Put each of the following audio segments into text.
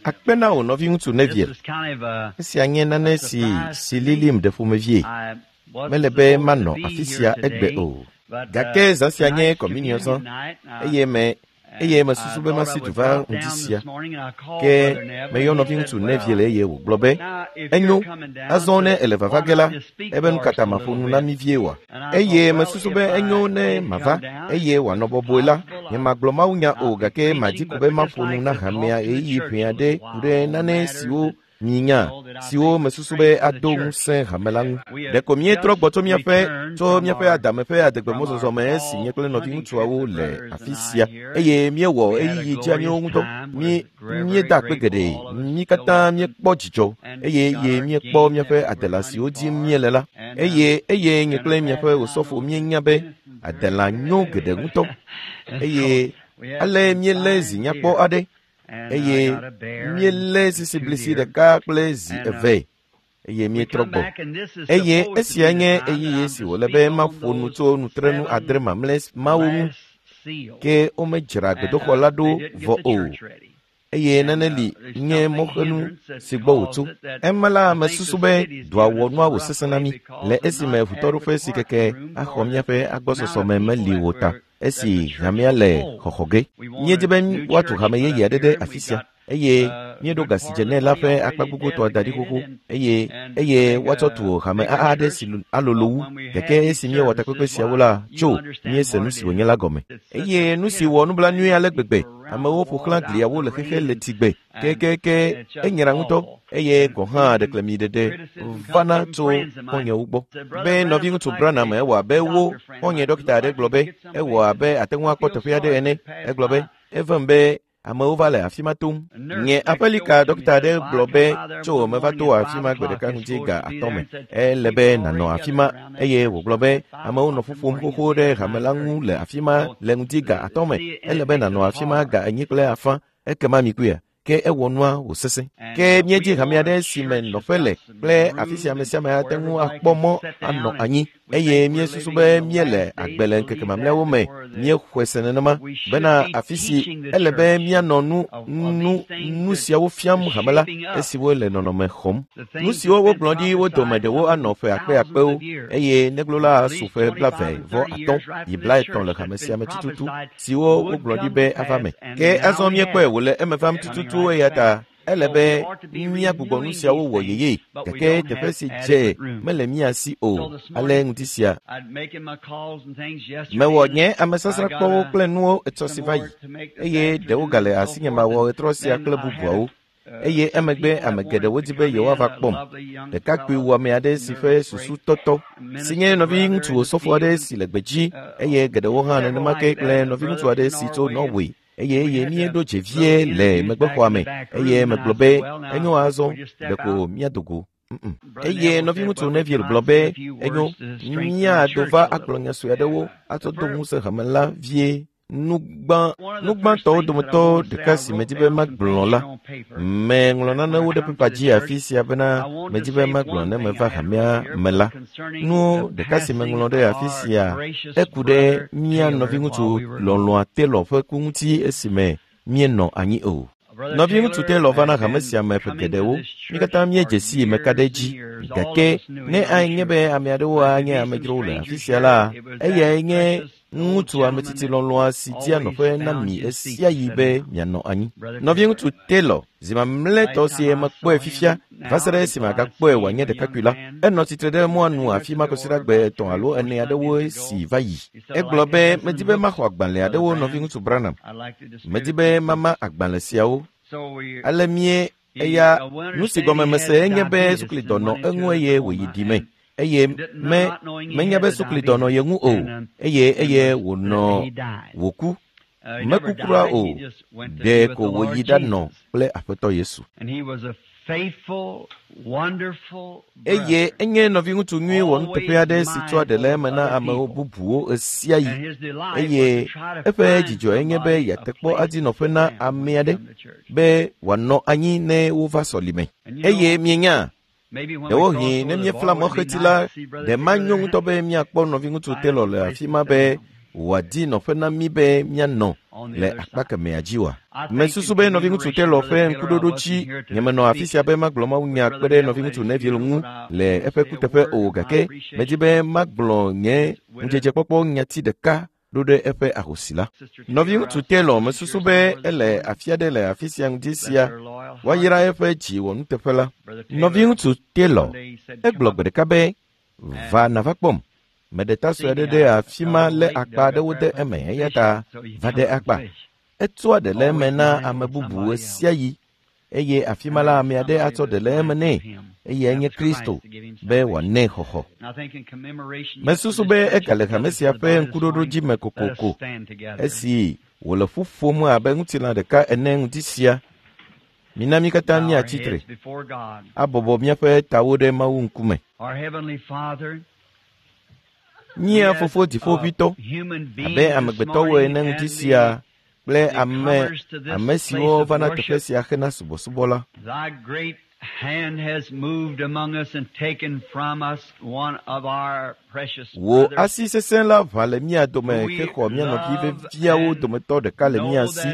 Akpe na wò nɔviŋutsu Neville. Esia nye nane si si lilim ɖe ƒomevie. Mele be manɔ afi sia egbe o. Gake zã sia nye kɔminiɔzã eye me eye mesusu be masi du va ŋdi sia. Ke meyɔ nɔviŋutsu Neville eye wògblɔ be, Enyo, azɔ ne èle vava ge la, ebe nu ka ta maƒo nu na mí vie oa? Eye mesusu be enyo ne mava eye wòanɔ bɔbɔe la, nyemagblɔ mawunya o gake madi ko be maƒo nu na hamea ɣeyiɣi ʋɛ aɖe ku ɖe nane siwo minya siwo mesusu be ado ŋusẽ hame la ŋu. Ɖeko míetrɔ gbɔ tso míaƒe tso míaƒe adame ƒe adegbemɔzɔzɔ me esi nye kple nɔviŋutsuawo le afi sia eye míewɔ ɣeyiɣi dzeaniwo ŋudɔ. Mí míeda akpe geɖe, mí katã míekpɔ dzidzɔ eye eye míekpɔ míaƒe adela siwo dim míele la. Eye eye nye kple miaƒe osɔfo míenya be adela nyo geɖe ŋutɔ eye ale míelé zi nyakpɔ aɖe eye míelé sisiblisi ɖeka kple zi eve eye míetrɔ gbɔ. Eye esia nye ɣeyiɣi si wòle be maƒo nu tso nutrenu adre mamlɛ mawo ŋu. Ke womedzra gbedoxɔ la ɖo vɔ o eye nane li nye mɔxenu si gbɔ wòtso. Ema la mesusu be dɔa wɔ nua wòsesẽ na mí le esime ʋutɔɖoƒe si keke axɔ míaƒe agbɔsɔsɔme meli o ta esi hamea le xɔxɔ ge. Míedi be woatu hame yeye aɖe ɖe afi sia eye míeɖo ga si dze nɛ la ƒe akpa gbogbotɔ da ɖi xoxo eye eye woatsɔ tu hame aɖe si alolo wu. Gake esi míewɔ takpekpe siawo la, tso míese nu si wònye la gɔme. Eye nu si wɔ nublanui ale gbegbe, amewo ƒo xlã gliawo le xexe le tsigbe kekeke enyra ŋutɔ eye gɔ̃ hã ɖeklemiɖeɖe vana tso xɔ̃nyewo gbɔ. Be nɔviŋutsu Branham ewɔ abe wo xɔ̃nye ɖɔkita aɖe gblɔ be ewɔ abe ate ŋu akpɔ teƒe aɖe ene. Egblɔ be evem be amewo va le afi ma tom. Nye aƒelika ɖɔkita aɖe gblɔ be tso meva to afi ma gbe ɖeka ŋdi ga atɔ̃ me. Ele be nànɔ afi ma eye wògblɔ be amewo nɔ ƒu ƒom xoxo ɖe hame la ŋu le afi ma le ŋdi ga atɔ̃ me. Ele be nànɔ afi ma ga enyi kple afã ekema mikuia ke ewɔ nua wòsesẽ. Ke míedzi hame aɖe si me nɔƒe le kple afi si ame sia ame ate ŋu akpɔ mɔ anɔ anyi eye míesusu be míele agbe le ŋkeke mamlɛawo me míexɔe se nenema bena afi si ele be míanɔ nu nu nu siawo fiam hame la esiwo le nɔnɔme xɔm. Nu siwo wogblɔ ɖi wo dome ɖewo anɔ ƒe akpeakpewo eye neglo la su ƒe blaeve vɔ atɔ̃ yi blaetɔ̃ le hame sia me tututu siwo wogblɔ ɖi be ava me. Ke azɔ míekpɔe wòle eme vam tututu eya ta ele be míagbugbɔ nu siawo wɔ yeye gake teƒe si dze mele mía si o ale ŋdi sia. Mewɔ nye amesasrakpɔwo kple nuwo etsɔ si va yi eye ɖewo gale asinye mawɔ ɣetrɔ sia kple bubuawo eye emegbe ame geɖewo di be yewoava kpɔm. Ɖekakpui wɔame aɖe si ƒe susu tɔtɔ si nye nɔviŋutsu osɔfo aɖe si le gbedzi eye geɖewo hã nenema ke kple nɔviŋutsu aɖe si tso Norway eye eye míeɖo dze vie le megbexɔa me eye megblɔ be enyo azɔ ɖeko míado go. Eye nɔviŋutsu Neville gblɔ be enyo míado va agblɔ nya sue aɖewo atsɔ do ŋusẽ hame la vie. Nu gbã nu gbãtɔwo dometɔ ɖeka si medi be magblɔ la, meŋlɔ nanewo ɖe pepa dzi afi sia bena medi be magblɔ ne meva hamea me la. Nu ɖeka si meŋlɔ ɖe afi sia eku ɖe mía nɔviŋutsu lɔlɔ̃a Taylor ƒe ku ŋuti esime míenɔ anyi o. Nɔviŋutsu Taylor va na hame sia me ƒe geɖewo. Mí katã míedze sii meka ɖe edzi. Gake ne anye be ame aɖewo anye amedzrowo le afi sia la, eyae nye ŋutsu ametsitsi lɔlɔ̃a si dia nɔƒe na mi ɣesiaɣi be mianɔ anyi. Nɔviŋutsu Taylor, zi mamlɛtɔ si mekpɔe fifia va se ɖe esime agakpɔe wòanye ɖekakpui la, enɔ tsitre ɖe mɔa nu afi ma kɔsiɖagbe etɔ̃ alo ene aɖewo si va yi. Egblɔ be medi be maxɔ agbalẽ aɖewo nɔviŋutsu Branham. Medi be mama agbalẽ siawo. Ale mie eya nu si gɔme mese enye be suklidɔ nɔ eŋu eye wòyi ɖi me eye me menya be suklidɔ nɔ ye ŋu o eye eye wònɔ wòku. Meku kura o, ɖe ko wòyi ɖanɔ kple Aƒetɔ Yesu. Eye enye nɔviŋutsu nyui wɔnuteƒe aɖe si tsɔa ɖe le eme na amewo bubuwo ɣesiaɣi eye eƒe dzidzɔe nye be yeate kpɔ adi nɔƒe na ame aɖe be wòanɔ anyi ne wova sɔlime. Eye mienya, ɖewohĩ ne míefla mɔxeti la, ɖe manyo ŋutɔ be míakpɔ nɔviŋutsu Taylor le afi ma be wòadi nɔƒe na mí be míanɔ le akpa kemɛa dzi oa? Mesusu be nɔviŋutsu Taylor ƒe ŋkuɖoɖo dzi nyemenɔ afi sia be magblɔ mawunya kpe ɖe nɔviŋutsu Neville ŋu le eƒe kuteƒe o gake medi be magblɔ nye ŋudzedzekpɔkpɔ nyati ɖeka ɖo ɖe eƒe ahosi la. Nɔviŋutsu Taylor mesusu be ele afi aɖe le afi sia ŋdi sia woayra eƒe dzi wɔnuteƒe la. Nɔviŋutsu Taylor egblɔ gbe ɖeka be va nava kpɔm. Meɖe ta sue aɖe ɖe afi ma lé akpa aɖewo de eme eya ta va ɖe akpa. Etsɔa ɖe le eme na ame bubu ɣe sia ɣi eye afi ma la ame aɖe atsɔ ɖe le eme nɛ eye enye Kristo be wòanɛ xɔxɔ. Mesusu be egale hame sia ƒe ŋkuɖoɖo dzi me kokoko esi wòle ƒu ƒom abe ŋutilã ɖeka ene ŋdi sia. Mina mí katã míatsi tre abɔbɔ míaƒe tawo ɖe Mawu ŋkume. Mía Fofo Dziƒoʋĩtɔ, abe amegbetɔwo ene ŋdi sia kple ame ame siwo vana teƒe sia hena subɔsubɔ la. Thy great hand has moved among us and taken from us one of our precious Wò brothers. asi sesẽ la ʋã le mía dome hexɔ mía nɔvi veviawo dometɔ ɖeka le mía si,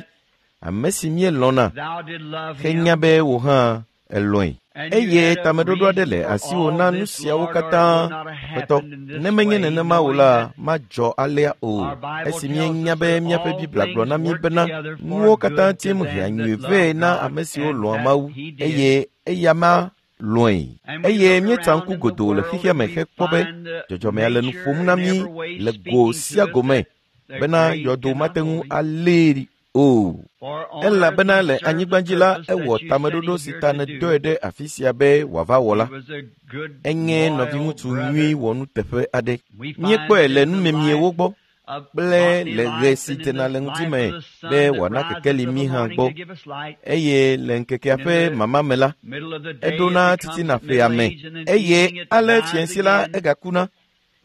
ame si míelɔ̃na Thou did love henya him. be wò hã elɔ̃e. And you Eye had a tameɖoɖo aɖe reason le for asiwò all na nu this, siawo Lord, or it katã, would not have Aƒetɔ. happened in this Ne menye way, nenema o knowing la, that madzɔ alea o. our Bible Esi tells míenya us be that míaƒe all Biblia gblɔ na things mí work bena together for nuwo katã good te to ŋu hea them nyui that vɛ love na God, ame siwo and lɔ̃a that Mawu He did. eye eya ma lɔ̃e. And we Eye look míetsa around ŋku in the godoo le world xexea and me we hekpɔ be find the dzɔdzɔmea le nu nature ƒom na in mí every way le go speaking sia to us go me that the bena grave yɔdo cannot mate ŋu hold him. alée o. For on earth Elabena he le served the anyigba dzi la purpose that ewɔ you sent tameɖoɖo him si here ta to nèdɔe do. ɖe afi sia be wòava wɔ He la. was a good, Enye loyal nɔviŋutsu brother. nyui wɔnuteƒe aɖe. We find Míekpɔe it le in the numemiewo life gbɔ of kple bodily le ɣe life si and in dzena the le ŋdi life me of the sun be that wòana rises kekeli of mí the hã morning gbɔ to give us light. eye le ŋkekea And in ƒe the mama me la, middle of the day it eɖona becomes titina ƒea middle me age, and in eye evening it ale dies fiẽsi la again, egakuna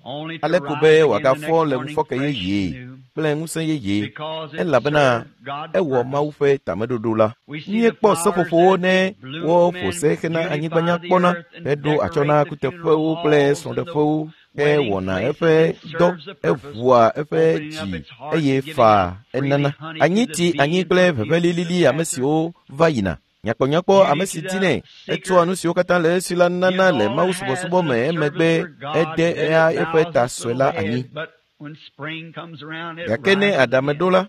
only to ale ko rise be again the wòagafɔ next le morning ŋufɔke fresh and yeye new, kple ŋusẽ yeye because it elabena served God's ewɔ purpose. Mawu ƒe tameɖoɖo la. We see the Míekpɔ flowers seƒoƒowo as ne they bloom woƒo and se hena beautify anyigba the nyakpɔna earth and heɖo atsyɔ̃ na decorate the funeral kuteƒewo kple halls and the srɔ̃ɖeƒewo wedding hewɔna places. eƒe It dɔ serves a purpose, eʋua eƒe opening up dzi its heart eye and giving faa out freely enana. honey to Anyi the ti anyi bees kple and the ʋeʋẽ beauty of the lilili ame passer. siwo va yina. Nyakpɔnyakpɔ Beauty ame to si the dinɛ etsɔa seeker nu siwo katã le esi la nana gives le all Mawu it has subɔsubɔ in me a emegbe service for God, ede then eya it eƒe bows ta its sue little la anyi. head, but when spring comes around, it Gake ne rises aɖame again ɖo la,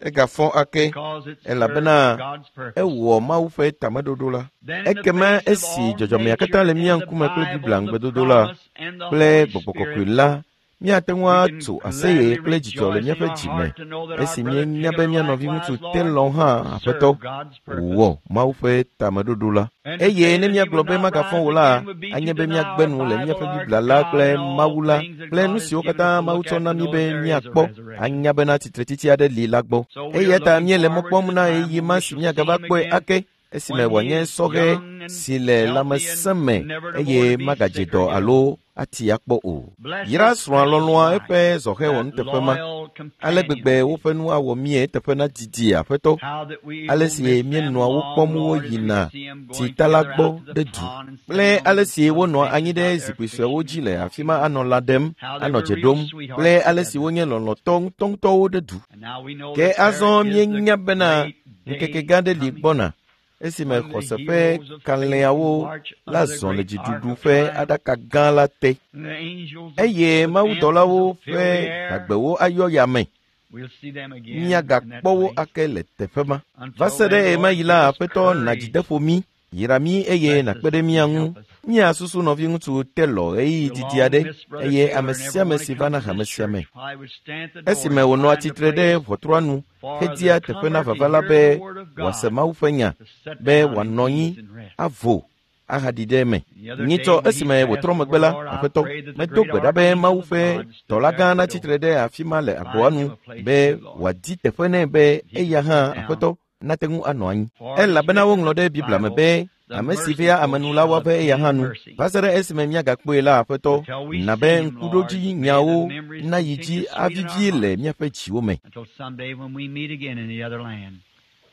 egafɔ ake because it served elabena God's purpose. ewɔ Mawu ƒe tameɖoɖo la. Then in the Ekema face of esi all dzɔdzɔmea katã nature le mía and the ŋkume kple Bible, Biblia the ŋugbedodo la promise, and the kple Holy Gbɔgbɔ Kɔkɔe Spirit, la, míate ŋu we can atso aseye gladly kple dzidzɔ le rejoice in míaƒe our dzi me heart to know that our esi brother míenya be Taylor mía nɔviŋutsu likewise, Lord, Taylor hã Aƒetɔ served God's purpose. wɔ Mawu ƒe tameɖoɖo la. And to Eye say ne that he míagblɔ would be not magafɔ rise o la, again would be to anye be deny míagbe our nu le Bible, míaƒe our Biblia la God, kple and all Mawu la things that kple God nu has siwo given katã us to Mawu look tsɔ at na to mí know be that there is a míakpɔ resurrection. anya bena tsitretsitsi aɖe li la gbɔ. So we Eya are ta looking míele mɔ forward to kpɔm the na time ɣeyiɣi when ma we si shall see míagava him kpɔe again ake esime when he wòanye is sɔhɛ young and si le healthy and lãmesẽ me never to eye more to be magadze sick dɔ or ill. alo ati akpɔ o. Bless Yra his srɔ̃a precious lɔlɔ̃a wife, eƒe zɔhɛ that wɔnuteƒe ma. loyal Ale companion gbegbe of his. woƒe nu awɔ mie eteƒe nadidi Aƒetɔ. How that we Ale will si miss them míenɔa wo long, kpɔm Lord, as we woyina see them going tsita la together gbɔ out to ɖe the du pond and kple sitting on ale the si little wonɔa anyi benches ɖe out there zikpui suewo fishing dzi and le afi talking, ma anɔ lã ɖem, how they anɔ were dze real ɖom kple sweethearts ale si together. wonye lɔlɔ̃tɔ ŋutɔŋutɔwo ɖe du. And now we know Ke that there azɔ is the míenya bena great ŋkeke day gã aɖe li coming gbɔna esime when the xɔse ƒe heroes of faith will kalẽawo march la under the zɔ le great ark dziɖuɖu of ƒe triumph. aɖaka gã la te And the angels eye with anthems mawudɔlawo will fill ƒe the air. hagbewo ayɔ yame. We'll see them again in that Míagakpɔ wo place. ake le teƒe ma. Va Until se ɖe then, Lord, ɣemaɣi give la, us Aƒetɔ na courage. dzideƒo mí, yra mí eye Bless nàkpe us ɖe mía and ŋu. help us. Míasusu nɔviŋutsu Taylor ɣeyiɣi We didi long aɖe miss Brother eye Taylor ame and sia ame everyone si that vana comes to hame this sia me. church. I would stand at the door Esime and wònɔa find a tsitre ɖe place ʋɔtrua nu for hedia the teƒe na comer to vava la hear be the word of wòase God, Mawu ƒe nya, to sit be down in wòanɔ anyi peace and rest. avo ahaɖi ɖe eme. The other day Nyitsɔ when he esime passed wòtrɔ over, megbe la, Lord, I Aƒetɔ, prayed that the medo great gbe ɖa be archangel Mawu of ƒe God stood dɔla there gã at the natsi door tre ɖe afi ma le to agboa find him nu a place be too, Lord. wòadi teƒe nɛ be He eya could hã sit down. Aƒetɔ nate ŋu anɔ anyi. For it is Elabena written in woŋlɔ the ɖe Biblia me Bible, be the ame si vea ame merciful nu la shall woave eya hã obtain nu. mercy. Va se ɖe esime míagakpɔe la Aƒetɔ, Until we na see be him, Lord, ŋkuɖodzi may the nyawo memories nayi continue dzi sweet in our avivie le hearts míaƒe dziwo me. until someday when we meet again in the other land.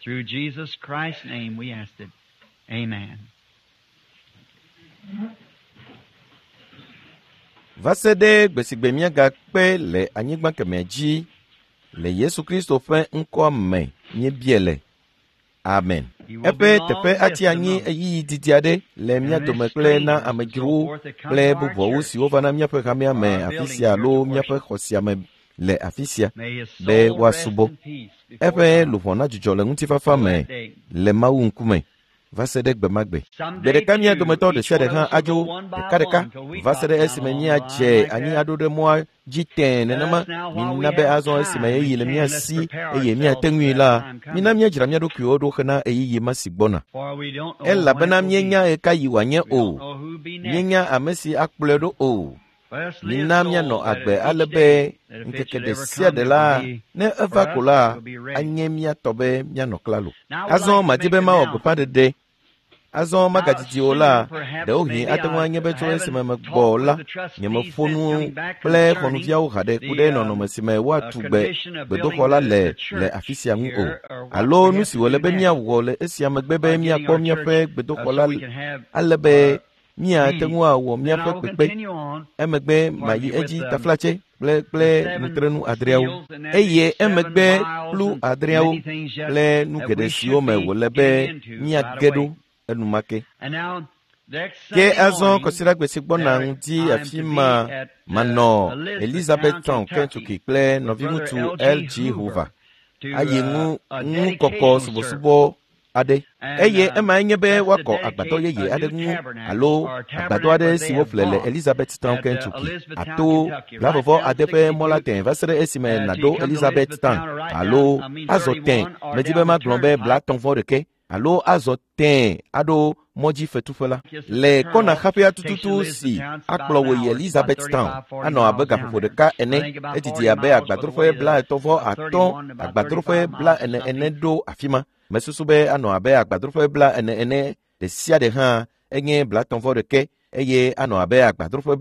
Through Jesus Christ's name we ask it. Amen. Va se ɖe gbe si gbe míagakpe le anyigba kemɛ dzi Le Yesu Kristo ƒe ŋkɔa me míebia le. Amen. Eƒe teƒe atsi anyi ɣeyiɣi didi aɖe le mía dome kple na amedzrowo kple bubuawo siwo vana míaƒe hamea me afi sia alo míaƒe xɔ sia me le afi sia be woasubɔ. Eƒe luʋɔ nadzudzɔ le ŋutifafa me le Mawu ŋkume va se ɖe gbe ma gbe. Gbe ɖeka mía dometɔ ɖe sia ɖe hã adzo ɖekaɖeka va se ɖe esime míadze anyi aɖo ɖe mɔa dzi tẽe nenema. Mina be azɔ esime ɣeyiɣi le mía si eye míate ŋui la, mina míadzra mía ɖokuiwo ɖo hena ɣeyiɣi ma si gbɔna. Elabena míenya ɣekaɣi wòanye o. Míenya ame si akplɔe ɖo o. Mina míanɔ agbe ale be ŋkeke ɖe sia ɖe la, ne eva ko la, anye mía tɔ be míanɔ klalo. Azɔ madi be mawɔ gbeƒãɖeɖe. Azɔ magadidi o la, ɖewohĩ ate ŋu anye be tso esime megbɔ la, nyemeƒo nu kple xɔnuviawo haɖe ku ɖe nɔnɔme si me woatu gbe gbedoxɔ la le le afi sia ŋu o. Alo nu si wòle be míawɔ le esia megbe be míakpɔ míaƒe gbedoxɔ la ale be míate ŋu awɔ míaƒe kpekpe. Emegbe mayi edzi taflatse kple kple nutrenu adreawo eye emegbe kplu adreawo kple nu geɖe siwo me wòle be míage ɖo enumake. Ke azɔ kɔsiɖagbe si gbɔna ŋdi afi ma manɔ Elizabethtown, Kentucky kple nɔviŋutsu L.G. Hoover ayi ŋu ŋukɔkɔ subɔsubɔ aɖe. Eye emae nye be woakɔ agbadɔ yeye aɖe ŋu alo agbadɔ aɖe si woƒle le Elizabethtown, Kentucky ato 29 ƒe mɔ la tẽ va se ɖe esime nàɖo Elizabethtown alo azɔ tẽ medi be magblɔ be 31 alo azɔ tẽ aɖo mɔdzifetuƒe la. Le kɔna xaƒea tututu si akplɔ wò yi Elizabethtown anɔ abe gaƒoƒo ɖeka ene, edidi abe agbadroƒe 35 agbadroƒe 40 ene ɖo afi ma. Mesusu be anɔ abe agbadroƒe 40 ene ɖe sia ɖe hã enye 31 eye anɔ abe agbadroƒe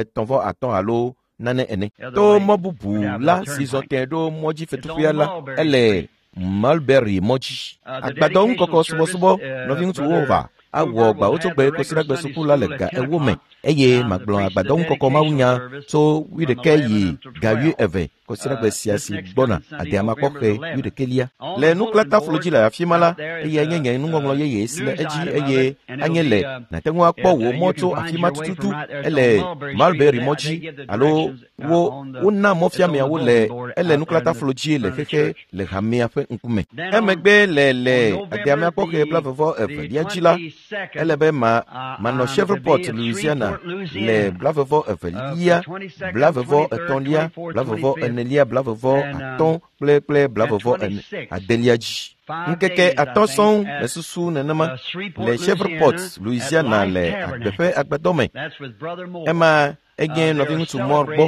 35 alo nane ene. To mɔ bubu la si zɔ tẽ ɖo mɔdzifetuƒea la, ele Mulberry mɔdzi. Agbadɔ ŋukɔkɔ subɔsubɔ nɔviŋutsuwo va awɔ gbawotsogbe kɔsiɖagbe suku la le ga 40 me eye magblɔ agbadɔ ŋukɔkɔ mawunya tso 11 yi ga 12 kɔsiɖagbe sia si gbɔna adeamakpɔxe 11. Le nuklataflo dzi le afi ma la, eyae nye nye nuŋɔŋlɔ yeye si le edzi eye anye le nàte ŋu akpɔ wò mɔ tso afi ma tututu ele Mulberry mɔ dzi alo wo wona mɔfiameawo le ele nuklataflo dzi le xexe le hamea ƒe ŋkume. Emegbe le le adeamakpɔxe 22 dzi la, ele be ma manɔ Shreveport, Louisiana le 22, 23, 24, 25 kple kple 26 dzi. Ŋkeke 5 sɔŋ mesusu nenema le Shreveport, Louisiana le agbe ƒe agbadɔ me. Ema enye nɔviŋutsu Moore gbɔ.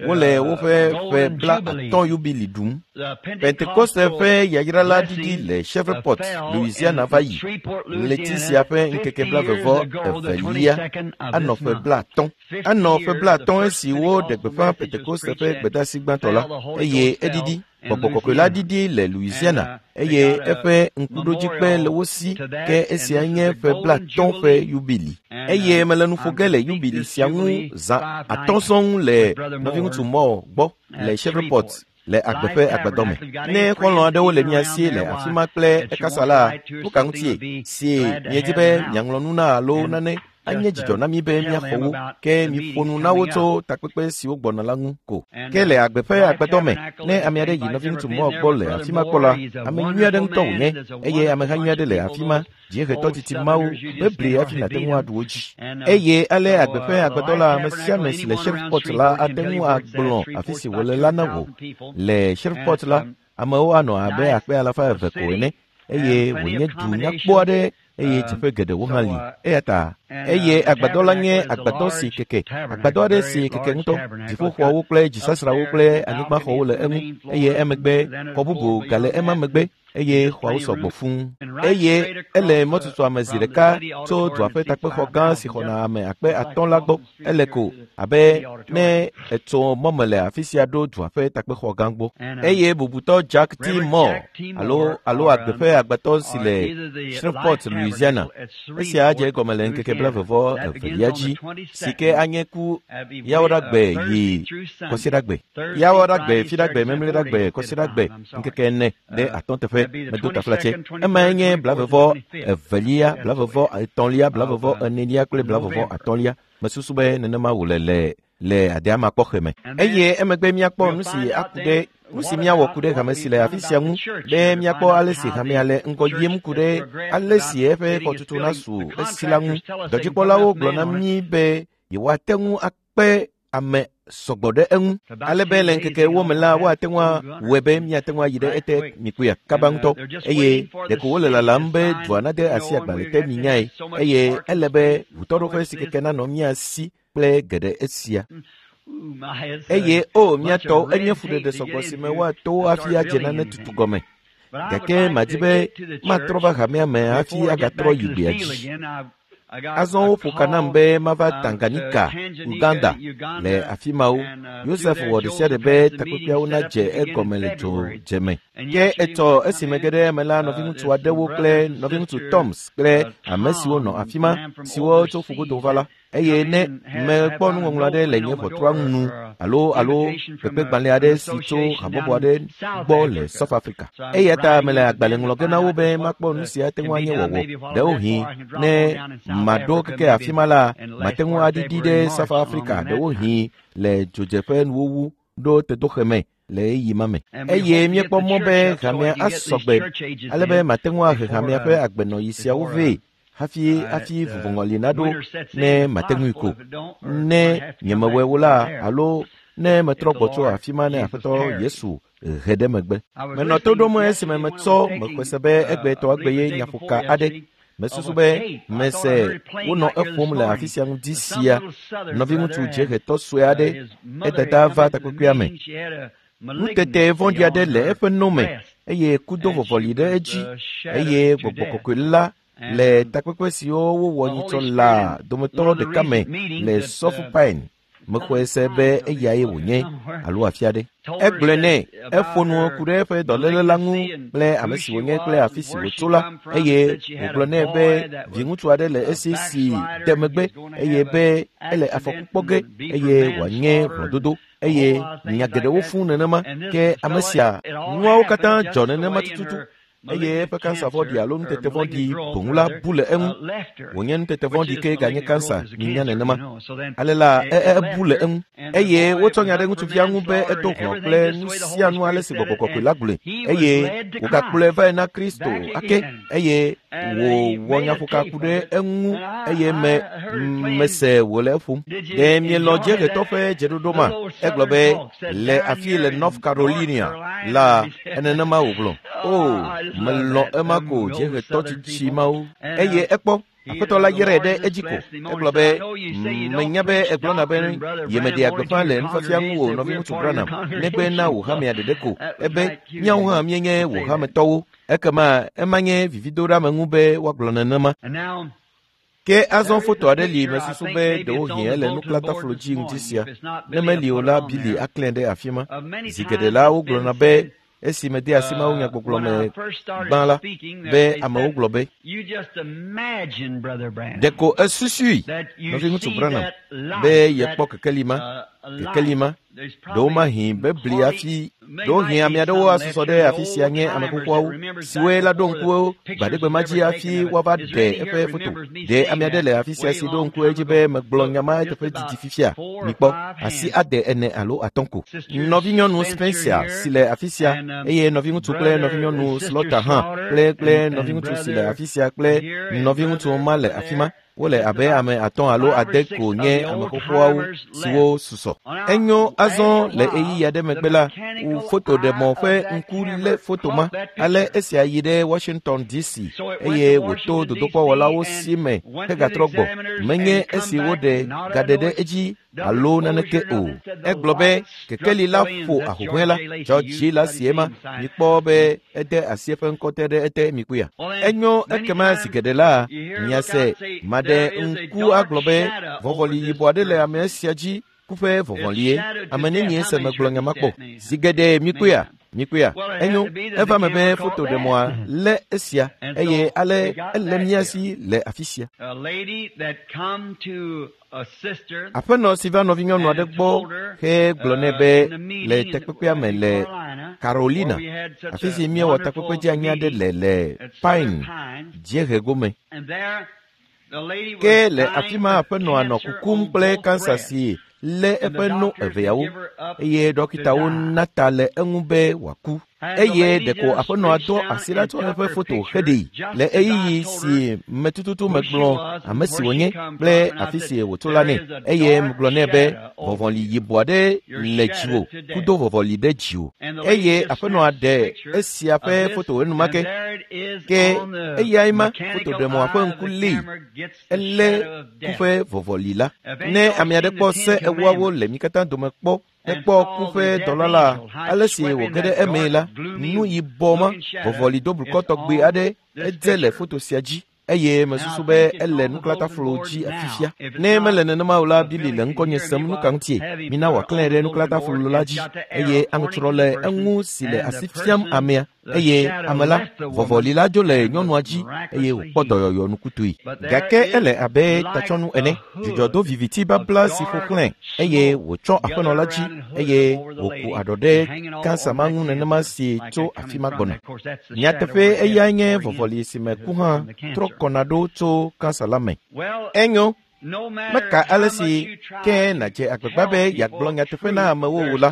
Wole woƒe ƒe 50 yubili ɖum. Pentekoste ƒe yayra la ɖiɖi le Shreveport, Louisiana va yi. Ɣleti sia ƒe ŋkeke 22 anɔ ƒe 50. Anɔ ƒe 50 esi woɖe gbeƒã Pentekoste ƒe gbedeasi gbãtɔ la eye eɖiɖi. Gbɔgbɔ kɔkɔe la ɖiɖi le Louisiana eye eƒe ŋkuɖodzikpe le wo si ke esia nye ƒe 50 ƒe yubili. Eye mele nu ƒo ge le yubili sia ŋu zã 5 sɔŋ le nɔviŋutsu Moore gbɔ le Shreveport le agbe ƒe agbadɔ me. Ne xɔlɔ̃ aɖewo le mia si le afi ma kple ekasa la, nu ka ŋutie si miedi be miaŋlɔ nu na alo nane anye dzidzɔ na mi be míaxɔ wo, ke miƒo nu na wo tso takpekpe siwo gbɔna la ŋu ko. Ke le agbe ƒe agbadɔ me, ne ame aɖe yi nɔviŋutsu Moore gbɔ le afi ma kpɔ la, ame nyui aɖe ŋutɔ wònye eye ameha nyui aɖe le afi ma. Dziehetɔ titi mawo bebli hafi nàte ŋu aɖu wo dzi. Eye ale agbe ƒe agbadɔ la, ame sia ame si le Shreveport la ate ŋu agblɔ afi si wòle la na wò. Le Shreveport la, amewo anɔ abe 200,000 ko ene eye wònye du nyakpɔ aɖe eye teƒe geɖewo hã li. Eya ta eye agbadɔ la nye agbadɔ si keke, agbadɔ aɖe si keke ŋutɔ. Dziƒoxɔawo kple dzisasrawo kple anyigbaxɔwo le eŋu eye emegbe xɔ bubu gale ema megbe eye xɔawo sɔgbɔ fũu. Eye ele mɔtutu ame zi ɖeka tso dua ƒe takpexɔ gã si xɔna ame 5,000 la gbɔ. Ele ko abe ne etso mɔme le afi sia ɖo dua ƒe takpexɔ gã gbɔ. Eye bubutɔ Jack T. Moore alo alo agbe ƒe agbadɔ si le Shreveport, Louisiana. Esia adze egɔme le ŋkeke 22 dzi si ke anye ku Yawoɖagbe yi Kɔsiɖagbe. Yawoɖagbe, Fiɖagbe, Memleɖagbe, Kɔsiɖagbe, ŋkeke 4 ɖe 5 teƒe medo taflatse. Emae nye 22, 23, 24 kple 25. Mesusu be nenema wòle le adeama kpɔxɛ me. Eye emegbe míakpɔ nu si aku ɖe nu si míawɔ ku ɖe hame si le afi sia ŋu, be míakpɔ ale si hamea le ŋgɔ yim ku ɖe ale si eƒe xɔtutu nasu esi la ŋu. Dɔdzikpɔlawo gblɔ na mí be yewoate ŋu akpe ame sɔgbɔ ɖe eŋu, ale be le ŋkeke 4 me la woate ŋu awɔe be míate ŋu ayi ɖe ete mikpɔea kaba ŋutɔ. Eye ɖeko wole lalam be dua nade asi agbalẽ te minyae, eye ele be ʋutɔɖoƒe si keke nanɔ mía si kple geɖe esia. Eye o míatɔwo, enye fuɖeɖe sɔgbɔ si me woato hafi adze nane tutu gɔme. Gake madi be matrɔ va hamea me hafi agatrɔ yi gbea dzi. Azɔ woƒo ka nam be mava Tanganyika, Uganda le afi mawo. Yosef wɔ ɖe sia ɖe be takpekpeawo nadze egɔme le dzodzeme. Ke etsɔ esime ge ɖe eme la, nɔviŋutsu aɖewo kple nɔviŋutsu Toms kple ame siwo nɔ afi ma, siwo tso ƒugodo va la, eye ne mekpɔ nuŋɔŋlɔ aɖe le nye ʋɔtrua nu alo kpekpegbalẽ aɖe si tso habɔbɔ aɖe gbɔ le South Africa. Eya ta mele agbalẽ ŋlɔ ge na wo be makpɔ nu si ate ŋu anye wɔwɔ. Ɖewohĩ ne maɖo keke afi ma la, mate ŋu aɖiɖi ɖe South Africa, ɖewohĩ le dzodzeƒe nuwuwu ɖo tedoxe me le ɣeyiɣi ma me. Eye míekpɔ mɔ be hamea asɔgbe ale be mate ŋu ahe hamea ƒe agbenɔɣi siawo vɛ hafi vuvɔŋɔli naɖo ne mate ŋui ko. Ne nyemewɔe o la, alo ne metrɔ gbɔ tso afi ma ne Aƒetɔ Yesu he ɖe megbe. Menɔ to ɖom esime metsɔ mexɔe se be egbetɔ egbe ye nyaƒoka aɖe. Mesusu be mese wonɔ eƒom le afi sia ŋdi sia. Nɔviŋutsu dziehetɔ sue aɖe, edada va takpekpea me. Nutete vɔ̃ɖi aɖe le eƒe no me eye kudo vɔvɔli ɖe edzi, eye gbɔgbɔ kɔkɔe la le takpekpe siwo wowɔ nyitsɔ la dometɔ ɖeka me le South Pine. Mexɔe se be eyae wònye alo afi aɖe. Egblɔe nɛ, eƒo nu ku ɖe eƒe dɔléle la ŋu kple ame si wònye kple afi si wòtso la, eye wògblɔ nɛ be viŋutsu aɖe le esi si de megbe, eye be ele afɔku kpɔ ge, eye wòanye hlɔ̃dodo, eye nya geɖewo fũ nenema. Ke ame sia, nuawo katã dzɔ nenema tututu. Eye eƒe kansa vɔ̃ɖi alo nutete vɔ̃ɖi boŋ la bu le eŋu. Wònye nutete vɔ̃ɖi ke ganye kansa, minya nenema. Ale la, ebu le eŋu. Eye wotsɔ nya ɖe ŋutsuvia ŋu be edo hlɔ̃ kple nu sia nu ale si gbɔgbɔ kɔkɔe la gblɔe. Eye wògakplɔe vae na Kristo ake, eye wòwɔ nyaƒoka ku ɖe eŋu, eye mese wòle eƒom. Ɖe mielɔ̃ dziehetɔ ƒe dzeɖoɖo ma? Egblɔ be le afi le North Carolina la, enenema wògblɔ. O, melɔ̃ ema ko dziehetɔ tsitsi mawo. Eye ekpɔ Aƒetɔ la yrae ɖe edzi ko. Egblɔ be, menya be egblɔna be yemeɖea gbeƒã le nufiafia ŋu o, nɔviŋutsu Branham, negbe na wò hamea ɖeɖe ko. Ebe, míawo hã míenye wò hametɔwo. Ekema ema nye vividoɖeameŋu be woagblɔ nenema. Ke azɔ foto aɖe li mesusu be ɖewohĩ ele nuklataflo dzi ŋdi sia. Ne meli o la, Billy aklẽe ɖe afi ma. Zi geɖe la, wogblɔna be esi mede asi mawunyagbɔgblɔ me gbã la, be amewo gblɔ be, ɖeko esusui, nɔviŋutsu Branham, be yekpɔ kekeli ma, ɖewomahi be bli hafi, ɖewohĩ ame aɖewo asusɔ ɖe afi sia nye ame xoxoawo, siwoe la ɖo ŋku gbaɖegbe ma dzi hafi woava ɖe eƒe foto. Ɖe ame aɖe le afi sia si ɖo ŋku edzi be megblɔ nya ma eteƒe didi fifia? Mikpɔ, asi 4, 5 alo 5 ko. Nɔvinyɔnu Spencer si le afi sia, eye nɔviŋutsu kple nɔvinyɔnu Slaughter hã, kple nɔviŋutsu si le afi sia kple nɔviŋutsu ma le afi ma. Wole abe ame 5 alo 6 ko nye ame xoxoawo siwo susɔ. Enyo azɔ le ɣeyiɣi aɖe megbe la, fotoɖemɔ ƒe ŋku lé foto ma. Ale esia yi ɖe Washington DC, eye wòto dodokpɔwɔlawo si me hegatrɔ gbɔ. Menye esi woɖe gaɖe ɖe edzi alo naneke o. Egblɔ be kekeli la ƒo ahuhɔ̃e la. George la si ema. Mikpɔ be ede asi eƒe ŋkɔ te ɖe ete mikpɔea. Enyo ekema zi geɖe la, miase maɖe ŋku agblɔ be vɔvɔli yibɔ aɖe le ame sia dzi kuƒe vɔvɔlie. Ame nenie se megblɔ nya ma kpɔ? Zi geɖe mikpɔea. Mikpɔea, enyo, eva me be fotoɖemɔa lé esia eye ale ele mía si le afi sia. Aƒenɔ si va nɔvinyɔnu aɖe gbɔ hegblɔ nɛ be le takpekpea me le Carolina, afi si míewɔ takpekpe dzeanyi aɖe le le Pine dziehe gome. Ke le afi ma aƒenɔa nɔ kukum kple kansa si lé eƒe no eveawo eye ɖɔkitawo na ta le eŋu be wòaku. Eye ɖeko aƒenɔa do asi ɖa tsɔ eƒe foto heɖee le ɣeyiɣi si me tututu megblɔ ame si wònye kple afi si wòtso la nɛ eye megblɔ nɛ be vɔvɔli yibɔ aɖe le dziwò kudo vɔvɔli ɖe dziwò. Eye aƒenɔa ɖe esia ƒe foto enumake ke eyae ma fotoɖemɔa ƒe ŋku lée elé ku ƒe vɔvɔli la. Ne ame aɖe kpɔ se ewoawo le mi katã dome kpɔ hekpɔ ku ƒe dɔla la, ale si wòge ɖe emee la, nu yibɔ ma, vɔvɔli doblukɔ tɔgbi aɖe edze le foto sia dzi eye mesusu be ele nuklataflo dzi afifia. Ne mele nenema o la, Billy le ŋkɔnye sem nu ka ŋutie? Mina wòaklãe ɖe nuklataflo la dzi eye aŋutrɔ le eŋu si le asi fiam amea eye ame la, vɔvɔli la dzo le nyɔnua dzi eye wòkpɔ dɔyɔyɔ nukutɔe. Gake ele abe tatsɔnu ene, dzudzɔ do viviti babla si ƒo xlãe eye wòtsɔ aƒenɔ la dzi eye wòku aɖɔ ɖe kansa ma ŋu nenema si tso afi ma gbɔna. Nyateƒe eyae nye vɔvɔli si me ku hã trɔ kɔna ɖo tso kansa la me. Enyo, meka ale si ke nàdze agbagba be yeagblɔ nyateƒe na amewo o la,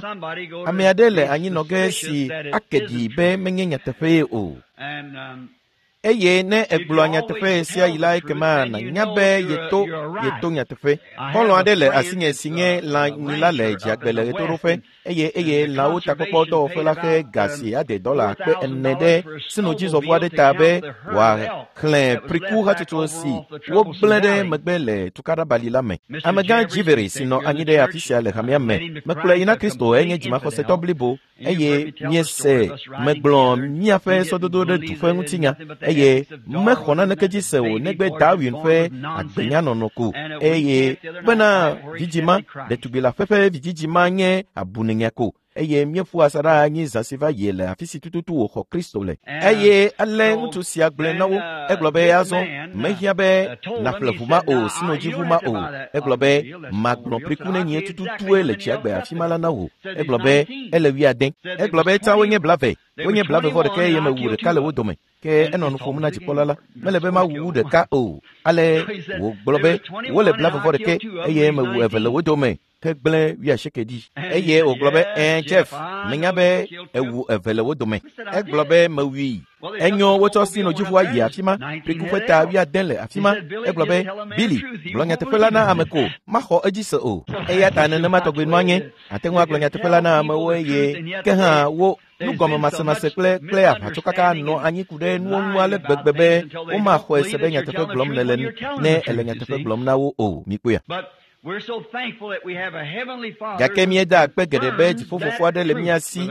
ame aɖe le anyinɔ ge si ake ɖi be menye nyateƒee o. Eye ne egblɔa nyateƒe sia yi la ekema nànya be yeto yeto nyateƒe. Xɔlɔ̃ aɖe le asinye si nye lãnyila le dziagbe le ɣetoɖoƒe eye eye lãwo takpɔkpɔ dɔwɔƒe la xe ga si ade dɔla akpe ene ɖe sinodzizɔʋu aɖe ta be wòaxlẽ priku hatsotso si wogblẽ ɖe megbe le tukaɖabali la me. Amegã Jiveri si nɔ anyi ɖe afi sia le hamea me mekplɔe yi na Kristo enye dzimaxɔsetɔ blibo eye míese megblɔ míaƒe sɔdodo ɖe du ƒe ŋutinya eye mexɔ naneke dzi se o negbe Darwin ƒe agbenyanɔnɔ ko eye bena vidzĩ ma ɖetugbi le aƒe ƒe vidzidzi ma nye abunenya ko eye míeƒu asaɖa anyi zã si va yi le afi si tututu wòxɔ Kristo le. Eye ale ŋutsu sia gblɔe na wo, egblɔ be azɔ mehiã be nàƒle ʋu ma o, sinodziʋu ma o. Egblɔ be magblɔ priku nenye tututue le dziagbe afi ma la na wò. Egblɔ be ele wuiade. Egblɔ be tsã wonye blave, wonye blave vɔ ɖeka eye mewu ɖeka le wo dome. Ke enɔ nu ƒom na dzikpɔla la, mele be mawu wu ɖeka o. Ale wògblɔ be wole blave vɔ ɖeke eye mewu eve le wo dome. Hegblẽ wuiasieke ɖi. Eye wògblɔ be, ɛ̃, Jeff, menya be ewu eve le wo dome. Egblɔ be mewui. Enyo wotsɔ sinodziʋua yi afi ma, priku ƒe ta wuiade le afi ma. Egblɔ be, Billy, gblɔ nyateƒe la na ame ko, maxɔ edzi se o. Eya ta nenema tɔgbi nua nye. Ate ŋu agblɔ nyateƒe la na amewo eye ke hã wo nugɔmemasemase kple kple aʋatsokaka nɔ anyi ku ɖe nuwo ŋu ale gbegbe be womaxɔe se be nyateƒe gblɔm nèle ne èle nyateƒe gblɔm na wo o. Mikpɔea? Gake míeda akpe geɖe be dziƒofofo aɖe le mía si,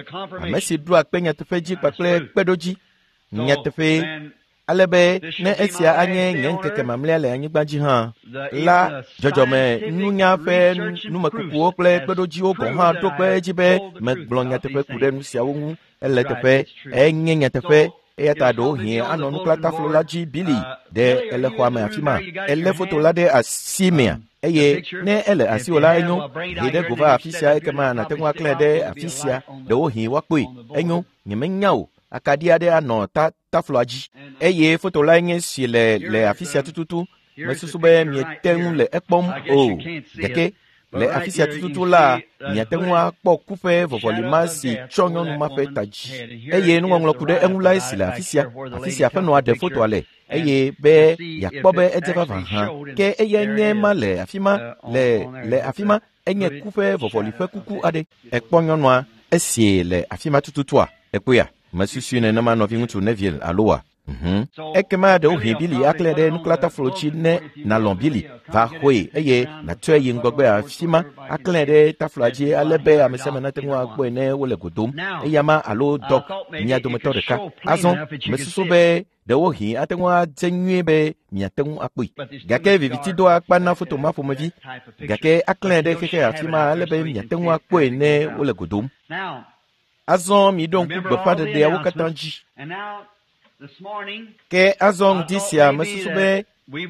ame si ɖoa kpe nyateƒe dzi kpakple kpeɖodzi. Nyateƒee, ale be ne esia anye nye ŋkeke mamlɛa le anyigba dzi hã la, dzɔdzɔme nunya ƒe numekukuwo kple kpeɖodziwo gɔ̃ hã ɖo kpe edzi be megblɔ nyateƒe ku ɖe nu siawo ŋu. Ele teƒe, enye nyateƒe. Eya ta ɖewohĩ anɔ nuklataflo la dzi Billy ɖe ele xɔa me afi ma. Elé foto la ɖe asi mea eye ne ele asiwò la enyo hee ɖe go va afi sia ekema nàte ŋu aklãe ɖe afi sia ɖewohĩ woakpɔe. Enyo, nyemenya o. Akaɖi aɖe anɔ ta tafloa dzi eye foto lae nye si le le afi sia tututu. Mesusu be miete ŋu le ekpɔm o. Gake le afi sia tututu la, miate ŋu akpɔ ku ƒe vɔvɔli ma si tsɔ nyɔnu ma ƒe ta dzi. Eye nuŋɔŋlɔ ku ɖe eŋu lae si le afi sia, afi sia aƒenɔa ɖe fotoa le eye be yeakpɔ be edze vavã hã. Ke eyae nye ma le afi ma, le le afi ma, enye ku ƒe vɔvɔli ƒe kuku aɖe. Èkpɔ nyɔnua esie le afi ma tututua? Èkpɔea? Mesusui nenema nɔviŋutsu Neville alo wa? Ekema ɖewohĩ Billy aklẽ ɖe nuklataflo dzi ne nàlɔ̃ Billy va xɔe eye nàtsɔe yi ŋgɔgbe afi ma aklẽ ɖe tafloa dzi ale be ame sia ame nate ŋu akpɔe ne wole go dom. Eyama alo Doc, mia dometɔ ɖeka. Azɔ, mesusu be ɖewohĩ ate ŋu adze nyuie be miate ŋu akpɔe. Gake viviti doa akpa na foto ma ƒomevi. Gake aklẽ ɖe xexe afi ma ale be miate ŋu akpɔe ne wole go dom. Azɔ miɖo ŋku gbeƒãɖeɖeawo katã dzi. Ke azɔ ŋdi sia mesusu be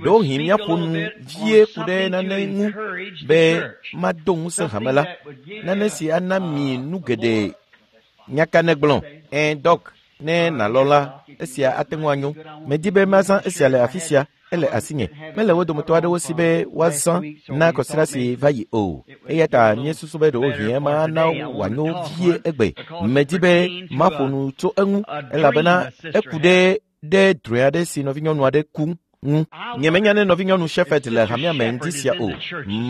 ɖewohĩ míaƒo nu vie ku ɖe nane ŋu be mado ŋusẽ hame la, nane si ana mi nu geɖe. Nya ka nègblɔ? Ɛ̃, Dɔk, ne nàlɔ̃ la, esia ate ŋu anyo. Medi be mazã esia le afi sia, ele asinye. Mele wo dometɔ aɖewo si be woazã na kɔsiɖa si va yi o. Eya ta míesusu be ɖewohĩ ema ana wòanyo vie egbe. Medi be maƒo nu tso eŋu elabena eku ɖe ɖe drɔ̃e aɖe si nɔvinyɔnu aɖe ku ŋu. Nyemenya ne nɔvinyɔnu Shepherd le hamea me ŋdi sia o.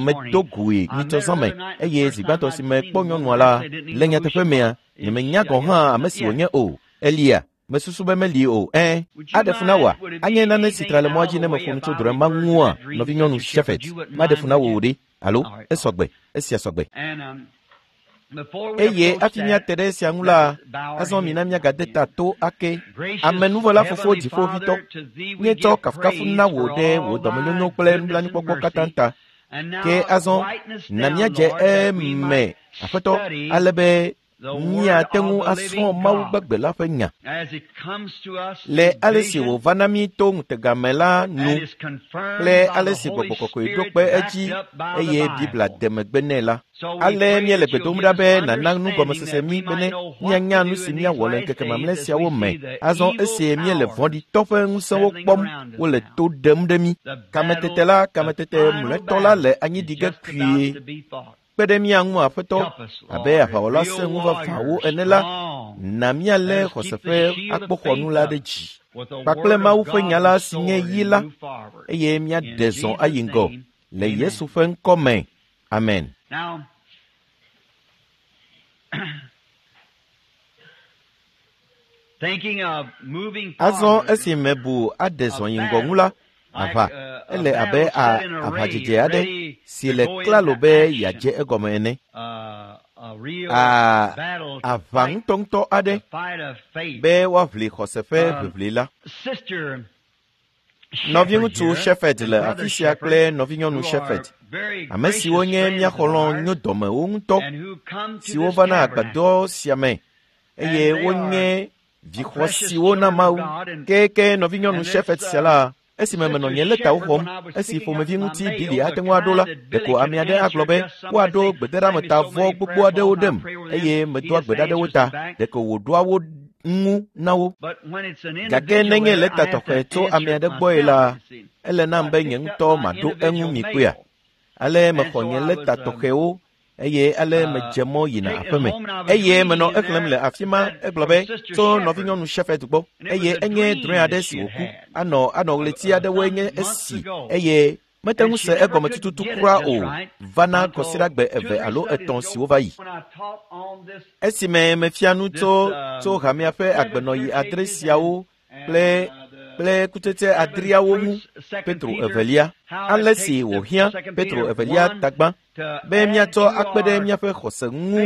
Medo goe nyitsɔ zã me eye zi gbãtɔ si mekpɔ nyɔnua la, le nyateƒe mea, nyemenya gɔ̃ hã ame si wònye o. Elia, mesusu be meli o. Ẽ, aɖe fu na wòa? Anye nane si tra le mɔa dzi ne meƒo nu tso drɔ̃e ma ŋua, nɔvinyɔnu Shepherd. Maɖe fu na wò o ɖe, alo? Esɔgbe. Esia sɔgbe. Eye hafi míate ɖe esia ŋu la, azɔ mina míagade ta to ake. Amenuvɔla Fofo Dziƒoʋĩtɔ, míetsɔ kafukafu na wò ɖe wò dɔmenyonyo kple nublanuikpɔkpɔ katã ta. Ke azɔ, na míadze eme, Aƒetɔ, ale be míate ŋu asrɔ̃ Mawu gbagbe la ƒe nya. Le ale si wòva na mí to ŋutega me la nu kple ale si Gbɔgbɔ Kɔkɔe ɖo kpe edzi eye Biblia de megbe nɛ la. Ale míele gbe dom ɖa be nàna nugɔmesese mí bene míanya nu si míawɔ le ŋkeke mamlɛ siawo me. Azɔ esi míele vɔ̃ɖitɔ ƒe ŋusẽwo kpɔm wole to ɖem ɖe mí. Kametete la, kametete mlɔetɔ la le anyi ɖi ge kpuie. Kpe ɖe mía ŋu, Aƒetɔ, abe aʋawɔla sẽŋu vavãwo ene la, na míalé xɔse ƒe akpoxɔnu la ɖe dzi kpakple Mawu ƒe nya la si nye yi la, eye míaɖe zɔ ayi ŋgɔ le Yesu ƒe ŋkɔ me. Amen. Azɔ esi mebu aɖe zɔ yi ŋgɔ ŋu la, aʋa, ele abe aʋadzedze aɖe si le klalo be yeadze egɔme ene. Aʋa ŋutɔŋutɔ aɖe be woaʋli xɔse ƒe ʋiʋli la. Nɔviŋutsu Shepherd le afi sia kple nɔvinyɔnu Shepherd, ame siwo nye mía xɔlɔ̃ nyodɔmewo ŋutɔ, siwo vana agbadɔ sia me eye wonye vixɔ siwo na Mawu. Ke nɔvinyɔnu Shepherd sia la, esime menɔ nye lɛtawo xɔm, esi ƒomevi ŋuti Bili ate ŋu aɖo la, ɖeko ame aɖe agblɔ be woaɖo gbedeɖeameta vɔ gbogbo aɖewo ɖem eye medoa gbe ɖa ɖe wo ta, ɖeko wòɖoa wo ŋu na wo. Gake nenye lɛta tɔxɛ tso ame aɖe gbɔe la, ele nam be nye ŋutɔ maɖo eŋu mi kpɔea. Ale mexɔ nye lɛta tɔxɛwo eye ale medze mɔ yina aƒeme. Eye menɔ exlẽm le afi ma, egblɔ be tso nɔvinyɔnu Shepherd gbɔ eye enye drɔ̃e aɖe si wòku. Anɔ anɔ ɣleti aɖewoe nye esi eye mete ŋu se egɔme tututu kura o vana kɔsiɖagbe eve alo etɔ̃ siwo va yi. Esime mefia nu tso tso hamea ƒe agbenɔɣi adre siawo kple kple kutsetse adreawo ŋu, Petro evelia, ale si wòhiã Petro evelia tagbã be míatsɔ akpe ɖe míaƒe xɔse ŋu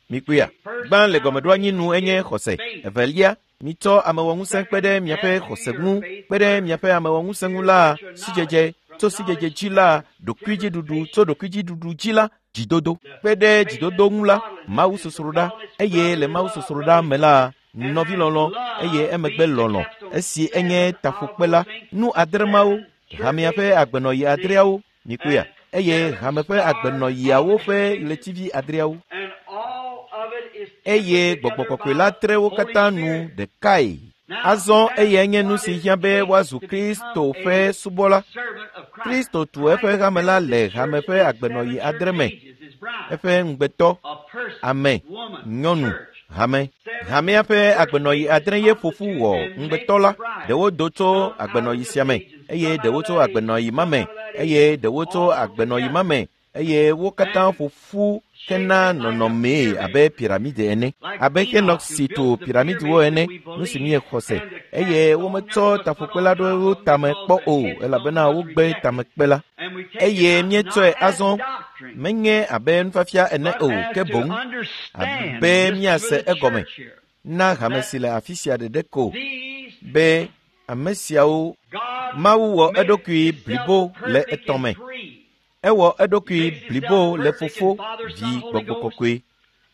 mikpɔea. Gbã le gɔmeɖoanyi nu enye xɔse. Evelia, mitsɔ amewɔŋusẽ kpe ɖe miaƒe xɔse ŋu, kpe ɖe miaƒe amewɔŋusẽ ŋu la, sidzedze, tso sidzedze dzi la, ɖokuidziɖuɖu, tso ɖokuidziɖuɖu dzi la, dzidodo. Kpe ɖe dzidodo ŋu la, mawusosroɖa, eye le mawusosroɖa me la, nɔvilɔlɔ̃, eye emegbe lɔlɔ̃, esi enye taƒokpe la, nu adre mawo, hamea ƒe agbenɔɣi adreawo, mikpɔea, eye hame ƒe agbenɔɣiawo ƒe ɣletivi adreawo. Eye Gbɔgbɔ Kɔkɔe la tre wo katã nu ɖekae. Azɔ eyae nye nu si hiã be woazu Kristo ƒe subɔla. Kristo tu eƒe hame la le hame ƒe agbenɔɣi adre me. Eƒe ŋugbetɔ, ame, nyɔnu, hame. Hamea ƒe agbenɔɣi adre ye ƒo ƒu wɔ ŋugbetɔ la. Ɖewo do tso agbenɔɣi sia me, eye ɖewo tso agbenɔɣi ma me, eye ɖewo tso agbenɔɣi ma me, eye wo katã ƒo ƒu hena nɔnɔmee abe piramide ene, abe Henok si tu piramidiwo ene, nu si míexɔ se, eye wometsɔ taƒokpe la ɖo wo tame kpɔ o, elabena wogbe tamekpe la. Eye míetsɔe azɔ, menye abe nufiafia ene o, ke boŋ abe míase egɔme na hame si le afi sia ɖeɖe ko be ame siawo Mawu wɔ eɖokui blibo le etɔ̃ me. Ewɔ eɖokui blibo le Fofo, Vi, Gbɔgbɔ Kɔkɔe.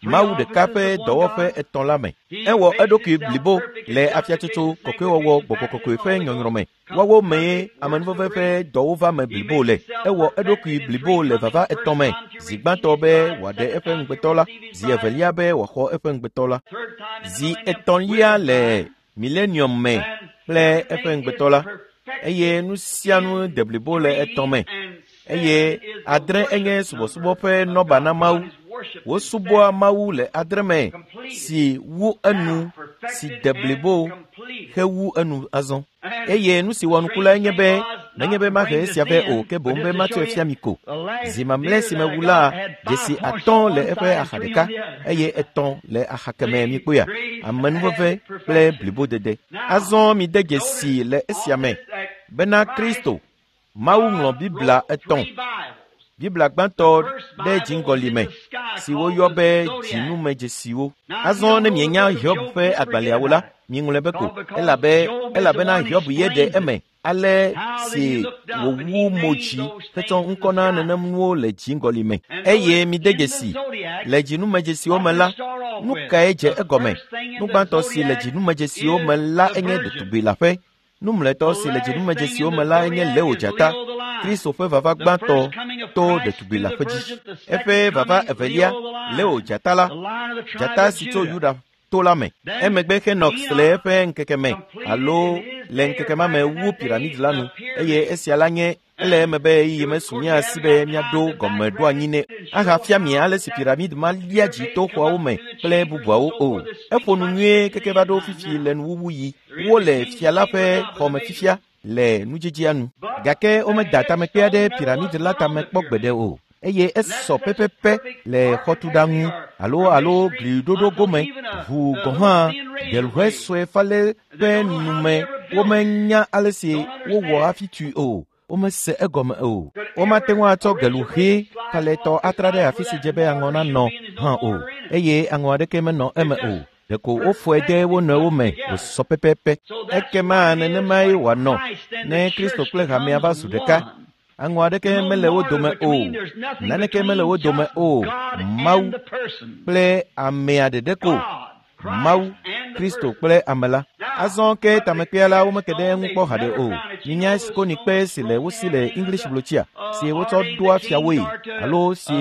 Mawu ɖeka ƒe dɔwɔƒe etɔ̃ la me. Ewɔ eɖokui blibo le afiatsotso, kɔkɔewɔwɔ, gbɔgbɔ kɔkɔe ƒe nyɔnyrɔ me. Woawo mee amenuveve ƒe dɔwo va me blibo le. Ewɔ eɖokui blibo le vava etɔ̃ me. Zi gbãtɔ be wòaɖe eƒe ŋugbetɔ la, zi evelia be wòaxɔ eƒe ŋugbetɔ la, zi etɔ̃lia le milenium me kple eƒe ŋugbetɔ la eye nu sia nu de blibo le etɔ̃ me eye adre enye subɔsubɔ ƒe nɔba na Mawu. Wosubɔa Mawu le adre me si wu enu si de blibo hewu enu azɔ. Eye nu si wɔ nuku lae nye be menye be mahe esia vɛ o ke boŋ be matsɔe fia mi ko. Zi mamlɛ si mewu la, dzesi atɔ̃ le eƒe axa ɖeka eye etɔ̃ le axa kemɛ mikpɔea, amenuveve kple blibodede. Azɔ mide dzesi le esia me bena Kristo, Mawu ŋlɔ Biblia etɔ̃. Biblia gbãtɔ ɖe dziŋgɔli me si woyɔ be dzinumedzesiwo. Azɔ ne mienya Hiob ƒe agbalẽawo la, miŋlɔe be ko elabe elabena Hiob ye ɖe eme ale si wòwu mo dzi hetsɔ ŋkɔ na nenem nuwo le dziŋgɔli me. Eye mide dzesi le dzinumedzesiwo me la, nu kae dze egɔme? Nu gbãtɔ si le dzinumedzesiwo me la enye ɖetugbi leaƒe. Nu mlɔetɔ si le dzinumedzesiwo me la enye Leo dzata, Kristo ƒe vava gbãtɔ to ɖetugbi leaƒe dzi. Eƒe vava evelia, Leo dzata la, dzata si tso Yuda to la me. Emegbe Henox le eƒe ŋkeke me alo le ŋkeke ma me wu piramidi la nu eye esia la nye ele eme be ɣeyiɣi mesu mía si be míaɖo gɔmeɖoanyi nɛ ahafia mi ale si piramidi ma lia dzi to xɔawo me kple bubuawo o. Eƒo nu nyuie keke va ɖo fifi le nuwuwu yi. Wole fia la ƒe xɔme fifia le nudzidzia nu. Gake womeda tamekpe aɖe piramidi la tame kpɔ gbeɖe o eye esɔ pɛpɛpɛ le xɔtuɖaŋu alo alo gliɖoɖo gome ʋu gɔ̃ hã gelʋe sue falɛ ƒe nume womenya ale si wowɔ hafi tui o. Womese egɔme o. Womate ŋu atsɔ geluʋe falɛtɔ atra ɖe afi si dze be aŋɔ nanɔ hã o eye aŋɔ aɖeke menɔ eme o. Ɖeko wofɔe de wo nɔewo me wòsɔ pɛpɛpɛ. Ekema nenemae wòanɔ ne Kristo kple hamea va zu ɖeka. Aŋɔ aɖeke mele wo dome o. Naneke mele wo dome o. Mawu kple amea ɖeɖe ko. Mawu, Kristo kple ame la. Azɔ ke tamekpea la womeke ɖe eŋu kpɔ haɖe o. Minya sikonikpe si le wo si le English blotsia si wotsɔ ɖoa fiawoe alo si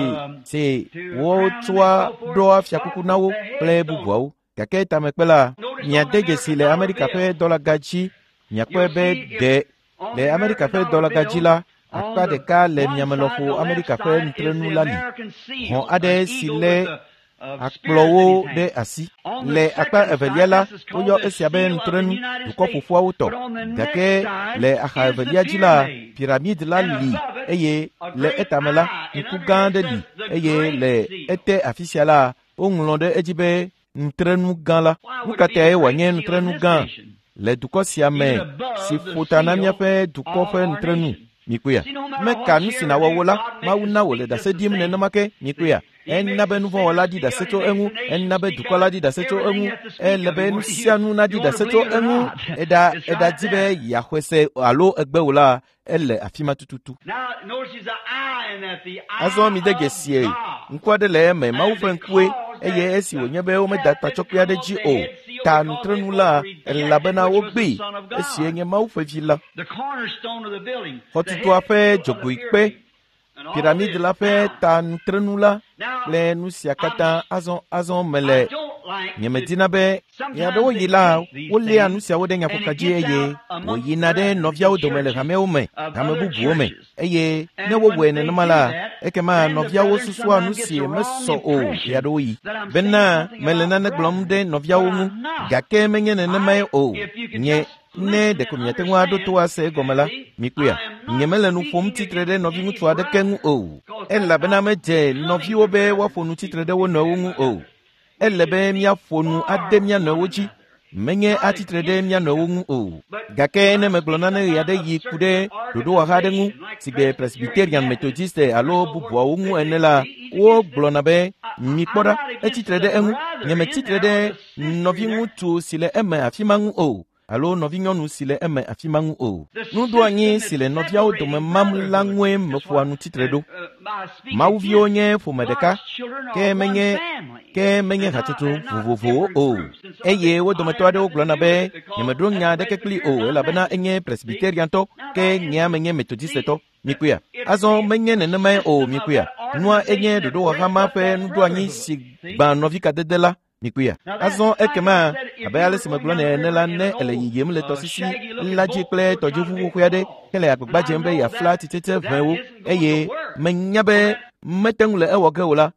si wotsɔa ɖoa fiakuku na wo kple bubuawo. Gake tamekpe la, miade dzesi le Amerika ƒe dɔlaga dzi. Miakpɔe be ɖe le Amerika ƒe dɔlaga dzi la, akpa ɖeka le miame lɔƒo Amerika ƒe nutrenu la li. Hɔn aɖe si lé akplɔwo ɖe asi. Le akpa evelia la, woyɔ esia be nutrenu dukɔ ƒoƒuawo tɔ. Gake le axa evelia dzi la, piramidi la li eye le etame la, ŋku gã aɖe li eye le ete afi sia la, woŋlɔ ɖe edzi be nutrenu gã la. Nu ka tae wòanye nutrenu gã le dukɔ sia me si ƒo ta na míaƒe dukɔ ƒe nutrenu? Mikpɔea? Meka nu si nawɔ wo la, Mawu na wòle ɖase ɖim nenema ke. Mikpɔea? Ena be nuvɔ̃wɔla ɖi ɖase tso eŋu, ena be dukɔ la ɖi ɖase tso eŋu, ele be nu sia nu naɖi ɖase tso eŋu. Eɖa eɖadi be yeaxɔe se alo egbe o la, ele afi ma tututu. Azɔ mide dzesie, ŋku aɖe le eme, Mawu ƒe ŋkue, eye esi wònye be womeda tatsɔkpe aɖe dzi o, ta nutrenu la, elabena wogbee, esie nye Mawu ƒe vi la. Xɔtutua ƒe dzogoekpe, piramidi la ƒe ta nutrenu la kple nu sia katã azɔ azɔ mele nyemedina be ɣeaɖewoɣi la woléa nu siawo ɖe nyaƒoka dzi eye wòyina ɖe nɔviawo dome le hamewo me, hame bubuwo me eye ne wowɔe nenema la, ekema nɔviawo susua nu si mesɔ o ɣeaɖewoɣi bena mele nane gblɔm ɖe nɔviawo ŋu gake menye nenemae o. Nye ne ɖeko miate ŋu aɖo to ase egɔme la, mikpɔea, nyemele nu ƒom tsitre ɖe nɔviŋutsu aɖeke ŋu o elabena medze nɔviwo be woaƒo nu tsitre ɖe wo nɔewo ŋu o. Ele be míaƒo nu ade mía nɔewo dzi, menye atsitre ɖe mía nɔewo ŋu o. Gake ne megblɔ nane ɣeaɖeɣi ku ɖe ɖoɖowɔha aɖe ŋu si gbe Presbyterian, Methodiste alo bubuawo ŋu ene la, wogblɔna be mikpɔ ɖa, etsitre ɖe eŋu. Nyemetsitre ɖe nɔviŋutsu si le eme afi ma ŋu o. alo nɔvinyɔnu si le eme afi ma ŋu o. Nuɖoanyi si le nɔviawo dome mam la ŋue meƒoa nu tsitre ɖo. Mawuviwo nye ƒome ɖeka, ke menye hatsotso vovovowo o. Eye wo dometɔ aɖewo gblɔna be nyemeɖo nya aɖeke kpli o elabena enye Presbyteriantɔ ke nyea menye Methodistetɔ. Mikpɔea? Azɔ menye nenemae o mikpɔea? Nua enye ɖoɖowɔha ma ƒe nuɖoanyi si gbã nɔvikadede la. Mikpɔea? Azɔ ekema abe ale si megblɔ nɛ ene la, ne ele yiyim le tɔsisi la dzi kple tɔdziʋu xoxoe aɖe hele agbagba dzem be yeafla tsitsetse ʋewo eye menya be mete ŋu le ewɔ ge o la,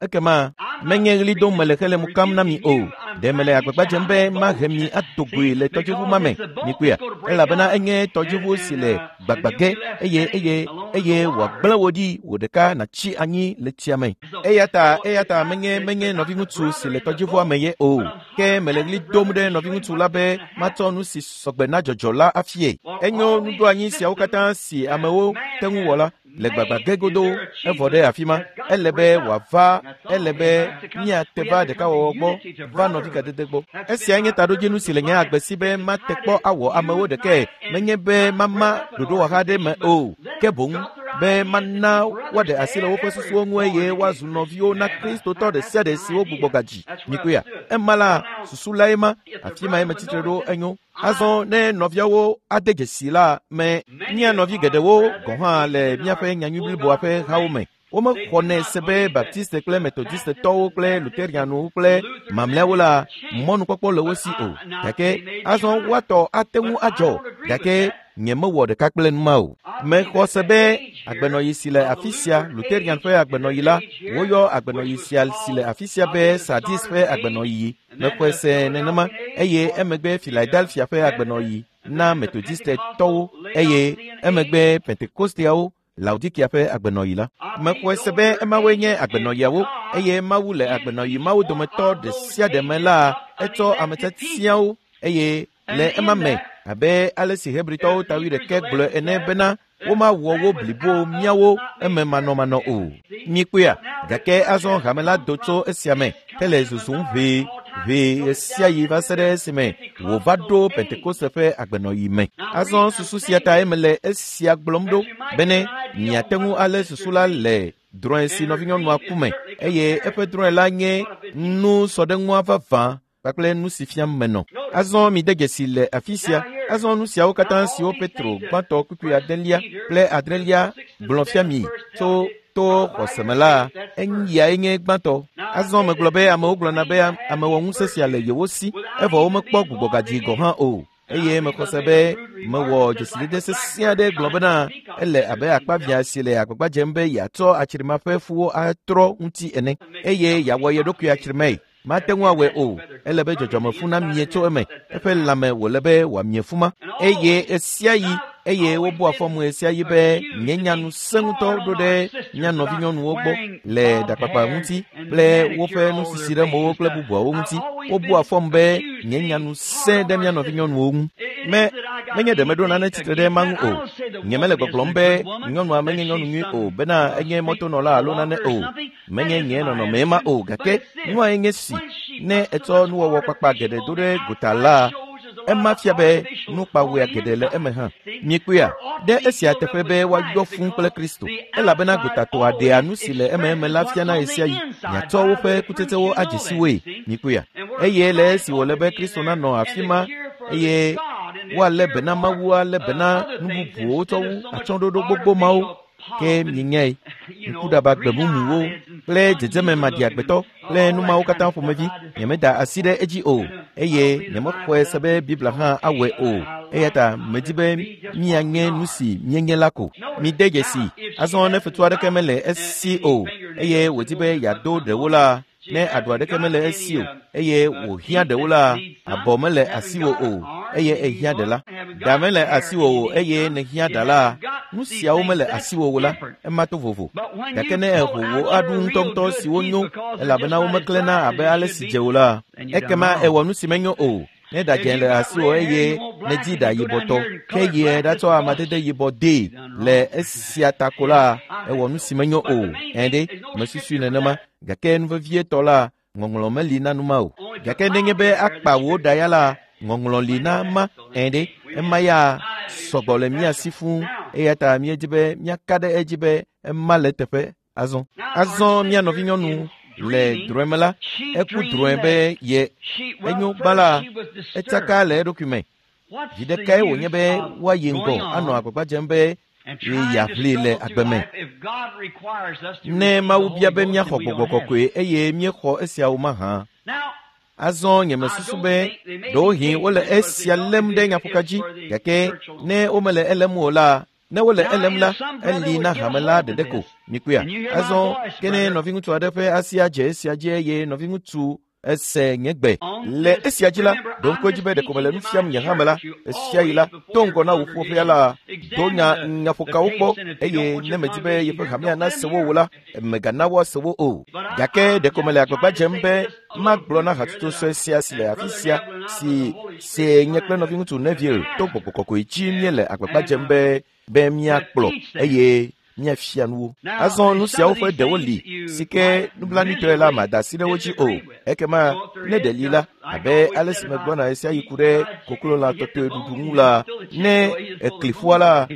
ekema menye ɣli dom mele hele mo kam na mi o. Ɖe mele agbagba dzem be mahe mi ado goe le tɔdziʋu ma me. Mikpɔea? Elabena enye tɔdziʋu si le gbagbã ge eye wòagblẽ wò ɖi wò ɖeka nàtsi anyi le tsia me. Eya ta menye nɔviŋutsu si le tɔdziʋua me ye o. Ke mele ɣli dom ɖe nɔviŋutsu la be matsɔ nu si sɔgbe na dzɔdzɔ la afie. Enyo nuɖoanyi siawo katã si amewo te ŋu wɔ la le gbagbã ge godoo evɔ ɖe afi ma. Ele be wòava, ele be míate va ɖekawɔwɔ gbɔ, va nɔvikadede gbɔ. Esia nye taɖodzinu si le nye agbe si be mate kpɔ awɔ amewo ɖekae, menye be mama ɖoɖowɔha ɖe me o, ke boŋ be mana woaɖe asi le woƒe susuwo ŋu eye woazu nɔviwo na Kristotɔ ɖe sia ɖe si wogbugbɔ gadzi. Mikpɔea? Ema la, susu lae ma, afi mae metsitre ɖo enyo. Azɔ ne nɔviawo ade dzesi la me, mía nɔvi geɖewo gɔ̃ hã le míaƒe nyanyui bliboa ƒe hawo me. Womexɔnɛ se be Baptiste kple Methodistetɔwo kple Lutherianwo kple mamlɛawo la mɔnukpɔkpɔ le wo si o. Gake azɔ woatɔ ate ŋu adzɔ, gake nyemewɔ ɖeka kple nu ma o. Mexɔ se be agbenɔyi si le afi sia, Lutherian ƒe agbenɔyi la, woyɔ agbenɔyi sia si le afi sia be Sardis ƒe agbenɔyi. Mexɔe se nenema eye emegbe Philadelphia ƒe agbenɔyi na Methodistetɔwo eye emegbe Pentekosteawo Laodikia ƒe agbenɔyi la. Mexɔe se be emawoe nye agbenɔyiawo eye Mawu le agbenɔyi mawo dometɔ ɖe sia ɖe me la etsɔ ame tiatiawo eye le ema me abe ale si Hebritɔwo ta 11 gblɔe ene bena womawɔ wo blibo míawo eme manɔmanɔ o. Mikpɔea? Gake azɔ hame la do tso esia me hele zuzum ʋee ʋee ɣesiaɣi va se ɖe esime wòva ɖo Pentekoste ƒe agbenɔyi me. Azɔ susu sia tae mele esia gblɔm ɖo bene miate ŋu alé susu la le drɔ̃e si nɔvinyɔnua ku me eye eƒe drɔ̃e la nye nu sɔɖeŋua vavã kpakple nu si fiam menɔ. Azɔ mide dzesi le afi sia. Azɔ nu siawo katã siwo Petro gbãtɔ kpukpui 8 kple 9 gblɔ fia mi tso to xɔse me la, eyae nye gbãtɔ. Azɔ megblɔ be amewo gblɔna be amewɔŋusẽ sia le yewo si, evɔ womekpɔ gbugbɔgadzi gɔ̃ hã o. Eye mexɔ se be mewɔ dzesidede sesẽ aɖe gblɔ bena ele abe akpavia si le agbagba dzem be yeatsɔ atsrima ƒe fuwo atrɔ ŋuti ene eye yeawɔ ye ɖokui atsrimae. Mate ŋu awɔe o. Ele be dzɔdzɔmefu namie tso eme. Eƒe lãme wòle be wòamie fu ma. Eye ɣesiaɣi eye wobua fɔmu ɣesiaɣi be nye nya nu sẽ ŋutɔ ɖo ɖe mía nɔvinyɔnuwo gbɔ le ɖakpakpa ŋuti kple woƒe nusisi ɖe mowo kple bubuawo ŋuti. Wobua fɔmu be nye nya nu sẽ ɖe mía nɔvinyɔnuwo ŋu. Menye ɖe meɖo nane tsitre ɖe ema ŋu o. Nyemele gbɔgblɔm be nyɔnua menye nyɔnu nyui o bena enye mɔtonɔla alo nane o. Menye nye nɔnɔme ma o, gake nuae nye si ne etsɔ nuwɔwɔ kpakpa geɖe do ɖe gota la, ema fia be nukpawɔea geɖe le eme hã. Mikpɔea? Ɖe esia teƒe be woayɔ fũu kple Kristo, elabena gotatɔa ɖea nu si le ememe la fiana ɣesiaɣi. Miatsɔ woƒe kutsetsewo adze si woe. Mikpɔea? Eye le esi wòle be Kristo nanɔ afi ma eye woalé be na Mawu alé be na nu bubuwo tsɔ wu atsyɔ̃ɖoɖo gbogbo mawo. Ke mienyae, ŋkuɖaba gbemumuwo kple dzedzeme maɖiagbetɔ kple nu mawo katã ƒomevi, nyemeda asi ɖe edzi o, eye nyemexɔe se be Biblia hã awɔe o. Eya ta medi be míanye nu si míenye la ko. Mide dzesi, azɔ ne fetu aɖeke mele esi o, eye wòdi be yeado ɖewo la, ne aɖu aɖeke mele esi o, eye wòhiã ɖewo la, abɔ mele asiwò o, eye ehiã ɖe la. Ɖa mele asiwò o, eye nèhiã ɖa la, nu siawo mele asiwò o la, ema to vovo. Gake ne èho wò aɖu ŋutɔŋutɔ siwo nyo, elabena womeklẽna abe ale si dze o la, ekema èwɔ nu si menyo o. Ne ɖa dzẽ le asiwò eye nèdi ɖa yibɔtɔ, ke yie ɖatsɔ amadede yibɔ dee le esia ta ko la, èwɔ nu si menyo o. Ẽ ɖe, mesusui nenema. Gake nu vevietɔ la, ŋɔŋlɔ meli na nu ma o. Gake nenye be akpa wò ɖa ya la, Ŋɔŋlɔ li na ma ẽ ɖe ema ya sɔgbɔ le mía si fũu eya ta míedzi be míaka ɖe edzi be ema le teƒe azɔ. Azɔ mía nɔvinyɔnu le drɔ̃e me la, eku drɔ̃e be ye enyo gbã la, etsaka le eɖokui me. Vi ɖekae wònye be woayi ŋgɔ anɔ agbagba dzem be yeaʋli le agbe me. Ne Mawu bia be míaxɔ gbɔgbɔ kɔkɔe eye míexɔ esiawo mahã. Azɔ nyemesusu be ɖewohĩ wole esia lém ɖe nyaƒoka dzi gake ne womele elém o la, ne wole elém la, eli na hame la ɖeɖe ko. Mikpɔea? Azɔ ke ne nɔviŋutsu aɖe ƒe asi adze esia dzi eye nɔviŋutsu ese nye gbe. Le esia dzi la, ɖo ŋku edzi be ɖeko mele nu fiam nye hame la. Esia yi la, to ŋgɔ na wò ƒoƒea la, do nya nyaƒokawo kpɔ eye ne medzi be yeƒe hamea nase wo o la, mègana woase wo o. Gake ɖeko mele agbagba dzem be magblɔ na hatsotso sue sia si le afi sia si see nye kple nɔviŋutsu Neville to gbɔgbɔ kɔkɔe dzi míele agbagba dzem be be míakplɔ eye míafia nuwo. Azɔ nu siawo ƒe ɖewo li si ke nublanuitɔe la mada asi ɖe wo dzi o. Ekema ne ɖe li la, abe ale si megblɔna ɣe sia ɣi ku ɖe koklolã tɔtɔe ɖuɖu ŋu la, ne ekli ƒua la,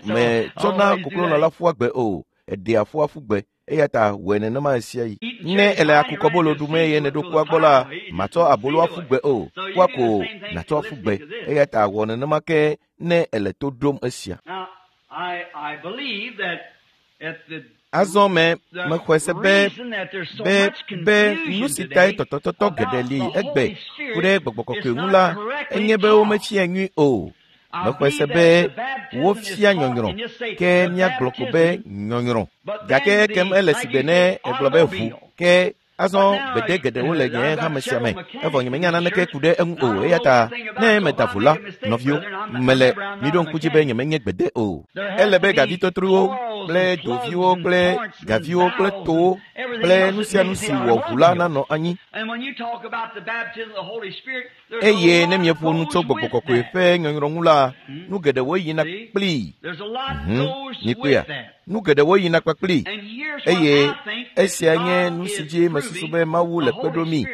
metsɔna koklolã la ƒua gbe o, eɖea ƒua ƒu gbe. Eya ta wɔe nenema ɣe sia ɣi. Ne ele akukɔbolo ɖum eye nèɖo kua gbɔ la, màtsɔ abolo aƒu gbe o, kua ko nàtsɔ aƒu gbe. Eya ta wɔ nenema ke ne ele to ɖom esia. Azɔ me mexɔe se be be be nu si tae tɔtɔtɔtɔ geɖe li egbe ku ɖe gbɔgbɔ kɔkɔe ŋu la enye be womefia nyui o. Mexɔe se be wofia nyɔnyrɔ ke míagblɔ ko be nyɔnyrɔ. Gake ekem ele sigbe ne egblɔ be ʋu ke azɔ gbede geɖewo le nye hame sia me evɔ nyemenya naneke ku ɖe eŋu o eya ta ne meda vo la nɔviwo mele miɖo ŋku dzi be nyemenye gbede o. Ele be gavitotrowo kple doviwo kple gaviwo kple towo kple nu sia nu si wɔ ʋu la nanɔ anyi. Eye ne mieƒo nu tso gbɔgbɔ kɔkɔe ƒe nyɔnyrɔ ŋu la, nu geɖewo yina kplii. Mikpɔea? Nu geɖewo yina kpakplii. Eye esia nye nu si dzi mesusu be Mawu le kpe ɖo mí.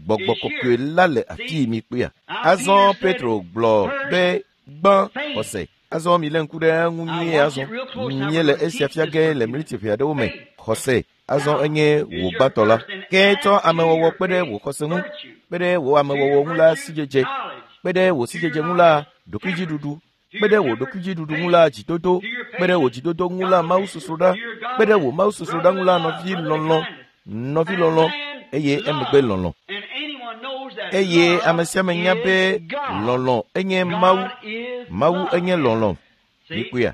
Gbɔgbɔ kɔkɔe la le afii mikpɔea? Azɔ Petro gblɔ be gbã xɔse. Azɔ milé ŋku ɖe eŋu nyuie azɔ. Míele esia fia ge le mliti ʋɛ aɖewo me. Xɔse. Azɔ enye wò gbãtɔ la. Ke tsɔ amewɔwɔ kpe ɖe wò xɔse ŋu, kpe ɖe wò amewɔwɔ ŋu la sidzedze, kpe ɖe wò sidzedze ŋu la ɖokuidziɖuɖu, kpe ɖe wò ɖokuidziɖuɖu ŋu la dzidodo, kpe ɖe wò dzidodo ŋu la mawusosroɖa, kpe ɖe wò mawusosroɖa ŋu la nɔvilɔlɔ̃, nɔvilɔlɔ̃ eye emegbe lɔlɔ̃. Eye ame sia ame nya be lɔlɔ̃ enye Mawu, Mawu enye lɔlɔ̃. Mikpɔea?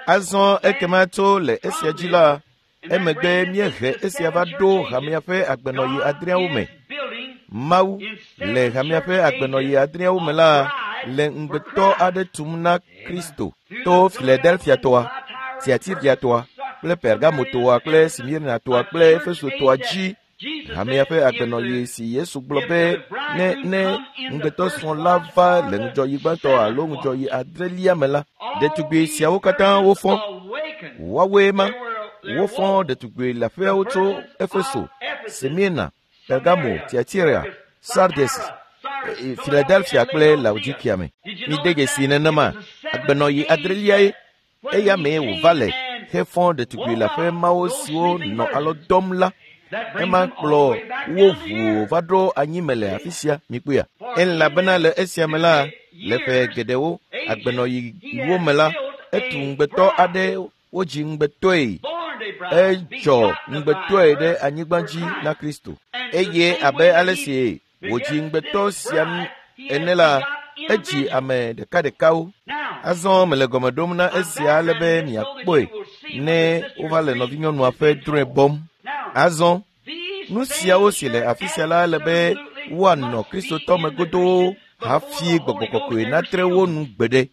Azɔ ekema tso le esia dzi la, emegbe míehe esia va ɖo hamea ƒe agbenɔɣi adreawo me. Mawu le hamea ƒe agbenɔɣi adreawo me la le ŋugbetɔ aɖe tum na Kristo to Filadelfiatɔa, Tiatiriatɔa kple Pergamotɔa kple Smirnatɔa kple Efesotɔa dzi. Hamea ƒe agbenɔɣi si Yesu gblɔ be ne ne ŋugbetɔsrɔ̃ la va le ŋudzɔɣi gbãtɔ alo ŋudzɔɣi adrelia me la, ɖetugbi siawo katã wofɔ. Woawoe ma. Wofɔ ɖetugbi leaƒeawo tso Efeso, Smirna, Pergamo, Tiatira, Sardes, Filadelfia kple Laodikia me. Mide dzesi nenema. Agbenɔɣi adreliae eya mee wòva le hefɔ ɖetugbi leaƒe mawo siwo nɔ alɔ dɔm la. Ema kplɔ wo ʋuu va ɖo anyi me le afi sia mikpɔea. Elabena le esia me la, le ƒe geɖewo agbenɔɣiwo me la, etu ŋugbetɔ aɖe wodzi ŋugbetɔe edzɔ ŋugbetɔe ɖe anyigba dzi na Kristo. Eye abe ale si wòdzi ŋugbetɔ sia ene la, edzi ame ɖekaɖekawo. Azɔ mele gɔme ɖom na esia ale be miakpɔe ne wova le nɔvinyɔnua ƒe drɔ̃e bɔm. Azɔ nu siawo si le afi sia la ele be woanɔ Kristotɔ me godoo hafi gbɔgbɔ kɔkɔe natre wo nu gbeɖe.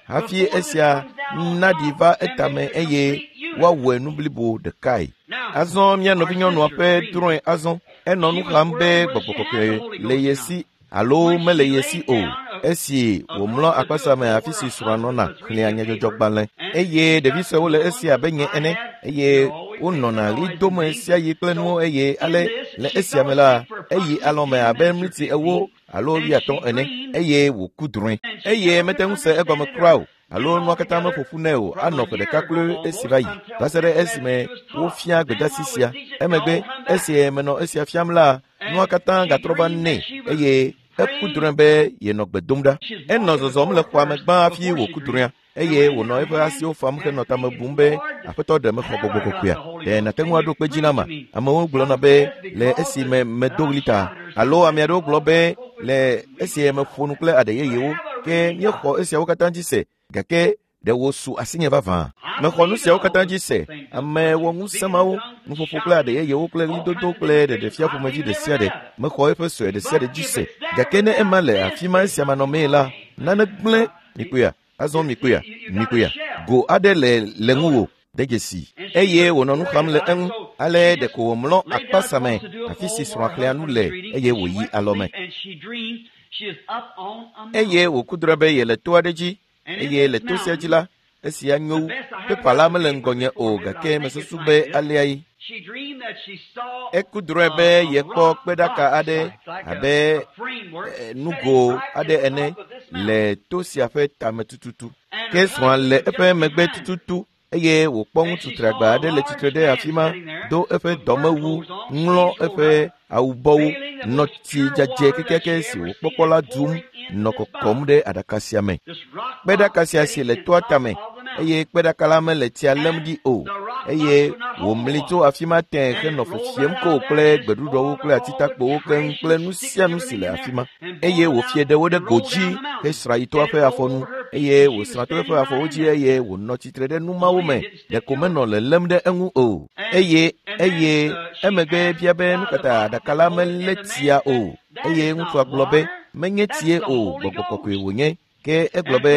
Hafi esia naɖi va etame eye woawɔe nu blibo ɖekae. Azɔ mía nɔvinyɔnua ƒe drɔ̃e azɔ enɔ nu xam be gbɔgbɔ kɔkɔe le ye si alo mele ye si o. Esi wòmlɔ akpasa me afi si srɔ̃a nɔna xlẽa nyadzɔdzɔgbalẽ eye ɖevi suewo le esi abe nye ene eye wonɔna ɣli dom ɣe sia ɣi kple nuwo eye ale le esia me la eyi alɔme abe mliti ewo alo wuiatɔ̃ ene. eye wòku drɔ̃e eye mete ŋu se egɔme kura o alo nua katã meƒo ƒu nɛ o anɔ ƒe ɖeka kloe esi va yi va se ɖe esime wofia gbedasi sia. Emegbe esi menɔ esia fiam la, nua katã gatrɔ va nɛ eye eku drɔ̃e be yenɔ gbe dom ɖa. Enɔ zɔzɔm le xɔa me gbã hafi wòku drɔ̃ea eye wònɔ eƒe asiwo fam henɔ tame bum be aƒetɔ ɖe mexɔ gbɔgbɔ kɔkɔea. Ɖe nàte ŋu aɖo kpe dzi nam? Amewo gblɔna be le esi me medo ɣli ta alo ame aɖewo gblɔ be le esi meƒo nu kple aɖe yeyewo ke míexɔ esiawo katã dzi se gake ɖe wòsu asinye vavã. Mexɔ nu siawo katã dzi se. Ame wɔ ŋusẽ mawo, nuƒoƒo kple aɖe yeyewo kple ɣlidodo kple ɖeɖefia ƒomevi ɖe sia ɖe. Mexɔ eƒe sue ɖe sia ɖe dzi se. Gake ne ema le afi ma esia manɔmee la, nane gblẽ. Mikpɔea? Azɔ mikpɔea? Mikpɔea? Go aɖe le ŋuwò de dzesi eye wònɔ nu xam le eŋu. Ale ɖeko wòmlɔ akpasa me afi si srɔ̃a xlẽa nu le eye wòyi alɔme. Eye wòku drɔ̃e be yele to aɖe dzi eye le to sia dzi la, esia nyo wu. Pepa la mele ŋgɔnye o gake mesusu be alea ye. Eku drɔ̃e be yekpɔ kpeɖaka aɖe abe nugo aɖe ene le to sia ƒe tame tututu. Ke srɔ̃a le eƒe megbe tututu eye wòkpɔ ŋutsu tragba aɖe le tsitre ɖe afi ma, do eƒe dɔmewu, ŋlɔ eƒe awubɔwo, nɔ tsi dzadzɛ kekeake si wòkpɔkpɔ la dum nɔ kɔkɔm ɖe aɖaka sia me. Kpeɖaka sia si le toa tame eye kpeɖaka la mele tsia lém ɖi o eye wòmli tso afi ma tẽe henɔ fefiem ko kple gbeɖuɖɔwo kple atitakpowo keŋ kple nu sia nu si le afi ma eye wòfie ɖewo ɖe go dzi hesra yi toa ƒe afɔnu eye wòsrã to eƒe afɔwo dzi eye wònɔ tsitre ɖe nu mawo me ɖeko menɔ lelém ɖe eŋu o eye emegbe bia be nu kata aɖaka la melé tsia o eye ŋutsua gblɔ be menye tsie o, gbɔgbɔ kɔkɔe wònye. Ke egblɔ be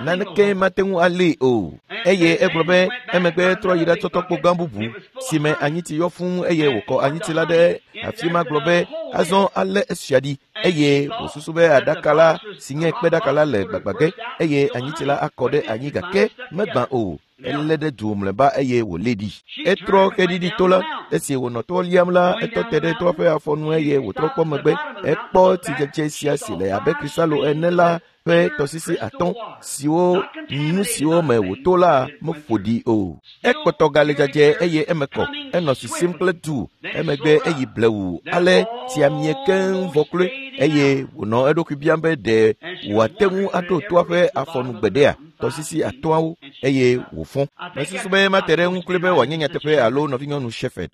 naneke mate ŋu alée o eye egblɔ be emegbe trɔ yi ɖatsɔ tɔkpo gã bubu si me anyitsi yɔ fũu eye wòkɔ anyitsi la ɖe afi ma gblɔ be azɔ alé esia ɖi eye wòsusu be aɖaka la si nye kpeɖaka la le gbagbã ge eye anyitsi la akɔ ɖe anyi gake megbã o. Elé ɖe du mlɔeba eye wòlé ɖi. Etrɔ xeɖiɖi to la. Esi wònɔ toa liam la, etɔ te ɖe toa ƒe afɔnu eye wòtrɔ kpɔ megbe. Ekpɔ tsidzedze sia si le abe krisalo ene la ƒe tɔsisi atɔ̃ siwo nu siwo me wòto la meƒo ɖi o. Ekpɔtɔ gale dzadzɛ eye eme kɔ. Enɔ sisim kple du. Emegbe eyi blewu ale tsia mie keŋ vɔ kloe eye wònɔ eɖokui biam be ɖe wòate ŋu aɖo toa ƒe afɔnu gbeɖea tɔsisi atɔ̃awo eye wòfɔ. Mesusu be mate ɖe eŋu kloe be wòanye nyateƒe alo nɔvinyɔnu Shepherd.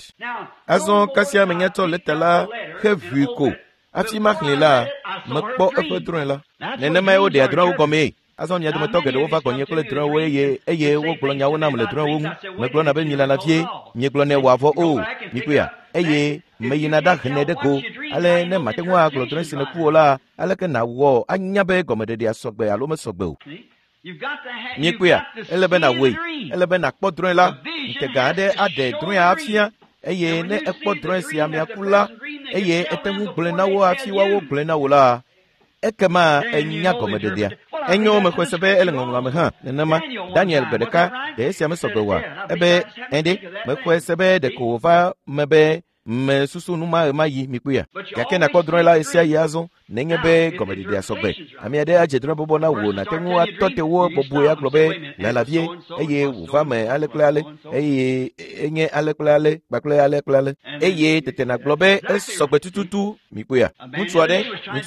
Azɔ kasia menya tsɔ lɛta la heʋui ko hafi maxlẽe la, mekpɔ eƒe drɔ̃e la. Nenemae woɖea drɔ̃ewo gɔmee. Azɔ mia dometɔ geɖewo va gbɔnye kple drɔ̃ewo eye wogblɔ nyawo nam le drɔ̃ewo ŋu. Megblɔna be milala vie, miegblɔnɛ wòavɔ o, mikpɔea, eye meyina ɖahenɛ ɖe go. Ale ne mate ŋu agblɔ drɔ̃e si nèku o la, aleke nàwɔ anya be gɔmeɖeɖea sɔgbe alo mesɔgbe o? Miekpɔea, ele be nàwɔe, ele be nàkpɔ drɔ̃e la. Ŋutega aɖe aɖe drɔ̃ea afia eye ne ekpɔ drɔ̃e si amea ku la eye ete ŋu gblɔe na wo hafi woawo gblɔe na wò la, ekema enya gɔmeɖeɖea. Enyo mexɔe se be ele ŋɔŋlɔa me hã nenema. Daniel gbe ɖeka ɖe esia mesɔgbe oa? Ebe ɛ̃ɖe, mexɔe se be ɖeko wòva me be mesusu nu ma ɣemaɣi mikpɔea. Gake nàkpɔ drɔ̃e la ɣesia ɣi azɔ nenye be gɔmeɖeɖea sɔgbe. Ame aɖe adze drɔ̃e bɔbɔ na wò nàte ŋu atɔ te wo bɔbɔe agblɔ be lala vie eye wòva me ale kple ale eye enye ale kple ale kpakple ale kple ale eye tete nàgblɔ be esɔgbe tututu mikpɔea. Ŋutsu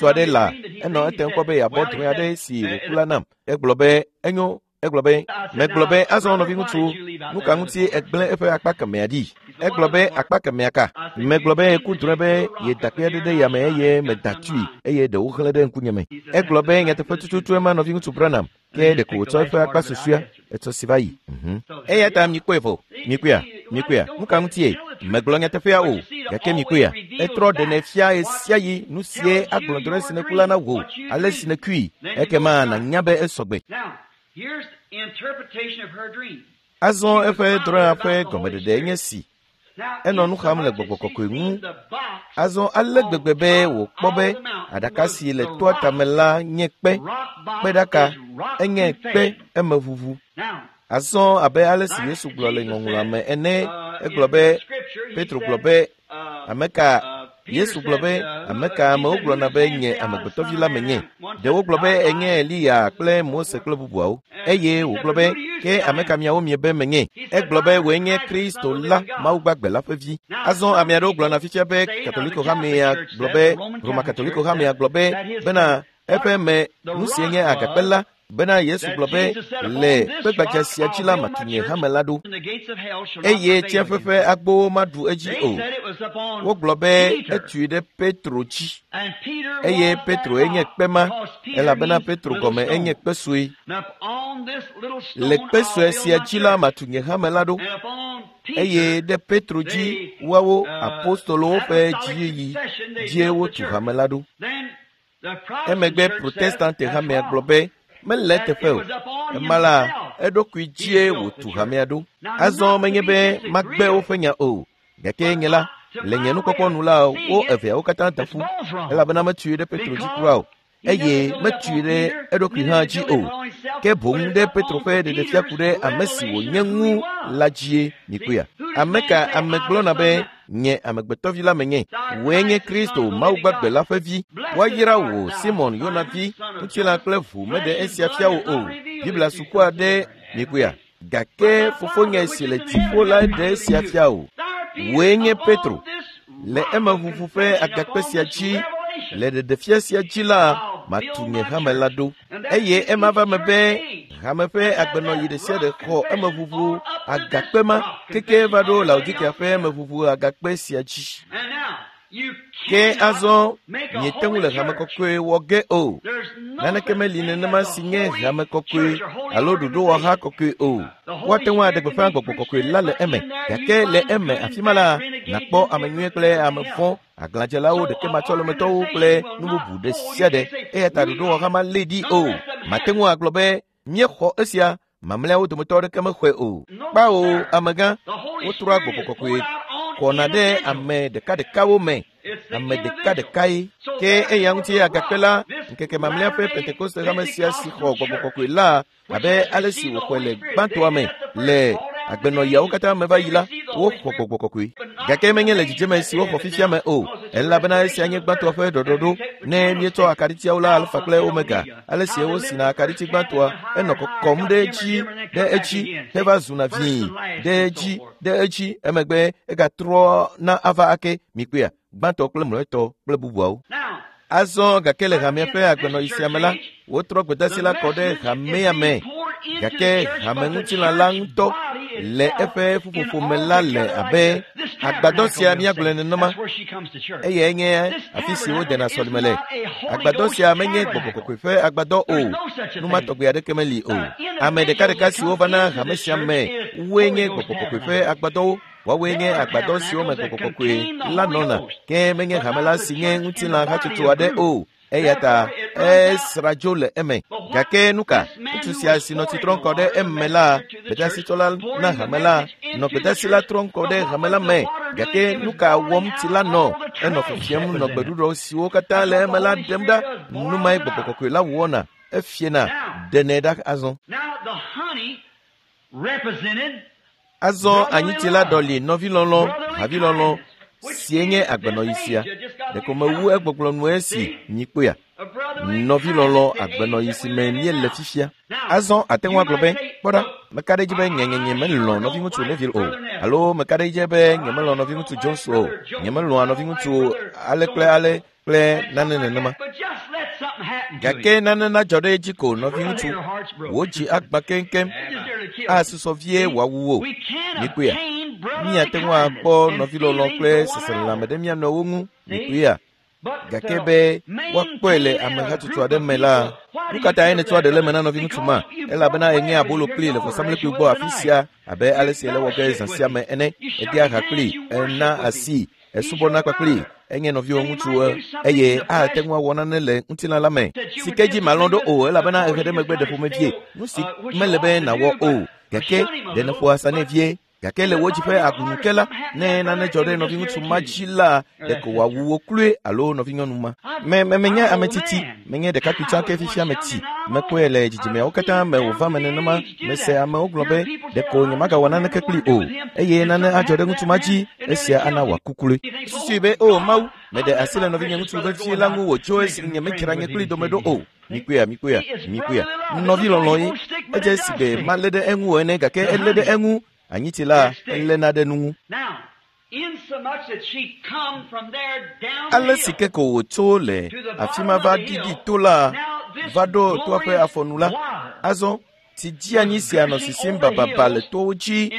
aɖe la enɔ etem kpɔ be yeabɔ drɔ̃e aɖe si wòku la nam. Egblɔ be enyo. Egblɔ be, megblɔ be azɔ nɔviŋutsu, nu ka ŋuti egblẽ eƒe akpa kemɛa ɖi? Egblɔ be akpa kemɛa ka? Megblɔ be eku drɔ̃e be yeda kpe aɖe ɖe yame eye meda tui eye ɖewo xlẽ ɖe ŋkunyeme. Egblɔ be nyateƒe tututu ema nɔviŋutsu Branham, ke ɖeko wòtsɔ eƒe akpa susɔea etsɔ si va yi. Eya ta mikpɔe vɔ, mikpɔea, mikpɔea, nu ka ŋutie? Megblɔ nyateƒea o, gake mikpɔea, etrɔ ɖenɛ fia ɣesiaɣi nu sie agblɔ drɔ̃e si nèku la na wò, ale si nèkui, ekema nànya be esɔgbe. Azɔ eƒe drɔ̃ea ƒe gɔmeɖeɖe nye si. Enɔ nu xam le gbɔgbɔ kɔkɔe ŋu. Azɔ ale gbegbe be wòkpɔ be aɖaka si le toa tame la nye kpe, kpeɖaka, enye kpe emeʋuʋu. Azɔ abe ale si Yesu gblɔ le ŋɔŋlɔa me ene, egblɔ be, Petro gblɔ be, ame ka Yesu gblɔ be, ame ka amewo gblɔna be nye amegbetɔvi la menye? Ɖewo gblɔ be enye Eliya kple Mose kple bubuawo. Eye wògblɔ be, ke ame ka miawo miebe menye? Egblɔ be wòe nye Kristo la, Mawu gbagbe la ƒe vi. Azɔ ame aɖewo gblɔna fifia be Katoliko hamea gblɔ be, Roma Katoliko hamea gblɔ be bena eƒe me nu sie nye agakpe la bena Yesu gblɔ be le kpegbadza sia dzi la matu nye hame la ɖo eye tsiẽƒe ƒe agbowo maɖu edzi o. Wogblɔ be etui ɖe Petro dzi eye Petro enye kpe ma elabena Petro gɔme enye kpe sue. Le kpe sue sia dzi la matu nye hame la ɖo eye ɖe Petro dzi woawo apostolowo ƒe dziyiyi dzie wotu hame la ɖo. Emegbe Protestante hamea gblɔ be mele eteƒe o. Ema la, eɖokui dzie wòtu hamea ɖo. Azɔ menye be magbe woƒe nya o. Gake nye la, le nye nukpɔkpɔ nu la, wo eveawo katã da ƒu elabena metui ɖe Petro dzi kura o eye metui ɖe eɖokui hã dzi o. Ke boŋ ɖe Petro ƒe ɖeɖefia ku ɖe ame si wònye ŋu la dzie mikpɔea. Ame ka ame gblɔna be nye amegbetɔvi la menye? Wòe nye Kristo, Mawu gbagbe la ƒe vi. Woayra wò, Simon Yona vi, ŋutilã kple ʋu meɖe esia fia wò o. Biblia sukua ɖe mikpɔea. Gake fofonye si le dziƒo la ɖe esia fia wò. Wòe nye Petro. Le emeʋuʋu ƒe agakpe sia dzi, le ɖeɖefia sia dzi la, matu nye hame la ɖo. Eye ema va me be hame ƒe agbenɔyi ɖe sia ɖe xɔ emeʋuʋu agakpe ma keke va ɖo Laodikea ƒe emeʋuʋu agakpe sia dzi. Ke azɔ miete ŋu le hame kɔkɔe wɔ ge o. Naneke meli nenema si nye hame kɔkɔe alo ɖoɖowɔha kɔkɔe o. Woate ŋu aɖe gbeƒã gbɔgbɔ kɔkɔe la le eme, gake le eme afi ma la, nàkpɔ ame nyui kple ame vɔ̃, aglãdzelawo, ɖekematsɔlemetɔwo kple nu bubu ɖe sia ɖe. Eya ta ɖoɖowɔha ma lé ɖi o. Mate ŋu agblɔ be míexɔ esia, mamlɛawo dometɔ aɖeke mexɔe o. Kpao, amegã, wotrɔa gbɔgbɔ kɔkɔe kɔna ɖe ame ɖekaɖekawo me. Ame ɖekaɖekae. Ke eya ŋuti agakpe la, ŋkeke mamlɛa ƒe Pentekoste hame sia si xɔ gbɔgbɔ kɔkɔe la abe ale si wòxɔe le gbãtɔa me le agbenɔɣiawo katã me va yi la, woxɔ gbɔgbɔ kɔkɔe. Gake menye le dzidzeme si woxɔ fifia me o, elabena esia nye gbãtɔa ƒe ɖɔɖɔɖo. Ne míetsɔ akaɖitiawo la alfa kple omega, ale si wosina akaɖiti gbãtɔa, enɔ kɔkɔm ɖe edzi ɖe edzi heva zuna vĩi ɖe edzi ɖe edzi, emegbe egatrɔ na ava ake. Mikpɔea? Gbãtɔ kple mlɔetɔ kple bubuawo. Azɔ gake le hamea ƒe agbenɔɣi sia me la, wotrɔ gbedasi la kɔ ɖe hamea me. Gake hameŋutilã la ŋutɔ le eƒe ƒuƒoƒo me la le abe agbadɔ sia míagblɔe nenema. Eyae nye afi si wodena sɔlime le. Agbadɔ sia menye gbɔgbɔ kɔkɔe ƒe agbadɔ o. Nu ma tɔgbe aɖeke meli o. Ame ɖekaɖeka siwo vana hame sia me woe nye gbɔgbɔ kɔkɔe ƒe agbadɔwo. Woawoe nye agbadɔ siwo me gbɔgbɔ kɔkɔe la nɔna, ke menye hame la si nye ŋutilã hatsotso aɖe o. Eya ta esra dzo le eme. Gake nu ka? Ŋutsu sia si nɔ tsi trɔm kɔ ɖe eme la, gbedasitsɔla na hame la, nɔ gbedasi la trɔm kɔ ɖe hame la me. Gake nu ka wɔm tsi la nɔ? Enɔ fifiam nɔ gbeɖuɖɔ siwo katã le eme la ɖem ɖa. Nu mae gbɔgbɔ kɔkɔe la wɔna. Efiena, ɖenɛ ɖa azɔ. Azɔ anyitsi la ɖɔli nɔvilɔlɔ̃, havilɔlɔ̃ sie nye agbenɔɣi sia. Ɖeko mewu egbɔgblɔ nu esi mikpɔea. Nɔvilɔlɔ̃ agbenɔɣi si me míele fifia. Azɔ ate ŋu agblɔ be, kpɔ ɖa, meka ɖe edzi be nye nye melɔ̃ nɔviŋutsu Neville o, alo meka ɖe edzi be nyemelɔ̃ nɔviŋutsu Jones o, nyemelɔ̃a nɔviŋutsu ale kple ale kple nane nenema. Gake nane nadzɔ ɖe edzi ko nɔviŋutsu, wò dzi agbã keŋkeŋ, asusɔ vie wòawu wò. Mikpɔea? Míate ŋu akpɔ nɔvilɔlɔ̃ kple seselelãme ɖe mía nɔewo ŋu. Mikpɔea? Gake be woakpɔe le ame hatsotso aɖe me la, nu ka tae nètsɔa ɖe le eme na nɔviŋutsu ma? Elabena èŋe abolo kplii le vɔsamlekpui gbɔ afi sia abe ale si ele wɔ ge zã sia me ene. Èdea ha kplii, èna asii, esubɔna kpakplii, enye nɔviwò ŋutsu eye ate ŋu awɔ nane le ŋutilã la me si ke dzi màlɔ̃ ɖo o elabena ehe ɖe megbe ɖe ƒomevie nu si mele be nàwɔ o. Gake ɖe nèƒo asa nɛ vie. Gake le wò dzi ƒe agunu ke la, ne nane dzɔ ɖe nɔviŋutsu ma dzi la, ɖeko wòawu wò kloe alo nɔvinyɔnu ma. Me me menye ame tsitsi, menye ɖekakpui tsã ke fifia metsi. Mekpɔe le dzidzimeawo katã me wòva me nenema. Mese amewo gblɔ be, ɖeko nyemagawɔ naneke kplii o, eye nane adzɔ ɖe ŋutsu ma dzi, esia ana wòaku kloe. Susui be, O Mawu, Meɖe asi le nɔvinye ŋutsu vevie la ŋu wòtso esi nyemedzra nye kpli dome ɖo o. Mikpɔea, mikpɔea, mikpɔea. Nɔvi lɔlɔ̃ ye. Edze si be malé ɖe eŋu o ene gake elé ɖe eŋu. Anyitsi la eléna ɖe nu ŋu. Ale si ke ko wòtso le afi ma va ɖiɖi to la va ɖo toa ƒe afɔnu la, azɔ tsi dzeanyi sia nɔ sisim bababa le towo dzi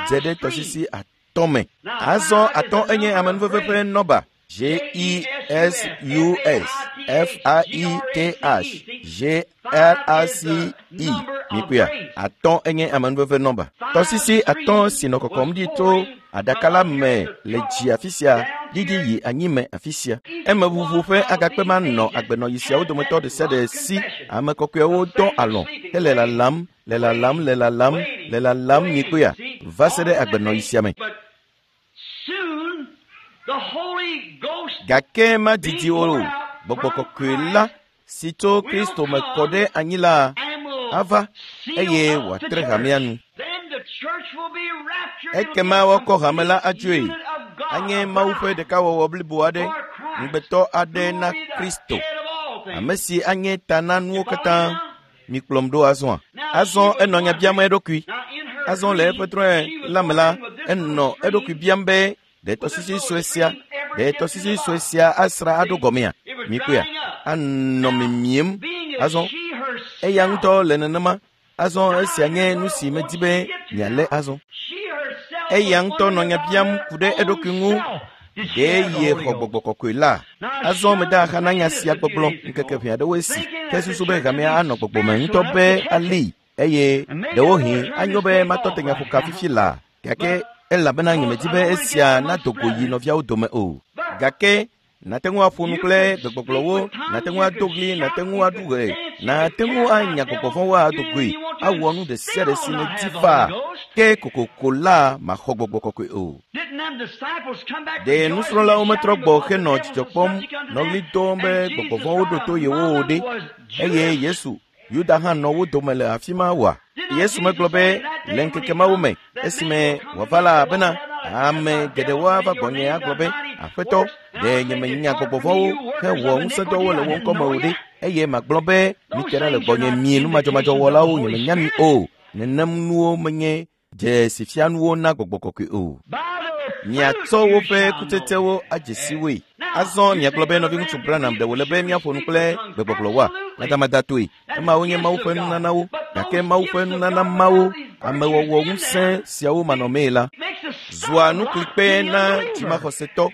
dze ɖe tɔsisi atɔ̃ me. Azɔ atɔ̃ enye amenuveve ƒe nɔba. J E S U S F A I T H G R A C E. Mikpɔea, atɔ̃ enye amenuveve nɔba. Tɔsisi atɔ̃ si nɔ kɔkɔm ɖi tso aɖaka la me le dzi afi sia ɖiɖi yi anyi me afi sia. Emeʋuʋu ƒe agakpe ma nɔ agbenɔɣi siawo dometɔ ɖe sia ɖe si. Ame kɔkɔewo dɔ alɔ̃ hele lalam, le lalam, le lalam, le lalam mikpɔea, va se ɖe agbenɔɣi sia me. Gake madidi o, gbɔgbɔ kɔkɔe la si tso Kristo me kɔ ɖe anyi la ava eye wòatre hamea nu. Ekema woakɔ hame la adzoe. Anye Mawu ƒe ɖekawɔwɔ blibo aɖe, ŋugbetɔ aɖe na Kristo, ame si anye ta na nuwo katã. Mikplɔm ɖo azɔa. Azɔ enɔ nya biam eɖokui. Azɔ le eƒe drɔ̃e la me la, enɔ eɖokui biam be ɖe tɔsisi sue sia, ɖe tɔsisi sue sia asra aɖo gɔmea? Mikpɔea, anɔ mimiem. Azɔ eya ŋutɔ le nenema. Azɔ esia nye nu si medi be mialé azɔ. Eya ŋutɔ nɔ nya biam ku ɖe eɖokui ŋu. Ɖe ye xɔ gbɔgbɔ kɔkɔe la? Azɔ mede axa na nya sia gbɔgblɔ ŋkeke ʋɛ aɖewoe si ke susu be hamea anɔ gbɔgbɔ me ŋutɔ be ali eye ɖewohĩ anyo be matɔ te nyaƒoka fifi laa gake elabena nyemedi be esia nado go yi nɔviawo dome o. Gake nàte ŋu aƒo nu kple gbegbɔgblɔwo, nàte ŋu ado ɣli, nàte ŋu aɖu ɣe, nàte ŋu anya gbɔgbɔ vɔ̃wo ado goe, awɔ nu ɖe sia ɖe si nèdi faa, ke kokoko la maxɔ gbɔgbɔ kɔkɔe o. Ɖe nusrɔ̃lawo metrɔ gbɔ henɔ dzidzɔ kpɔm nɔ ɣli dom be gbɔgbɔ vɔ̃wo ɖo to yewo o ɖe? Eye Yesu, Yuda hã nɔ wo dome le afi ma oa? Yesu megblɔ be le ŋkeke mawo me esime wòava la bena ame geɖewo ava gbɔnye agblɔ be Aƒetɔ, ɖe nyemenya gbɔgbɔ vɔ̃wo hewɔ ŋusẽdɔwo le wò ŋkɔ me o ɖe? Eye magblɔ be mite ɖa le gbɔnye mi numadzɔmadzɔwɔlawo nyemenya mi o. Nenem nuwo menye dzesifianuwo na gbɔgbɔ kɔkɔe o. Miatsɔ woƒe kutsetsewo adze si woe. Azɔ miagblɔ be nɔviŋutsu Branham ɖe wòle be míaƒo nu kple gbegbɔgblɔwoa? Madamada-toe. Emawo nye Mawu ƒe nunanawo, gake Mawu ƒe nunana mawo, amewɔwɔ ŋusẽ siawo manɔmee la, zua nuklikpe na dzimaxɔsetɔ.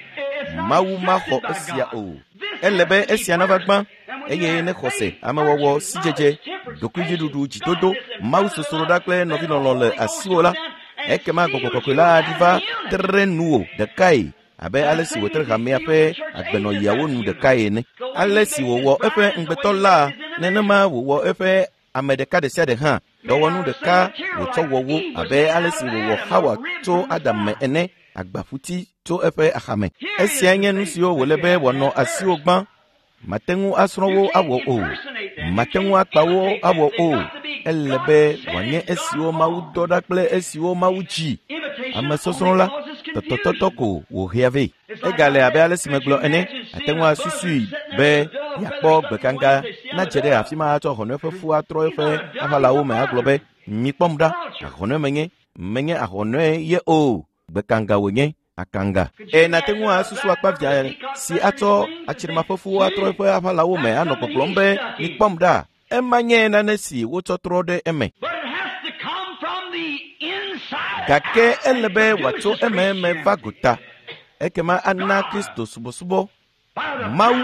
Mawu maxɔ esia o. Ele be esia nava gbã eye ne xɔse, amewɔwɔ, sidzedze, ɖokuidziɖuɖu, dzidodo, mawusosroɖa kple nɔvilɔlɔ̃ le asiwò la, ekema gbɔgbɔ kɔkɔe la aɖi va tre nuwò ɖekae abe ale si wòtre hamea ƒe agbenɔɣiawo nu ɖekae ene. Ale si wòwɔ eƒe ŋugbetɔ la, nenema wòwɔ eƒe ame ɖeka ɖe sia ɖe hã. Dɔwɔnu ɖeka wòtsɔ wɔ wo abe ale si wòwɔ Xawa tso Adam me ene, agbaƒuti tso eƒe axame. Esiae nye nu siwo wòle be wòanɔ asiwò gbã. Mate ŋu asrɔ̃ wo awɔ o. Mate ŋu akpa wo awɔ o. Ele be wòanye esiwo Mawu dɔ ɖa kple esiwo Mawu dzi. Amesɔsrɔ̃ la, tɔtɔtɔtɔ ko wòhea vɛ. Egale abe ale si megblɔ ene, àte ŋu asusui be yeakpɔ gbekanga nadze ɖe afi ma atsɔ ahɔnɔe ƒe fu atrɔ eƒe aʋalawo me agblɔ be, Mikpɔm ɖa, ahɔnɔe menye, menye ahɔnɔe ye o, gbekanga wònye. Akanga. Eye nàte ŋu asusu akpavia si atsɔ atsrimaƒefuwo atrɔ eƒe aʋalawo me anɔ gbɔgblɔm be, Mikpɔm ɖa! Ema nye nane si wotsɔ trɔ ɖe eme. Gake ele be wòatso ememe va gota. Ekema ana Kristo subɔsubɔ Mawu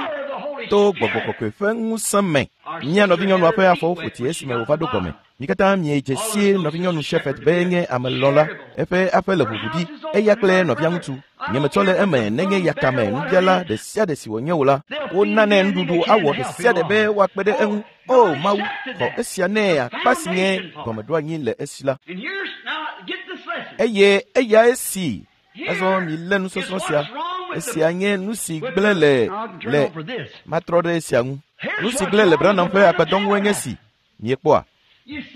to gbɔgbɔ kɔkɔe ƒe ŋusẽ me. Mía nɔvinyɔnua ƒe afɔwo ƒo tsi esime wòva ɖo gɔme. Mi katã miedze sie nɔvinyɔnu Shepherd be nye ame lɔ̃la. Eƒe aƒe le ʋuʋu ɖi, eya kple nɔvia ŋutsu. Nyemetsɔ le eme nenye yakame nubiala ɖe sia ɖe si wònye o la, wonanɛ nuɖuɖu awɔ ɖe sia ɖe be woakpe ɖe eŋu. O Mawu, xɔ esia nɛ akpa si nye gɔmeɖoanyi le esi la. Eye eyae si Azɔ milé nusɔsrɔ̃ sia. Esia nye nu si gblẽ le le matrɔ ɖe esia ŋu. Nu si gblẽ le Branham ƒe agbadɔ ŋue nye si. Miekpɔa?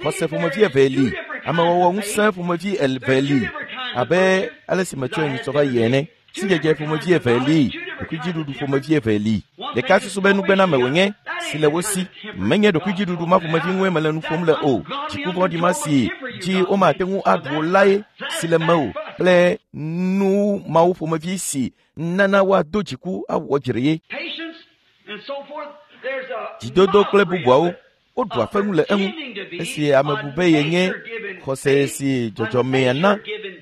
Xɔse ƒomevi eve li, amewɔwɔ ŋusẽ ƒomevi eve li, abe ale si metsɔe nyitsɔ va yi ene. Sidzedze ƒomevi eve li. Ɖokuidziɖuɖu ƒomevi eve li. Ɖeka susu be nugbename wònye si le wo si. Menye ɖokuidziɖuɖu ma ƒomevi ŋue mele nu ƒom le o. Dziku vɔ̃ɖi ma si dzi womate ŋu aɖu o lae si le mewò kple nu mawo ƒomevi si nana woado dziku awɔ dzre ye. Dzidodo kple bubuawo woɖua feŋu le eŋu esi ame bu be yenye xɔse si dzɔdzɔmea na,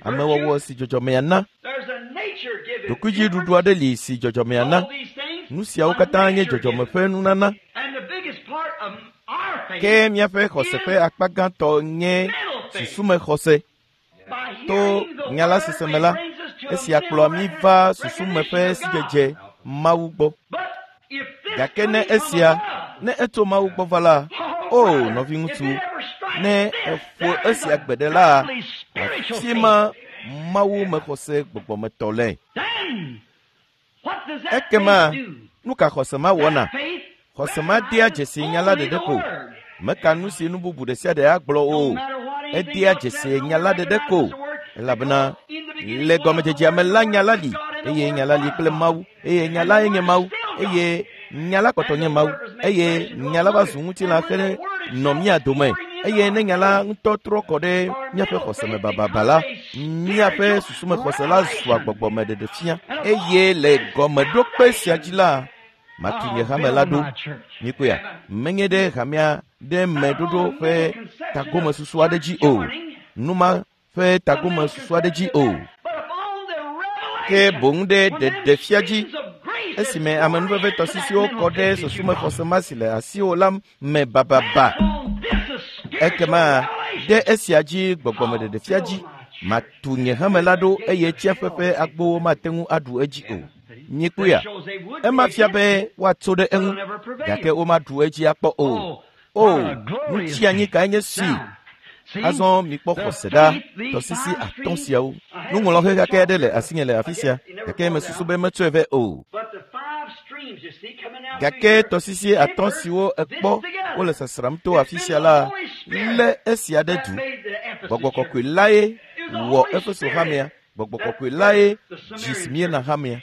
amewɔwɔ si dzɔdzɔmea na. Ɖokuidziɖuɖu aɖe li si dzɔdzɔmea na. Nu siawo katã nye dzɔdzɔme ƒe nunana. Ke míaƒe xɔse ƒe akpa gãtɔ nye susume xɔse. To nya la sese me la, esia kplɔa mí va susume ƒe sidzedze Mawu gbɔ. Gake ne esia, ne etso Mawu gbɔ va la, o nɔviŋutsu, ne eƒo esia gbe ɖe la, afi ma Mawu mexɔse gbɔgbɔmetɔ le. Ekema nu ka xɔse ma wɔna? Xɔse ma dea dzesi nya la ɖeɖe ko. Meka nu si nu bubu ɖe sia ɖe agblɔ o. Edea dzesi nya la ɖeɖe ko. Elabena le gɔmedzedzea me la nya la li eye nya la li kple Mawu eye nya lae nye Mawu eye nya la kpɔtɔ nye Mawu eye nya la va zu ŋutilã xe nɔ mía dome eye ne nya la ŋutɔ trɔ kɔ ɖe míaƒe xɔse me bababa la, míaƒe susume xɔse la zua gbɔgbɔme ɖeɖe fia eye le gɔmeɖokpe sia dzi la, matu nye hame la ɖo. Mikpɔea, menye ɖe hamea ɖe meɖoɖo ƒe tagomesusu aɖe dzi o. Nu ma ƒe tagomesusu aɖe dzi o. Ke boŋ ɖe ɖeɖefia dzi esime amenuveve tɔsisiwo kɔ ɖe susume xɔse ma si le asiwò la me bababa. Ekema ɖe esia dzi gbɔgbɔmeɖeɖefia dzi matu nye hame la ɖo eye tsiaƒe ƒe agbowo mate ŋu aɖu edzi o. Mikpɔea, ema fia be woatso ɖe eŋu gake womaɖu edzi akpɔ o. O, nutsianyi kae nye si! Azɔ mikpɔ xɔse ɖa tɔsisi atɔ̃ siawo. Nuŋlɔxe xaxɛ aɖe le asinye le afi sia gake mesusu be metsɔe vɛ o. Gake tɔsisi atɔ̃ siwo ekpɔ wole sasram to afi sia la lé esia ɖe du. Gbɔgbɔ kɔkɔe lae wɔ Efeso hamea. Gbɔgbɔ kɔkɔe lae dzi Smirna hamea.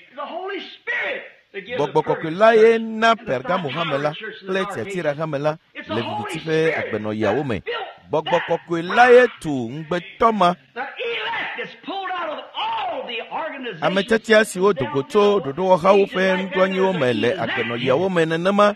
Gbɔgbɔ kɔkɔe lae na Pergamo hame la kple Tiatira hame la le viviti ƒe agbenɔɣiawo me. Gbɔgbɔ kɔkɔe lae tu ŋugbetɔ ma. Ame tiatia siwo do go tso ɖoɖowɔhawo ƒe nuɖoanyiwo me le agbenɔɣiawo me nenema,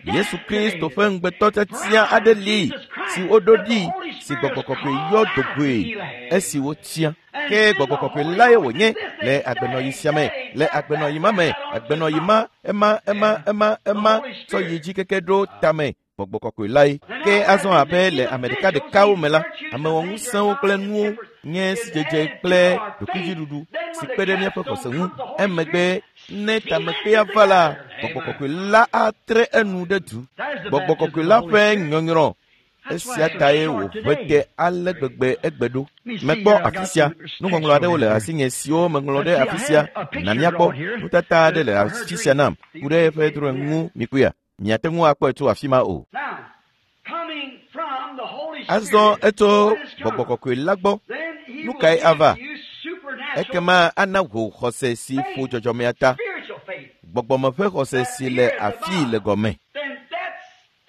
Yesu Kristo ƒe ŋugbetɔ tiatia aɖe li si woɖo ɖi si gbɔgbɔ kɔkɔe yɔ do goe esi wotia. Ke gbɔgbɔ kɔkɔe lae wònye le agbenɔɣi sia me, le agbenɔɣi ma me, agbenɔɣi ma, ema, ema, ema, ema tsɔ yi dzi keke ɖo tame. Gbɔgbɔ kɔkɔe lae. Ke azɔ abe le ame ɖekaɖekawo me la, amewɔŋusẽwo kple nuwo nye sidzedze kple ɖokuidziɖuɖu si kpe ɖe míaƒe xɔse ŋu. Emegbe ne tamekpea va la, gbɔgbɔ kɔkɔe la atre enu ɖe du. Gbɔgbɔ kɔkɔe la ƒe nyɔnyrɔ esia tae wòʋe te ale gbegbe egbe ɖo. Mekpɔ afi sia. Nuŋɔŋlɔ aɖewo le asinye siwo meŋlɔ ɖe afi sia. Na míakpɔ. Nutata aɖe le afi sia nam ku ɖe eƒe drɔ̃e ŋu mikpɔea. Miate ŋu akpɔe tso afi ma o. Azɔ etso gbɔgbɔ kɔkɔe la gbɔ. Nu kae ava? Ekema ana wò xɔse si ƒo dzɔdzɔmea ta. Gbɔgbɔme ƒe xɔse si le afii le gɔme.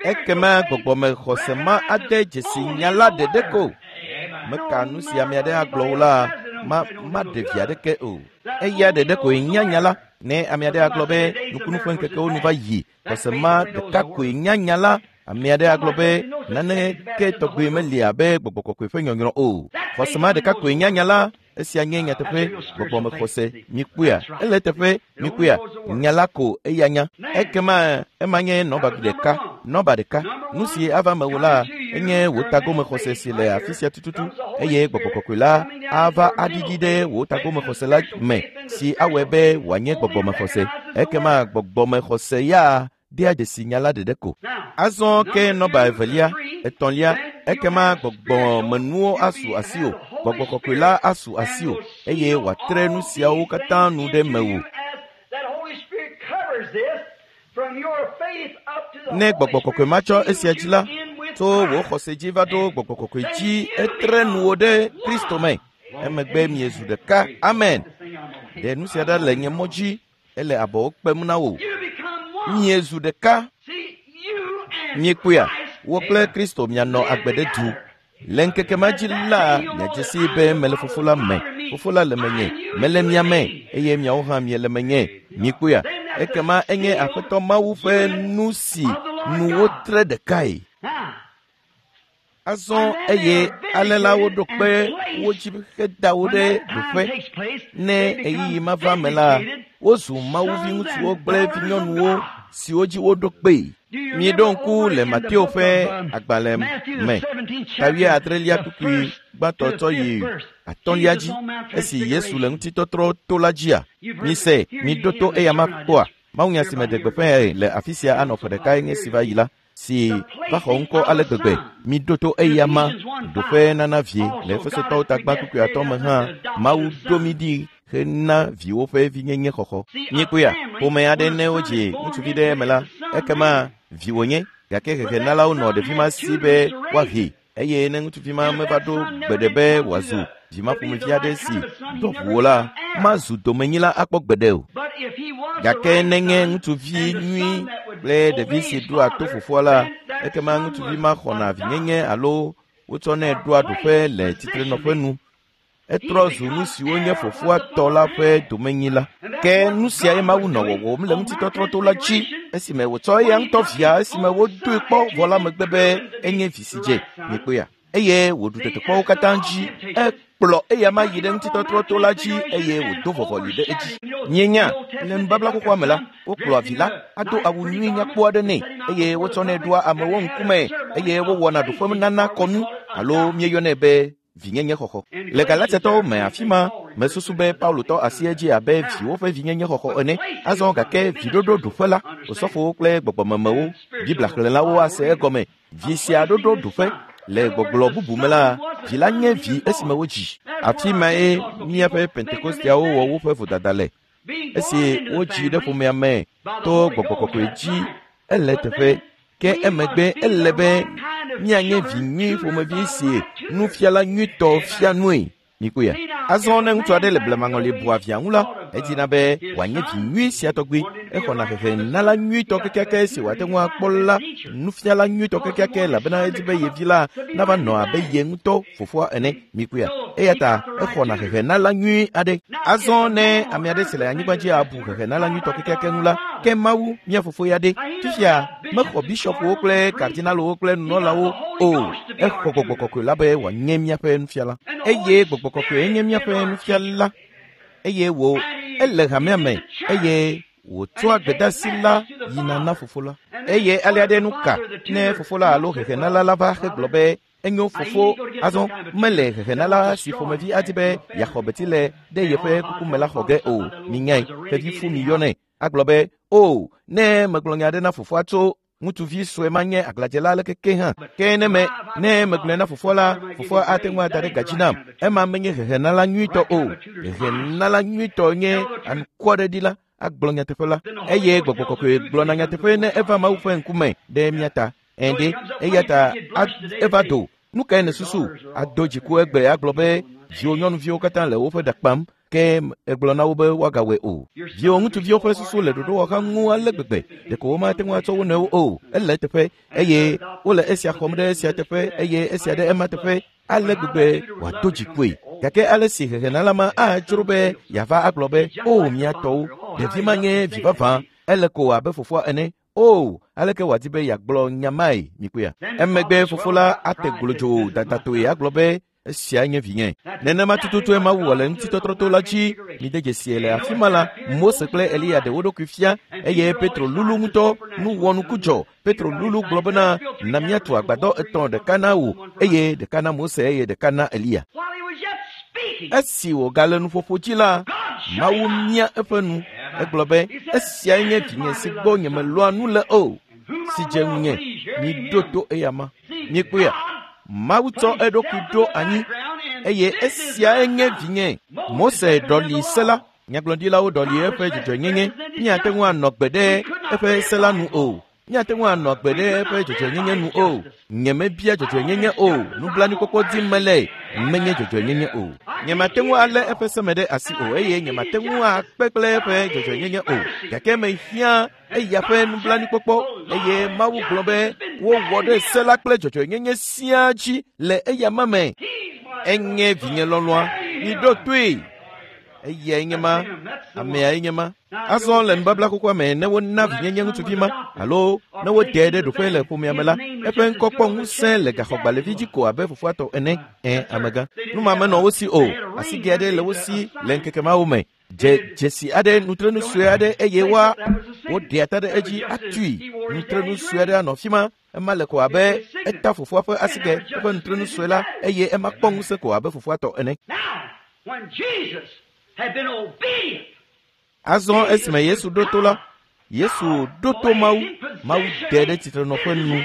Ekema gbɔgbɔme xɔse ma ade dzesi nya la ɖeɖe ko. Meka nu si ame aɖe agblɔ o la, ma maɖe vi aɖeke o. Eya ɖeɖe koe nya nya la. Ne ame aɖe agblɔ be nukunu ƒe ŋkekewo nu va yi, xɔse ma ɖeka koe nya nya la. Ame aɖe agblɔ be naneke tɔgbe meli abe gbɔgbɔ kɔkɔe ƒe nyɔnyrɔ o. Xɔse ma ɖeka koe nya nya la. Esia nye nyateƒe gbɔgbɔme xɔse. Mikpɔea, ele eteƒe mikpɔea, nya la ko eya nya. Ekema ema nye nɔba ɖeka, nɔba ɖeka. Nu si ava mewò la enye wò tagome xɔse si le afi sia tututu eye gbɔgbɔ kɔkɔe la ava aɖiɖi ɖe wò tagome xɔse la me si awɔe be wòanye gbɔgbɔme xɔse. Ekema gbɔgbɔme xɔse ya dea dzesi nya la ɖeɖe ko. Azɔ ke nɔba evelia, etɔ̃lia, ekema gbɔgbɔmenuwo asu asiwò, gbɔgbɔ kɔkɔe la asu asiwò eye wòatre nu siawo katã nu ɖe mewò. Ne gbɔgbɔ kɔkɔe ma tsɔ esia dzi la, tso wò xɔse dzi va ɖo gbɔgbɔ kɔkɔe dzi etre nuwò ɖe Kristo me. Emegbe miezu ɖeka. Amen. Ɖe nu sia ɖa le nye mɔ dzi. Ele abɔwo kpem na wò. Miezu ɖeka. Miekpɔea? Wò kple Kristo mianɔ agbe ɖe du. Le ŋkeke ma dzi la, miadze sii be mele Fofo la me. Fofo la le menye. Mele mia me eye miawo hã miele menye. Mikpɔea? Ekema enye Aƒetɔ Mawu ƒe nu si nu wotre ɖekae. Azɔ eye ale la woɖo kpe wo dzi heda wo ɖe ɖoƒe. Ne ɣeyiɣi ma va me la, wozu Mawu viŋutsuwo kple vinyɔnuwo siwo dzi woɖo kpee. Mieɖo ŋku le Mateo ƒe agbalẽ me, ta wuiadrelia kpukpui gbãtɔ tsɔ yi atɔ̃lia dzi, esi Yesu le ŋutitɔtrɔ to la dzia? Mise, miɖo to eya ma kpɔa? Mawunya si meɖe gbeƒãe le afi sia anɔ ƒe ɖekae nye esi va yi la, si va xɔ ŋkɔ ale gbegbe. Miɖo to eya ma ɖoƒe nana vie le Efesotɔwo tagba kpukpui atɔ̃ me hã. Mawu ɖo mí ɖi hena viwo ƒe vinyenye xɔxɔ. Míekpɔea? Ƒome aɖe ne wodzi ŋutsuvi ɖe eme la, ekema vi wònye, gake hehenalawo nɔ ɖevi ma si be woahee eye ne ŋutsuvi ma meva ɖo gbeɖe be wòazu vi ma ƒomevi aɖe si dɔ ʋu o la, mazu domenyila akpɔ gbeɖe o. Gake nenye ŋutsuvi nyui kple ɖevi si ɖoa to fofoa la, ekema ŋutsuvi ma xɔna vinyenye alo wotsɔnɛ ɖoa ɖoƒe le tsitrenɔƒe nu. Etrɔ zu nu siwo nye fofoa tɔ la ƒe domenyila. Ke nu siae Mawu nɔ wɔwɔm le ŋutitɔtrɔ to la dzi esime wòtsɔ eya ŋutɔ via esime wodoe kpɔ vɔ la megbe be enye vi si dze. Miekpɔea? Eye wòɖu tetekpɔwo katã dzi. Ekplɔ eya ma yi ɖe ŋutitɔtrɔ to la dzi eye wòdo vɔvɔli ɖe edzi. Mienya, le nubabla xoxoa me la, wokplɔa vi la ado awu nyui nyakpɔ aɖe nɛ eye wotsɔnɛ ɖoa amewo ŋkume eye wowɔna ɖoƒenana kɔnu alo míeyɔnɛ be vinyenye xɔxɔ. Le Galatiatɔwo me afi ma, mesusu be Paulo tɔ asi edzi abe viwo ƒe vinyenye xɔxɔ ene. Azɔ gake viɖoɖo ɖoƒe la, osɔfowo kple gbɔgbɔmemewo, Biblia xlẽlawo ase egɔme. Vi sia ɖoɖo ɖoƒe le gbɔgblɔ bubu me la, vi la nye vi esime wodzi. Afi mae míaƒe Pentekosteawo wɔ woƒe vodada le. Esi wodzi ɖe ƒomea me to gbɔgbɔ kɔkɔe dzi, ele teƒe. Ke emegbe ele be míanye vi nyui ƒomevi si nufiala nyuitɔ fia nue. Mikpɔea? Azɔ ne ŋutsu aɖe le blemaŋɔli bua via ŋu la, edina be wòanye vi nyui sia tɔgbi. Exɔna hehenala nyuitɔ kekeake si wòate ŋu akpɔ la, nufiala nyuitɔ kekeake elabena edi be ye vi la nava nɔ abe ye ŋutɔ fofoa ene. Mikpɔea? Eya ta exɔna hehenala nyui aɖe. Azɔ ne ame aɖe si le anyigba dzi abu hehenala nyuitɔ kekeake ŋu la, ke Mawu, mía fofo ya ɖe? Fifia, mexɔ bishɔpwo kple kardinalowo kple nunɔlawo o. Exɔ gbɔgbɔ kɔkɔe la be wòanye míaƒe nufiala. Eye gbɔgbɔ kɔkɔe nye míaƒe nufiala. Eye wò, ele hamea me eye wòtsɔa gbedeasi la yina na fofo la. Eye alea ɖe nu ka ne fofo la alo hehenala la va hegblɔ be enyo fofo azɔ mele hehenala si ƒomevi adi be yeaxɔ beti le ɖe yeƒe kuku me la xɔ ge o. Minyae, xevi fu miyɔnɛ. Agblɔ be, o, ne megblɔ nya aɖe na fofoa tso ŋutsuvi sue ma nye aglãdzela aleke ke hã. Ke ne me, ne megblɔe na fofoa la, fofoa ate ŋu ada ɖe gadzi nam. Ema menye hehenala nyuitɔ o. Hehenala nyuitɔ nye anukwɔɖeɖila, agblɔ nyateƒe la. Eye gbɔgbɔ kɔkɔe gblɔna nyateƒe ne eva Mawu ƒe ŋkume ɖe mía ta. Ɛ̃ eya ta eva do. Nu kae nèsusu? Ado dziku egbe agblɔ be viwò nyɔnuviwo katã le woƒe ɖa kpam ke egblɔ na wo be woagawɔe o. Viwò ŋutsuviwo ƒe susu le ɖoɖowɔha ŋu ale gbegbe ɖeko womate ŋu atsɔ wo nɔewo o. Ele eteƒe eye wole esia xɔm ɖe esia teƒe eye esia ɖe ema teƒe ale gbegbe wòado dzikue. Gake ale si hehenala ma adzro be yeava agblɔ be, o mía tɔwo, ɖevi ma nye vi vavã, ele ko abe fofoa ene. O, aleke wòadi be yeagblɔ nya mae, mikpɔea? Emegbe fofo la ate glodzo dadatoe agblɔ be, esia nye vinye. Nenema tututue Mawu wɔ le ŋutitɔtrɔ to la dzi. Mide dzesie le afi ma la, Mose kple Eliya ɖe wo ɖokui fia eye Petro lulu ŋutɔ. Nu wɔnuku dzɔ. Petro lulu gblɔ bena, na míatu agbadɔ etɔ̃, ɖeka na wò eye ɖeka na Mose eye ɖeka na Eliya. Esi wògale nuƒoƒo dzi la, Mawu mia eƒe nu. Egblɔ be, esiae nye vinye si gbɔ nyemelɔ̃a nu le o, si dze ŋunye. Miɖo to eyama. Miekpɔea? Mawu tsɔ eɖokui ɖo anyi eye esiae nye vinye. Mose ɖɔli se la. Nyagblɔɖilawo ɖɔli eƒe dzɔdzɔenyenye. Míate ŋu anɔ gbe ɖe eƒe se la nu o. Míate ŋu anɔ gbe ɖe eƒe dzɔdzɔenyenye nu o. Nyemebia dzɔdzɔenyenye o. Nublanuikpɔkpɔ dim mele. Menye dzɔdzɔenyenye o. Nyemate ŋu alé eƒe seme ɖe asi o eye nyemate ŋu akpe kple eƒe dzɔdzɔenyenye o, gake mehiã eya ƒe nublanuikpɔkpɔ eye Mawu gblɔ be wowɔ ɖe se la kple dzɔdzɔenyenye siaa dzi le eya ma me. Enye vinye lɔlɔ̃a, miɖo toe. Eyae nye ma, ameae nye ma. Azɔ le nubabla xoxoa me ne wona vinyenye ŋutsuvi ma alo ne woɖee ɖe ɖoƒe le ƒomea me la, eƒe ŋkɔ kpɔ ŋusẽ le gaxɔgbalẽvi dzi ko abe fofoa tɔ ene. Ẽ, amegã. Nu ma menɔ wo si o. Asigɛ aɖe le wo si le ŋkeke mawo me. Dze dzesi aɖe, nutrenu sue aɖe eye woa woɖea ta ɖe edzi atui. Nutrenu sue aɖe anɔ afi ma. Ema le ko abe eta fofoa ƒe asigɛ, eƒe nutrenu sue la eye ema kpɔ ŋusẽ ko abe fofoa tɔ ene. Now, when Jesus had been obedient, Azɔ esime Yesu ɖo to la, Yesu ɖo to Mawu. Mawu ɖe ɖe tsitrenɔƒe nu.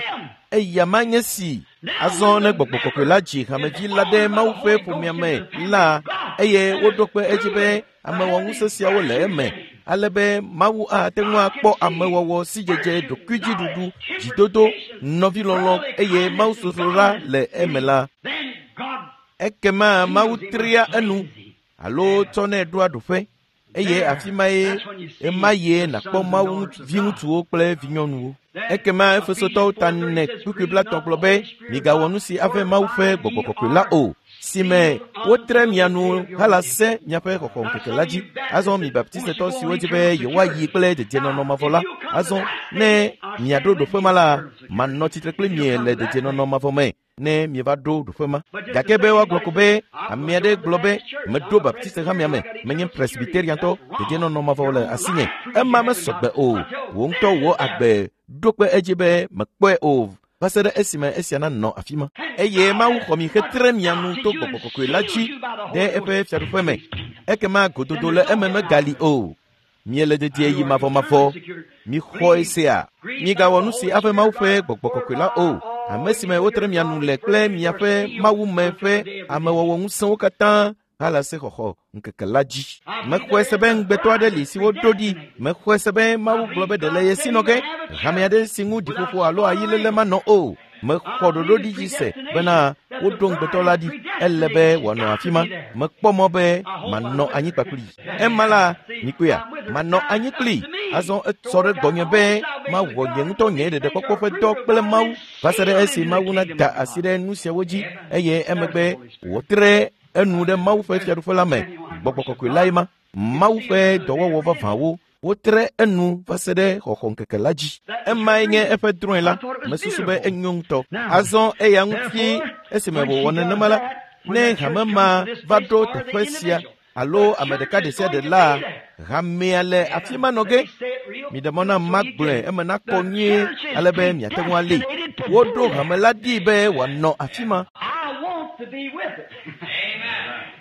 Eya ma nye si. Azɔ ne gbɔgbɔ kɔkɔe la dzi hamevi la ɖe Mawu ƒe ƒomea me la, eye woɖo kpe edzi be amewɔŋusẽ siawo le eme, ale be Mawu ate ŋu akpɔ amewɔwɔ, sidzedze, ɖokuidziɖuɖu, dzidodo, nɔvilɔlɔ̃ eye mawusosroɖa le eme la, then God ekema Mawu tria enu alo tsɔnɛ ɖoa ɖoƒe eye afi mae ema yie nàkpɔ Mawu viŋutsuwo kple vinyɔnuwo. Ekema Efesotɔwo ta ne kpukpui blatɔ̃ gblɔ be migawɔ nu si ave Mawu ƒe gbɔgbɔ kɔkɔe la o, si me wotre mia nu hala se miaƒe xɔxɔ ŋkeke la dzi. Azɔ mi baptistetɔ siwo di be yewoayi kple dedienɔnɔ mavɔ la, azɔ ne miaɖo ɖoƒe ma la, manɔ tsitre kpli mie le dedienɔnɔ mavɔ me ne mieva ɖo ɖoƒe ma. Gake be woagblɔ ko be ame aɖe gblɔ be meɖo baptiste hamea me, menye presbyteriantɔ, dedienɔnɔ mavɔ le asinye. Ema mesɔgbe o. Wò ŋutɔ wò agbe ɖo kpe edzi be mekpɔe o va se ɖe esime esia nanɔ afi ma. Eye Mawu xɔ mi hetre mia nu to gbɔgbɔ kɔkɔe la dzi ɖe eƒe fiaɖuƒe me. Ekema gododo le eme megali o. Miele dedie yi mavɔmavɔ. Mixɔe sea. Migawɔ nu si ave Mawu ƒe gbɔgbɔ kɔkɔe la o. Ame si me wotre mia nu le kple miaƒe Mawu me ƒe amewɔwɔ ŋusẽwo katã hala se xɔxɔ ŋkeke la dzi. Mexɔe se be ŋugbetɔ aɖe li si woɖo ɖi. Mexɔe se be Mawu gblɔ be ɖe le ye si nɔ ge. Hame aɖe si ŋu ɖiƒoƒo alo ayiléle manɔ o. Mexɔ ɖoɖo ɖi dzi se bena woɖo ŋugbetɔ la ɖi. Ele be wòanɔ afi ma. Mekpɔ mɔ be manɔ anyi kpakpli. Ema la, mikpɔea, manɔ anyi kpli. Azɔ etsɔ ɖe gbɔnye be mawɔ nye ŋutɔ nye ɖeɖekpɔkpɔ ƒe dɔ kple Mawu va se ɖe esi Mawu nada asi ɖe nu siawo dzi eye emegbe wòtre enu ɖe Mawu ƒe fiaɖuƒe la me. Gbɔgbɔ kɔkɔe lae ma. Mawu ƒe dɔwɔwɔ vavãwo wotre enu va se ɖe xɔxɔ ŋkeke la dzi. Emae nye eƒe drɔ̃e la. Mesusu be enyo ŋutɔ. Azɔ eya ŋuti esime wòwɔ nenema la, ne hame ma va ɖo teƒe sia alo ame ɖeka ɖe sia ɖe la, hamea le afi ma nɔ ge. Miɖe mɔ nam magblɔe eme nakɔ nyuie ale be miate ŋu alée. Woɖo hame la ɖi be wòanɔ afi ma. I want to be with it.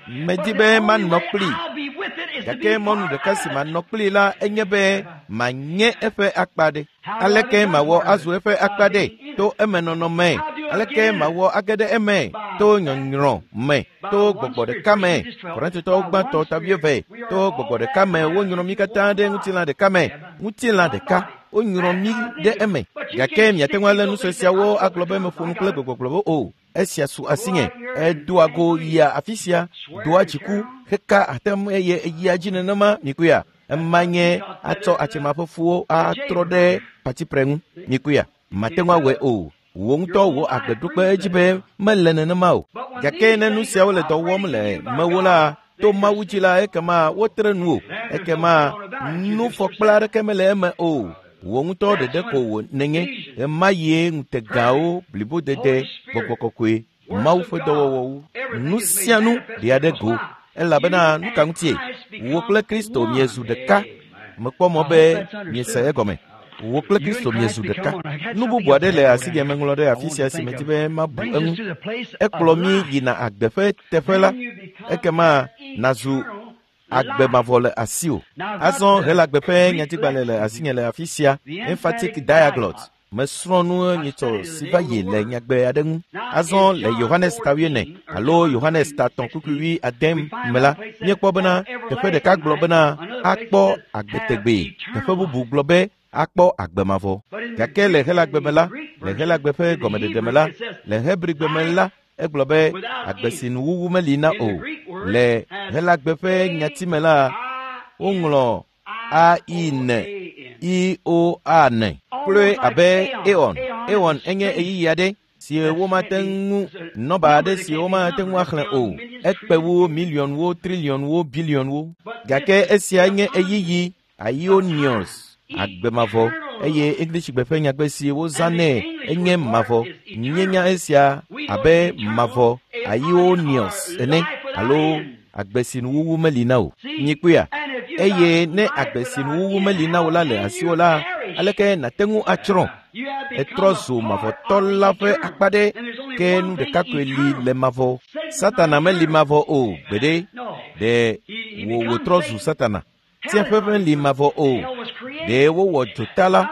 Medi be manɔ kplii. I'll be with it is to Gake be mɔnu part ɖeka of si it. manɔ kplii la enye be manye eƒe akpa ɖe. Aleke mawɔ azu eƒe akpa ɖe to emenɔnɔ me? Aleke mawɔ age ɖe eme to nyɔnyrɔ me to gbɔgbɔ ɖeka me? Korintotɔwo gbãtɔ ta wuieve to gbɔgbɔ ɖeka me wonyrɔ mí katã ɖe ŋutilã ɖeka me. Ŋutilã ɖeka wonyrɔ mí ɖe eme. Gake miate ŋu alé nu sue siawo agblɔ be meƒo nu kple gbegbɔgblɔwo o. Esia su asinye. Edoa go yia afi sia, doa dziku, heka atam eye eyia dzi nenema mikpɔea. Ema nye atsɔ atsema ƒe fuwo atrɔ ɖe patipre ŋu. Mikpɔea, mate ŋu awɔe o. Wò ŋutɔ wò agbe ɖo kpe edzi be mele nenema o. Gake ne nu siawo le dɔ wɔm le mewò la, to Mawu dzi la, ekema wotre nu o. Ekema nufɔkpla aɖeke mele eme o. Wò ŋutɔ ɖeɖe ko wò nenye. Ɣemaɣie ŋutegawo, blibodede, gbɔgbɔ kɔkɔe, Mawu ƒe dɔwɔwɔwo, nu sia nu ɖea ɖe go. Elabena nu ka ŋutie? Wò kple Kristo miezu ɖeka. Mekpɔ mɔ be miese egɔme. Wò kple Kristo miezu ɖeka. Nu bubu aɖe le asinye meŋlɔ ɖe afi sia si medi be mabu eŋu. Ekplɔ mí yina agbe ƒe teƒe la, ekema nàzu agbe mavɔ le asiwò. Azɔ Helagbe ƒe nyatigbalẽ le asinye le afi sia, Emphatic Diaglott. Mesrɔ̃ nu nyitsɔ si va yi le nyagbe aɖe ŋu. Azɔ le Yohanes ta wuiene alo Yohanes ta tɔ̃ kpukpui wuiade me la, míekpɔ bena teƒe ɖeka gblɔ bena akpɔ agbe tegbee. Teƒe bubu gblɔ be akpɔ agbe mavɔ. Gake le Helagbe me la, le Helagbe ƒe gɔmeɖeɖe me la, le Hebrigbe me la, egblɔ be agbe si nuwuwu meli na o. Le Helagbe ƒe nyati me la, woŋlɔ A I N I O A N kloe abe Aeon. Aeon enye ɣeyiɣi aɖe si womate ŋu nɔba aɖe si womate ŋu axlẽ o. Ekpe wu miliɔnwo, triliɔnwo, biliɔnwo. Gake esia nye ɣeyiɣi Aionios, agbe mavɔ, eye Englishgbe ƒe nyagbe si wozãnɛ enye mavɔ. Míenya esia abe mavɔ Aionios ene alo agbe si nuwuwu meli na o. Mikpɔea? Eye ne agbe si nuwuwu meli na o la le asiwò la, aleke nàte ŋu atsrɔ̃? Etrɔ zu mavɔtɔ la ƒe akpa ɖe, ke nu ɖeka koe li le mavɔ. Satana meli mavɔ o gbeɖe. Ɖe wò wòtrɔ zu Satana. Tsiẽƒe meli mavɔ o. Ɖe wowɔ dzota la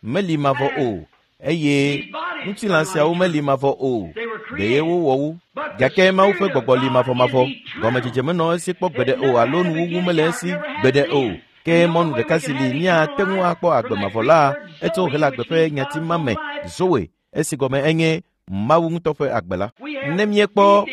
meli mavɔ o. Eye ŋutilã siawo meli mavɔ o. Ɖe wowɔ wo. Gake Mawu ƒe gbɔgbɔ li mavɔmavɔ. Gɔmedzedze menɔ esi kpɔ gbeɖe o alo nuwuwu mele esi gbeɖe o. Ke mɔnu ɖeka si li míate ŋu akpɔ agbe mavɔ la, etso Helagbe ƒe nyati ma me, Zoe, esi gɔme enye Mawu ŋutɔ ƒe agbe la. Ne míekpɔ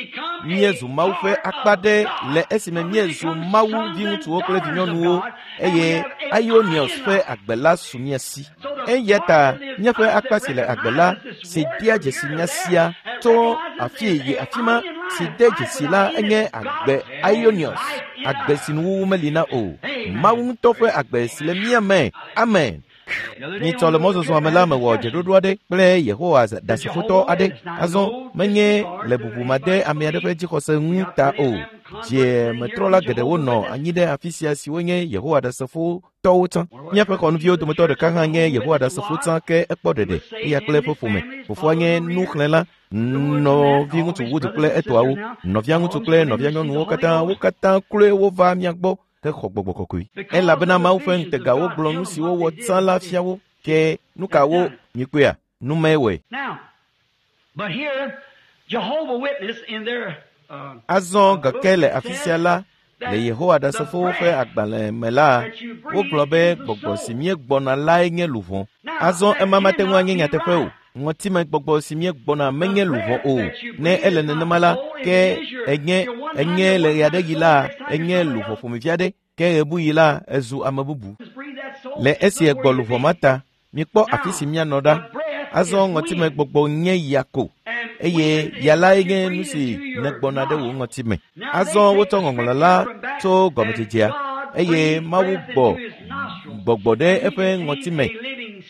míezu Mawu ƒe akpa ɖe le esime míezu Mawu viŋutsuwo kple vinyɔnuwo eye Aionios ƒe agbe la su mía si. Eya ta míaƒe akpa si le agbe la, si dea dzesi nya sia tso afi yi afi ma, si de dzesi la enye agbe Aionios, agbe si nuwuwu meli na o. Mawu ŋutɔ ƒe agbe si le mía me. Amen. Nyitsɔ le mɔzɔzɔa me la mewɔ dzeɖoɖo aɖe kple Yehowa Ɖasefotɔ aɖe. Azɔ menye le bubumade ame aɖe ƒe dzixɔse ŋu ta o. Dziemetrɔla geɖewo nɔ anyi ɖe afi sia siwo nye Yehowa Ɖasefotɔwo tsã. Míaƒe xɔnuviwo dometɔ ɖeka hã nye Yehowa Ɖasefo tsã ke ekpɔ ɖeɖe eya kple eƒe ƒome. Fofoa nye nuxlẽla, nɔviŋutsu Wood kple etɔawo, nɔviaŋutsu kple nɔvianyɔnuwo katã, wo katã kloe wova mía gbɔ hexɔ gbɔgbɔ kɔkɔe. Elabena Mawu ƒe ŋutegawo gblɔ nu si wowɔ tsã la fia wo. Ke nu ka wo mikpɔea? Nu mae wɔe. But here, Jehovah Witness in their Azɔ gake le afi sia la, le Yehowa Ɖasefowo ƒe agbalẽ me la, wogblɔ be gbɔgbɔ si míegbɔna lae nye luʋɔ. Azɔ ema mate ŋu anye nyateƒe o. Ŋɔtime gbɔgbɔ si míegbɔna menye luʋɔ o. Ne ele nenema la, ke enye enye le ɣe aɖe ɣi la, enye luʋɔ ƒomevi aɖe, ke ɣebuɣi la, ezu ame bubu. Le esi egbɔ luʋɔ ma ta, mikpɔ afi si míanɔ ɖa. Azɔ ŋɔtime gbɔgbɔ nye ya ko, eye ya lae nye nu si nègbɔna ɖe wò ŋɔtime. Azɔ wotsɔ ŋɔŋlɔ la tso gɔmedzedzea, eye Mawu gbɔ gbɔgbɔ ɖe eƒe ŋɔtime,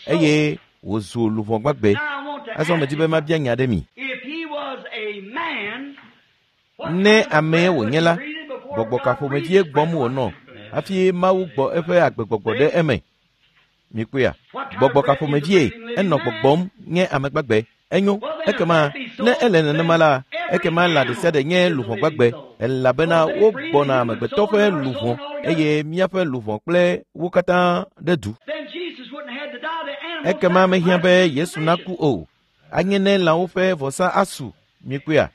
eye wòzu luʋɔ gbagbe. Azɔ medi be mabia nya ɖe mi. If he was a man, Ne amee wònye la, gbɔgbɔ ka ƒomevie gbɔm wònɔ hafi Mawu gbɔ eƒe agbegbɔgbɔ ɖe eme? Mikpɔea? Gbɔgbɔ ka ƒomevie enɔ gbɔgbɔm nye ame gbagbe? Enyo, ekema ne ele nenema la, ekema lã ɖe sia ɖe nye luʋɔ gbagbe, elabena wogbɔna amegbetɔ ƒe luʋɔ eye míaƒe luʋɔ kple wo katã ɖe du. Then Jesus wouldn't have had to die. The animal Ekema mehiã be sacrifice Yesu naku o. Anye ne lãwo ƒe vɔsa asu. Mikpɔea?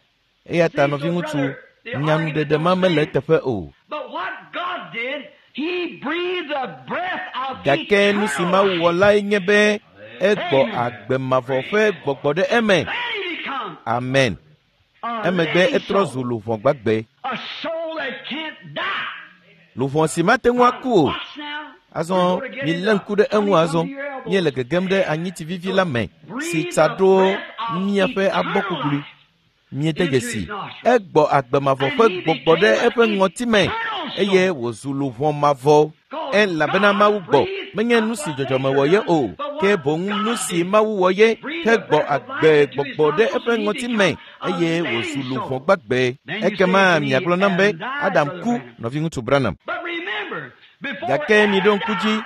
Eya ta nɔviŋutsu, nyanuɖeɖe ma mele eteƒe o. But what God did, He breathed the breath of Gake nu si eternal Mawu life. wɔ lae nye be egbɔ agbe mavɔ ƒe gbɔgbɔ ɖe eme. Then he become Amen. a Emegbe living etrɔ zu soul, luʋɔ gbagbe. a soul that can't die. Luʋɔ si mate ŋu aku o. Watch now. Azɔ milé ŋku ɖe eŋu azɔ. Míele gegem ɖe anyitsi vivi la me si tsa ɖo míaƒe abɔ kuklui. Míede dzesi. Egbɔ agbe mavɔ ƒe gbɔgbɔ ɖe eƒe ŋɔtime eye wòzu luʋɔ mavɔ. Elabena Mawu gbɔ menye nu si dzɔdzɔme wɔ ye o, ke boŋ nu si Mawu wɔ ye hegbɔ agbe gbɔgbɔ ɖe eƒe ŋɔtime eye wòzu luʋɔ gbagbe. Ekema miagblɔ nam be Adam ku nɔviŋutsu Branham. But remember, before Gake miɖo ŋku Adam dzi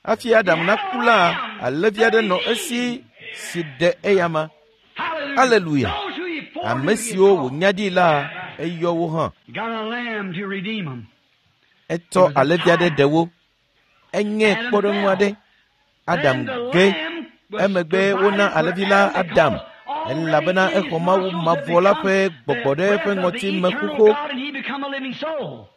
hafi Adam naku la, alẽvi aɖe nɔ esi si ɖe eyama. Hallelujah. Hallelujah. Those who he foreknew, Ame he siwo called. wònya ɖi la, eyɔ wo hã. He got a lamb to redeem them. Etsɔ alẽvi aɖe ɖe wo. Enye kpɔɖeŋu aɖe. Adam Then the ge. lamb was Emegbe wona provided for alẽvi la Adam Adam because already elabena in his exɔ Mawu nostrils had mavɔ la become ƒe the gbɔgbɔ ɖe breath eƒe of the ŋɔtime eternal xoxo God, and he become a living soul.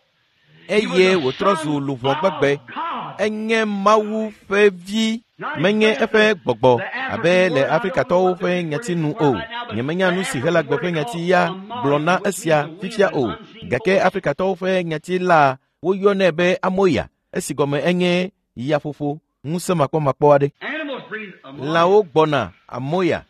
He was eye a wòtrɔ zu son luʋɔ gbagbe. of God. Enye Mawu ƒe vi. Menye eƒe gbɔgbɔ abe le Afrikatɔwo ƒe nyati nu o. Nyemenya nu si Helagbe ƒe nyati ya gblɔ na esia fifia o. Gake Afrikatɔwo ƒe nyati la woyɔnɛ be amoya, esi gɔme enye yaƒoƒo ŋusẽ makpɔmakpɔ aɖe. Lãwo gbɔna amoya.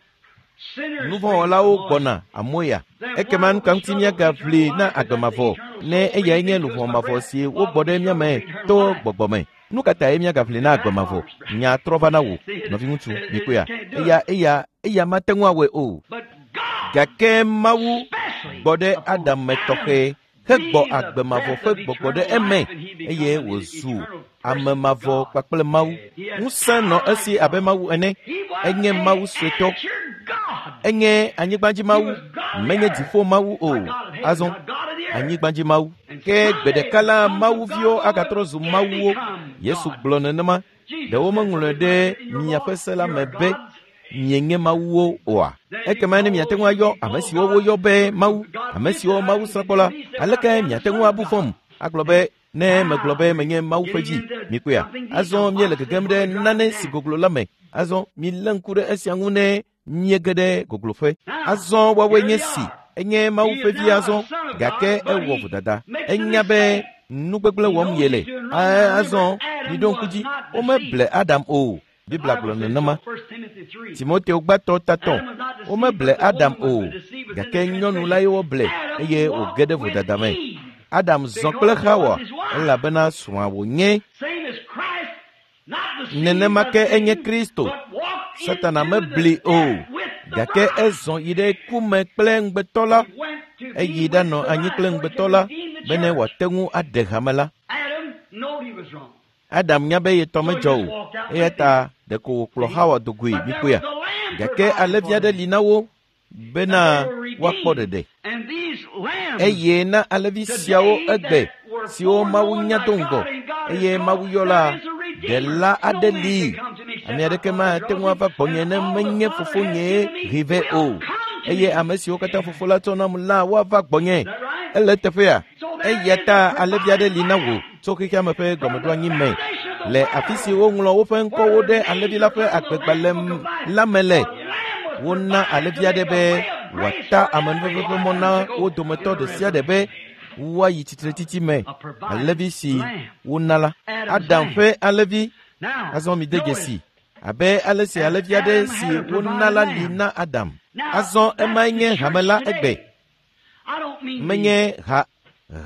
Nuvɔ̃wɔlawo gbɔna amoya. Ekema nu ka ŋuti míagaʋli na agbe mavɔ ne eyae nye luʋɔ mavɔ si wogbɔ ɖe mía me to gbɔgbɔ me? Nu ka tae míagaʋli na agbe mavɔ? Nya trɔ va na wò, nɔviŋutsu, mikpɔea? Eya mate ŋu awɔe o. Gake Mawu gbɔ ɖe Adam me tɔxɛ hegbɔ agbe mavɔ ƒe gbɔgbɔ ɖe eme eye wòzu ame mavɔ kpakple Mawu. Ŋusẽ nɔ esi abe Mawu ene. Enye Mawu suetɔ. Enye anyigbadzi Mawu, menye dziƒo Mawu o. Azɔ anyigbadzi Mawu. Ke gbe ɖeka la Mawuviwo agatrɔ zu Mawuwo. Yesu gblɔ nenema. Ɖe womeŋlɔe ɖe miaƒe se la me be mienye Mawuwo oa? Ekema ne miate ŋu ayɔ ame siwo woyɔ be Mawu, ame siwo Mawu srã kpɔ la, aleke miate ŋu abu fɔm agblɔ be ne megblɔ be menye Mawu ƒe vi? Mikpɔea? Azɔ míele gegem ɖe nane si goglo la me. Azɔ milé ŋku ɖe esia ŋu ne míege ɖe gogloƒe. Azɔ woawoe nye si. Enye Mawu ƒe vi azɔ, gake ewɔ vodada. Enya be nu gbegblẽ wɔm yele. Azɔ miɖo ŋku dzi, womeble Adam o. Biblia gblɔ nenema. Timoteo gbãtɔ tatɔ, womeble Adam o, gake nyɔnu lae woble eye wòge ɖe vodada me. Adam zɔ kple Xawa elabena srɔ̃a wònye. Nenema ke enye Kristo. Satana mebli o, gake ezɔ yi ɖe ku me kple ŋugbetɔ la. Eyi ɖanɔ anyi kple ŋugbetɔ la bene wòate ŋu aɖe hame la. Adam nya be yetɔ medzɔ o, eya ta ɖeko wòkplɔ Xawa do goe mikpɔea. Gake alẽvi aɖe li na wo bena woakpɔ ɖeɖe. Eye na alẽvi siawo egbe siwo Mawu nya do ŋgɔ eye Mawu yɔ la, ɖela aɖe li. Ame aɖeke mate ŋu ava gbɔnye ne menye fofonyee hee vɛ o. Eye ame siwo katã fofo la tsɔ nam la woava gbɔnye. Ele eteƒea? Eya ta alẽvi aɖe li na wò tso xexea me ƒe gɔmeɖoanyi me le afi si woŋlɔ woƒe ŋkɔwo ɖe alẽvi la ƒe agbegbalẽ la me le. Wona alẽvi aɖe be wòata amenuveve ƒe mɔ na wo dometɔ ɖe sia ɖe be woayi tsitretsitsi me. Alẽvi si wona la, Adam ƒe alẽvi. Azɔ mide dzesi abe ale si alẽvi aɖe si wona la li na Adam. Azɔ emae nye hame la egbe. Menye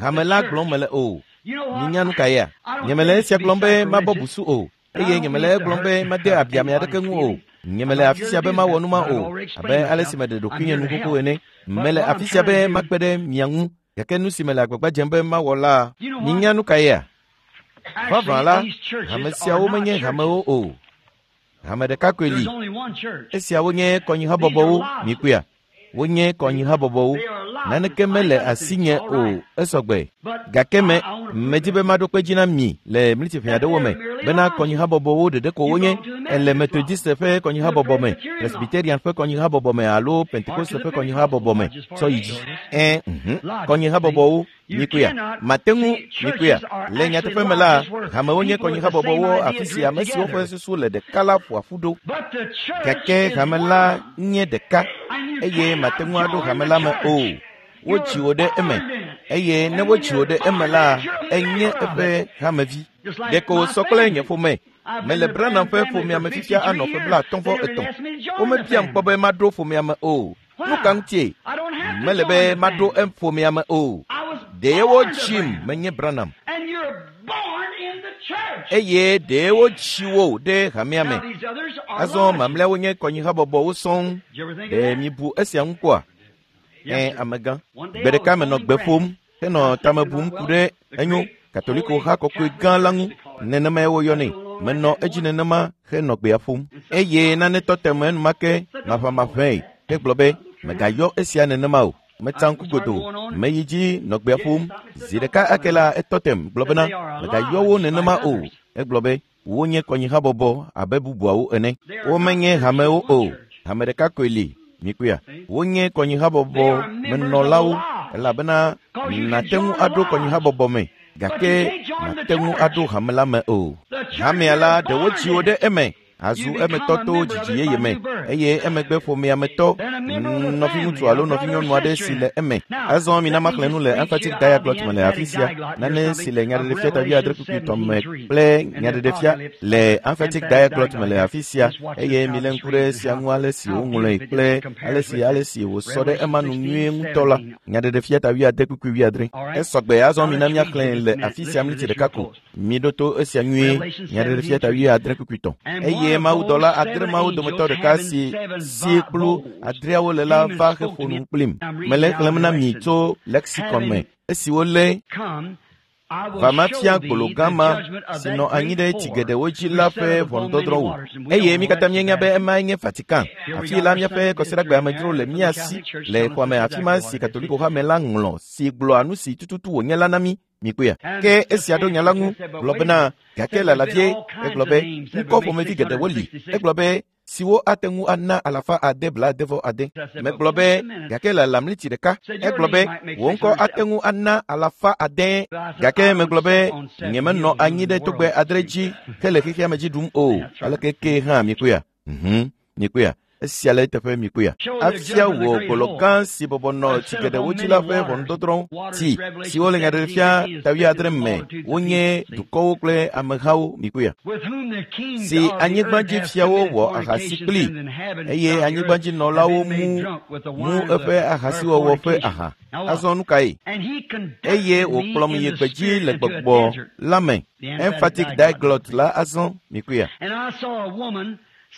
hame la gblɔm mele o. Minya nu ka yea? Nyemele esia gblɔm be mabɔ busu o, eye nyemele egblɔm be made abi ame aɖeke ŋu o. Nyemele afi sia be mawɔ nu ma o, abe ale si meɖe ɖokuinye nu xoxo ene. Mele afi sia be makpe ɖe mia ŋu, gake nu si mele agbagba dzem be mawɔ la, minya nu ka yea? Vavã la, hame siawo menye hamewo o. Hame ɖeka koe li. Esiawo nye kɔnyihabɔbɔwo, mikpɔea? Wonye kɔnyihabɔbɔwo. Naneke mele asinye o, esɔgbe. Gake me medi be maɖo kpe dzi na mi le mlitiƒe aɖewo me bena kɔnyihabɔbɔwo ɖeɖe ko wonye. Ele Methodiste ƒe kɔnyihabɔbɔ me, Presbyterian ƒe kɔnyihabɔbɔ me alo Pentekoste ƒe kɔnyihabɔbɔ me tsɔ yi dzi. Kɔnyihabɔbɔwo mikpɔea? Mate ŋu mikpɔea? Le nyateƒe me la, hamewo nye kɔnyihabɔbɔwo afi si ame siwo ƒe susu le ɖeka la ƒoa ƒu ɖo. Gake hame la nye ɖeka eye mate ŋu aɖo hame la me o. Wodzi wò ɖe eme eye ne wodzi wò ɖe eme la, enye eƒe hamevi. Ɖeko wòsɔ kple nye ƒome. Mele Branham ƒe ƒomea me fifia anɔ ƒe 53. Womebiam kpɔ be maɖo ƒomea me o. Nu ka ŋutie? Mele be maɖo ƒomea me o. Ɖe wodzim menye Branham. Eye ɖe wodzi wo ɖe hamea me. Azɔ mamlɛawo nye kɔnyihabɔbɔwo sɔŋ. Ɖe mibu esia ŋu kpɔa? Amegã. Gbe ɖeka menɔ gbe ƒom henɔ tame bum ku ɖe enyo Katoliko ha kɔkɔe gã la ŋu. Nenemae woyɔnɛ. Menɔ edzi nenema henɔ gbea ƒom. Eye nane tɔ te me enumake maʋamaʋãe hegblɔ be megayɔ esia nenema o. Metsa ŋku godoo. Meyi dzi nɔ gbea ƒom. Zi ɖeka ake la etɔ tem gblɔ bena megayɔ wo nenema o. Egblɔ be wonye kɔnyihabɔbɔ abe bubuawo ene. Womenye hamewo o. Hame ɖeka koe li. Mikpɔea? Wonye kɔnyihabɔbɔ menɔlawo elabena nàte ŋu aɖo kɔnyihabɔbɔ me gake màte ŋu aɖo hame la me o. Hamea la ɖe wodzi wo ɖe eme. Azu emetɔ to dzidzi yeye me eye emegbe ƒomea me tɔ nɔviŋutsu alo nɔvinyɔnu aɖe si le eme. Azɔ mina maxlẽ nu le Emphatic Diaglott me le afi sia, nane si le Nyaɖeɖefia ta 8 kpukpui 3 me kple Nyaɖeɖefia le Emphatic Diaglott me le afi sia, eye milé ŋku ɖe esia ŋu ale si woŋlɔe kple ale si wòsɔ ɖe ema nu nyuie ŋutɔ la. Nyaɖeɖefia ta 8 kpukpui 70. Esɔgbe. Azɔ mina míaxlẽe le afi sia mliti ɖeka ko. Miɖo to esia nyuie. Nyaɖeɖefia ta 8 kpukpui 3. Eye mawudɔla 6 mawo dometɔ ɖeka si si kplu 6awo le la va heƒo nu kplim. Mele xlẽm na mi tso lexicon me. Esi wolé va mafia gbolo gã ma si nɔ anyi ɖe tsi geɖewo dzi la ƒe ʋɔnudɔdrɔ̃ wò. Eye mi katã míenya be emae nye Vatican. Afi la míaƒe kɔsiɖagbe amedzro le mía si le xɔa me afi ma si Katoliko hame la ŋlɔ si gblɔa nu si tututu wònye la na mí. Mikpɔea? Ke esia ɖo nya la ŋu gblɔ bena gake lalavie egblɔ be ŋkɔ ƒomevi geɖewo li. Egblɔ be siwo ate ŋu ana 676. Megblɔ be gake lala mliti ɖeka. Egblɔ be wò ŋkɔ ate ŋu ana 500. Gake megblɔ be nyemenɔ anyi ɖe togbɛ 6 dzi hele xexea me dzi ɖum o. Aleke ke hã mikpɔea? Mikpɔea? Esia le eteƒe mikpɔea? Afia wò gbolo gã si bɔbɔ nɔ tsi geɖewo dzi la ƒe ʋɔnudɔdrɔ̃ tsi siwo le Nyaɖeɖefia ta 70 me wonye dukɔwo kple amehawo mikpɔea? Si anyigbadzifiawo wɔ ahasi kpli eye anyigbadzinɔlawo mu eƒe ahasiwɔwɔ ƒe aha. Azɔ nu kae? Eye wòkplɔm yi gbedzi le gbɔgbɔ la me. Emphatic Diaglott la azɔ mikpɔea?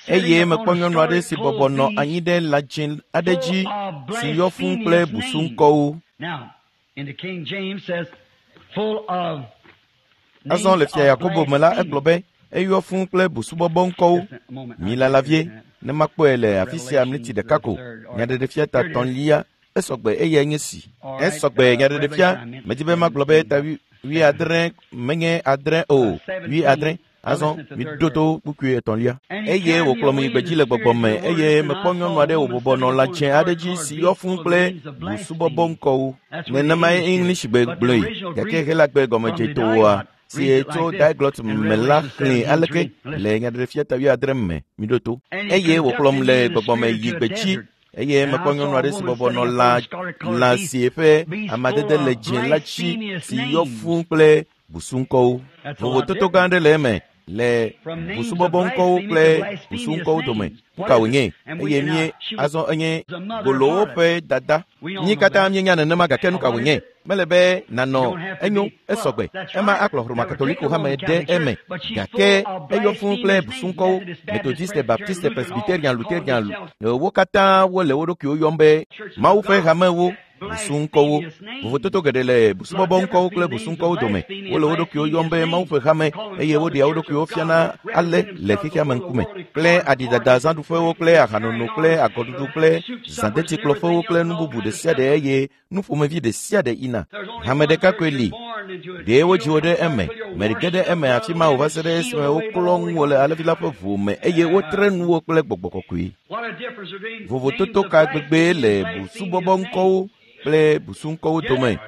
Eye mekpɔ nyɔnu aɖe si bɔbɔ nɔ anyi ɖe lã dzẽ aɖe dzi si yɔ fũu kple busuŋkɔwo. Azɔ le Fia Yakobo me la egblɔ be eyɔ fũu kple busubɔbɔ ŋkɔwo. Milala vie ne makpɔe le afi sia mliti ɖeka ko. Nyaɖeɖefia ta 3 esɔgbe eyae nye si. Esɔgbe Nyaɖeɖefia medi be magblɔ be ta 70 menye 6 o 70. Azɔ miɖo to kpukpui 3. Eye wòkplɔm yi gbedzi le gbɔgbɔ me eye mekpɔ nyɔnu aɖe wòbɔbɔ nɔ lã dzẽ aɖe dzi si yɔ fũu kple busubɔbɔ ŋkɔwo. Nenemae English gbe gblɔe gake Helagbe gɔmedzetoa si tso Diaglott me la xlẽe aleke le Nyaɖeɖefia ta 70 me. Miɖo to. Eye wòkplɔm le gbɔgbɔ me yi gbedzi eye mekpɔ nyɔnu aɖe si bɔbɔ nɔ lã si eƒe amadede le dzẽ la dzi si yɔ fũu kple busuŋkɔwo. Vovototo gã aɖe le eme le busubɔbɔ ŋkɔwo kple busuŋkɔwo dome. Nu ka wònye? Eye mie azɔ enye gbolowo ƒe dada. Mí katã míenya nenema gake nu ka wònye? Mele be nànɔ enyo esɔgbe. Ema akplɔ Roma Katoliko hame ɖe eme gake eyɔ fũu kple busuŋkɔwo. Methodiste, Baptiste, Presbyterian, Lutherian wo katã wole wo ɖokuiwo yɔm be Mawu ƒe hamewo. Busuŋkɔwo. Vovototo geɖe le busubɔbɔ ŋkɔwo kple busuŋkɔwo dome. Wole wo ɖokuiwo yɔm be Mawu ƒe hame eye woɖea wo ɖokuiwo fiana ale le xexea me ŋkume. Kple aɖidada zãɖuƒewo kple ahanono kple agɔɖuɖu kple zãdetikplɔƒewo kple nu bubu ɖe sia ɖe eye nu ƒomevi ɖe sia ɖe yina. Hame ɖeka koe li. Ɖe wodzi wo ɖe eme. Meɖe ge ɖe eme afi ma o va se ɖe esime woklɔ ŋuwò le alẽvi la ƒe ʋu me eye wotre nuwò kple gbɔgbɔ kɔkɔe. Vovototo ka gbegbee le busubɔbɔ ŋkɔwo kple busuŋkɔwo dome?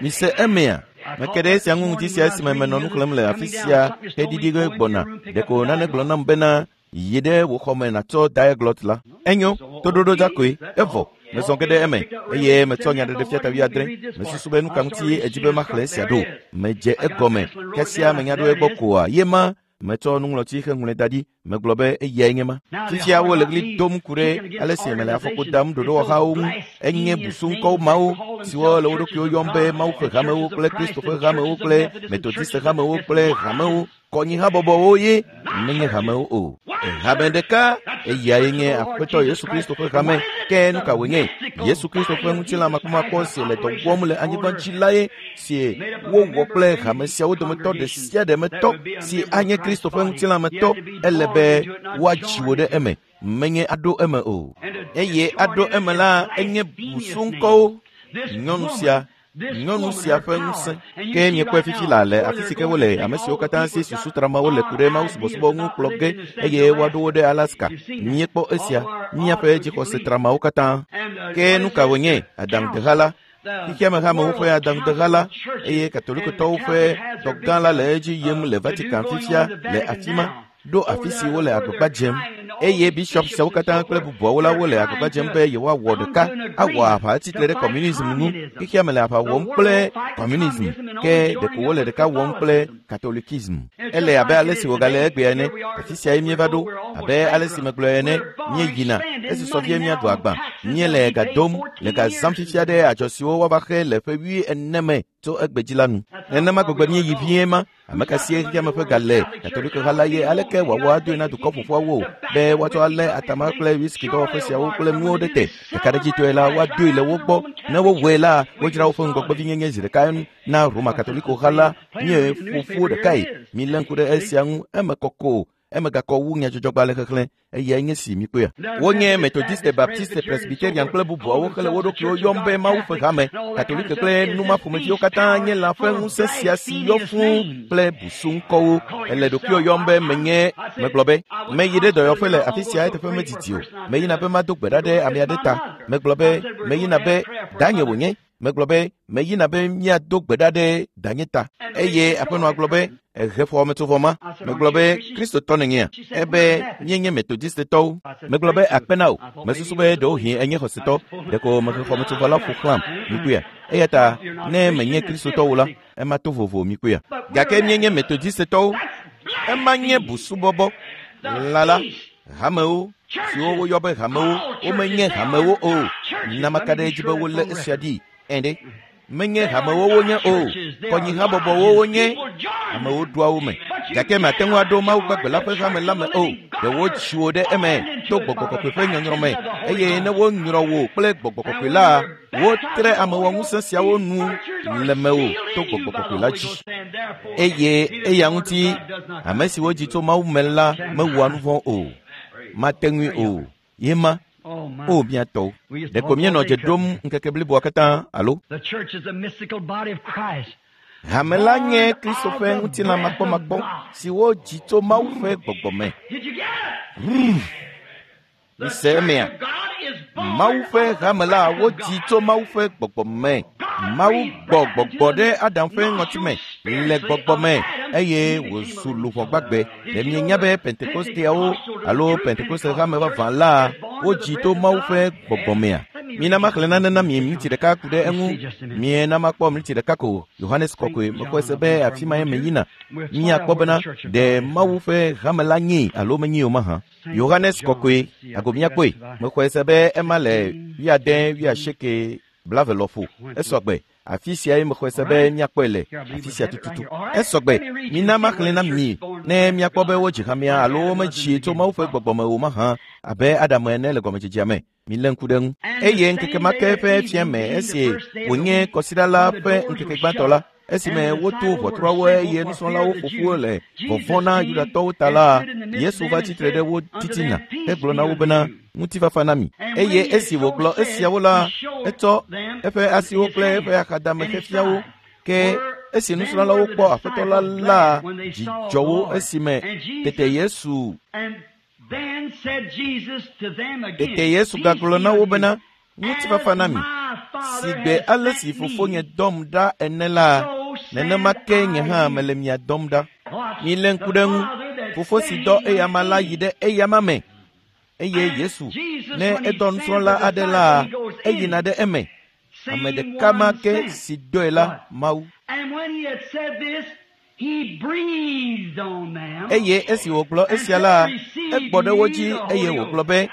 Mise emea? Meke ɖe esia ŋu ŋuti sia esime menɔ nu xlẽm le afi sia heɖiɖi ge gbɔna. Ɖeko nane gblɔ nam bena yi ɖe wò xɔme nàtsɔ Diaglott la. Enyo, toɖoɖo dza koe, evɔ. Mezɔ ge ɖe eme eye metsɔ Nyaɖeɖefia ta 70. Mesusu be nu ka ŋuti edzi be maxlẽ esia ɖo. Medze egɔme. Kasia menya ɖo egbɔ koa ye ma metsɔ nuŋlɔtsi heŋlɔe da ɖi. Megblɔ be eyae nye ma. Fifia wole ɣli dom ku ɖe ale si mele afɔku dam ɖoɖowɔhawo ŋu. Enye busuŋkɔwo mawo siwo le wo ɖokuiwo yɔm be Mawu ƒe hamewo kple Kristo ƒe hamewo kple Methodiste hamewo kple hamewo kɔnyihabɔbɔwo ye menye hamewo o. Hame ɖeka eyae nye Aƒetɔ Yesu Kristo ƒe hame. Ke nu ka wònye? Yesu Kristo ƒe ŋutilã makpɔmakpɔ si le dɔ wɔm le anyigba dzi lae si wowɔ kple hame siawo dometɔ ɖe sia ɖe me tɔ si anye Kristo ƒe ŋutilã me tɔ ele be woadzi wò ɖe eme menye aɖo eme o. Eye aɖo eme la enye busuŋkɔwo. Nyɔnu sia ƒe ŋusẽ. Ke miekpɔe fifi la le afi si ke wole ame siwo katã si susu tramawo le ku ɖe Mawu subɔsubɔ ŋu kplɔ ge eye woaɖo wo ɖe Alaska. Miekpɔ esia, míaƒe dzixɔse tramawo katã. Ke nu ka wònye? Adaŋudeha la. Xexea me hamewo ƒe adaŋudeha la eye Katolikotɔwo ƒe dɔ gã la le edzi yim le Vatican fifia le afi ma. Ɖo afi si wole agbagba dzem eye bishɔp siawo katã kple bubuawo la wole agbagba dzem be yewoawɔ ɖeka awɔ aʋa atsitre ɖe kɔmunism ŋu. Xexea me le aʋa wɔm kple kɔmunism, ke ɖeko wole ɖeka wɔm kple katolikism. Ele abe ale si wògale egbea ene. Afi siae míeva ɖo. Abe ale si megblɔe ene, míeyina esi sɔ vie míaɖu agba. Míele ga dom le ga zãm fifia ɖe adzɔ siwo woava xe le ƒe 40 me tso egbedzi la nu. Nenema gbegbe míeyi vie ma. Ame ka sie xexeame ƒe ga le? Katolikoha la ye. Aleke wòawɔ adoe na dukɔ ƒoƒuawo be woatsɔ alé atama kple whisky dɔwɔƒe siawo kple nuwo ɖe te? Ɖekaɖedzitɔe la, woadoe le wo gbɔ. Ne wowɔe la, wodzra woƒe ŋgɔgbevinyenye zi ɖeka na Roma Katolikoha la. Míe ƒoƒu ɖekae. Milé ŋku ɖe esia ŋu. Eme kɔkɔ. Eme gakɔ wu nyadzɔdzɔgbalẽ xexlẽ. Eyae nye si mikpɔea. Wonye Methodiste, Baptiste, Presbyterian kple bubuawo hele wo ɖokuiwo yɔm be Mawu ƒe hame. Katolike kple numa ƒomeviwo katã nye lã ƒe ŋusẽ sia si yɔ fũu kple busuŋkɔwo. Ele ɖokuiwo yɔm be menye. Megblɔ be, meyi ɖe dɔyɔƒe le afi sia eteƒe medidi o. Meyina be mado gbe ɖa ɖe ame aɖe ta. Megblɔ be, meyina be danye wònye. Megblɔ be, meyina be míado gbe ɖa ɖe danye ta. Eye aƒenɔa gblɔ be, ehe xɔmetsovɔ ma. Megblɔ be, Kristotɔ nènyea? Ebe, míenye Methodistetɔwo. Megblɔ be, akpe na wò. Mesusu be ɖewohĩ enye xɔsetɔ. Ɖeko mehe xɔmetsovɔ la ƒo xlãm. Mikpɔea? Eya ta ne menye Kristotɔ o la, ema to vovo. Mikpɔea? Gake míenye Methodistetɔwo. Ema nye busubɔbɔ. Lã la, hamewo siwo woyɔ be hamewo, womenye hamewo o. Namaka ɖe edzi be wolé esia ɖi. Ɛ̃ ɖe, menye hamewo wonye o. Kɔnyihabɔbɔwo wonye. Amewo ɖoa wo me. Gake mate ŋu aɖo Mawu gbagbe la ƒe hame la me o. Ɖe wotsi wo ɖe eme to gbɔgbɔ kɔkɔe ƒe nyɔnyrɔ me. Eye ne wonyrɔ wò kple gbɔgbɔ kɔkɔe la, wotre amewɔŋusẽ siawo nu le mewò to gbɔgbɔ kɔkɔe la dzi. Eye eya ŋuti ame si wodzi tso Mawu me la mewɔa nu vɔ̃ o. Mate ŋui o. Ye ma. O mía tɔwo. Ɖeko míenɔ dze ɖom ŋkeke bliboa katã alo? The church is the mystical body of Christ. Hame la nye Kristo ƒe ŋutilã makpɔmakpɔ si wodzi tso Mawu ƒe gbɔgbɔ me. Did you get it? The Mise church emea? of God is born Mawu ƒe of the hame la breath of wodzi God. tso Mawu ƒe gbɔgbɔ me. Mawu gbɔ gbɔgbɔ ɖe Adam ƒe ŋɔtime le gbɔgbɔ me eye wòzu luʋɔ gbagbe. Ɖe mienya be Pentekosteawo alo Pentekoste hame vavã la wodzi to Mawu ƒe gbɔgbɔ mea? Mina maxlẽ nane na mi miniti ɖeka ku ɖe eŋu. Miena makpɔ miniti ɖeka ko. Yohanes kɔkɔe mexɔe se be afi mae meyina. Míakpɔ bena ɖe Mawu ƒe hame la nyee alo menyee o mahã. Yohanes kɔkɔe, ago míakpɔe. Mexɔe se be ema le 70, 80, 20 lɔƒo. Esɔgbe. Afi siae mexɔe se be míakpɔe le afi sia tututu. Esɔgbe. Mina maxlẽ na mi ne míakpɔ be wodzi hamea alo womedzi tso Mawu ƒe gbɔgbɔ me o mahã abe Adam ene le gɔmedzedzea me. Milé ŋku ɖe eŋu. Eye ŋkeke ma ke ƒe fiẽ me esi wònye kɔsiɖa la ƒe ŋkeke gbãtɔ la, esime woto ʋɔtruawo eye nusrɔ̃lawo ƒo ƒu le vɔvɔ̃ na Yudatɔwo ta la, Yesu va tsitre ɖe wo titina hegblɔ na wo bena, ŋutifafa na mi. Eye esi wògblɔ esiawo la, etsɔ eƒe asiwo kple eƒe axadame xefia wo. Ke esi nusrɔ̃lawo kpɔ Aƒetɔ la la, dzi dzɔ wo esime tete Yesu And then said Jesus to them again, tete Yesu gagblɔ na wo bena, ŋutifafa na mi. Si Si gbe ale si fofonye dɔm ɖa ene la, nenema ke nye hã mele mia dɔm ɖa. Milé ŋku ɖe eŋu. Fofo si dɔ eyama la yi ɖe eyama me. Eye Yesu, ne edɔ nusrɔ̃la aɖe la, eyina ɖe eme. Ame ɖeka ma ke si dɔe la, Mawu. And when he had said this, he breathed on them. Eye esi wògblɔ esia la, egbɔ ɖe wo dzi eye wògblɔ be,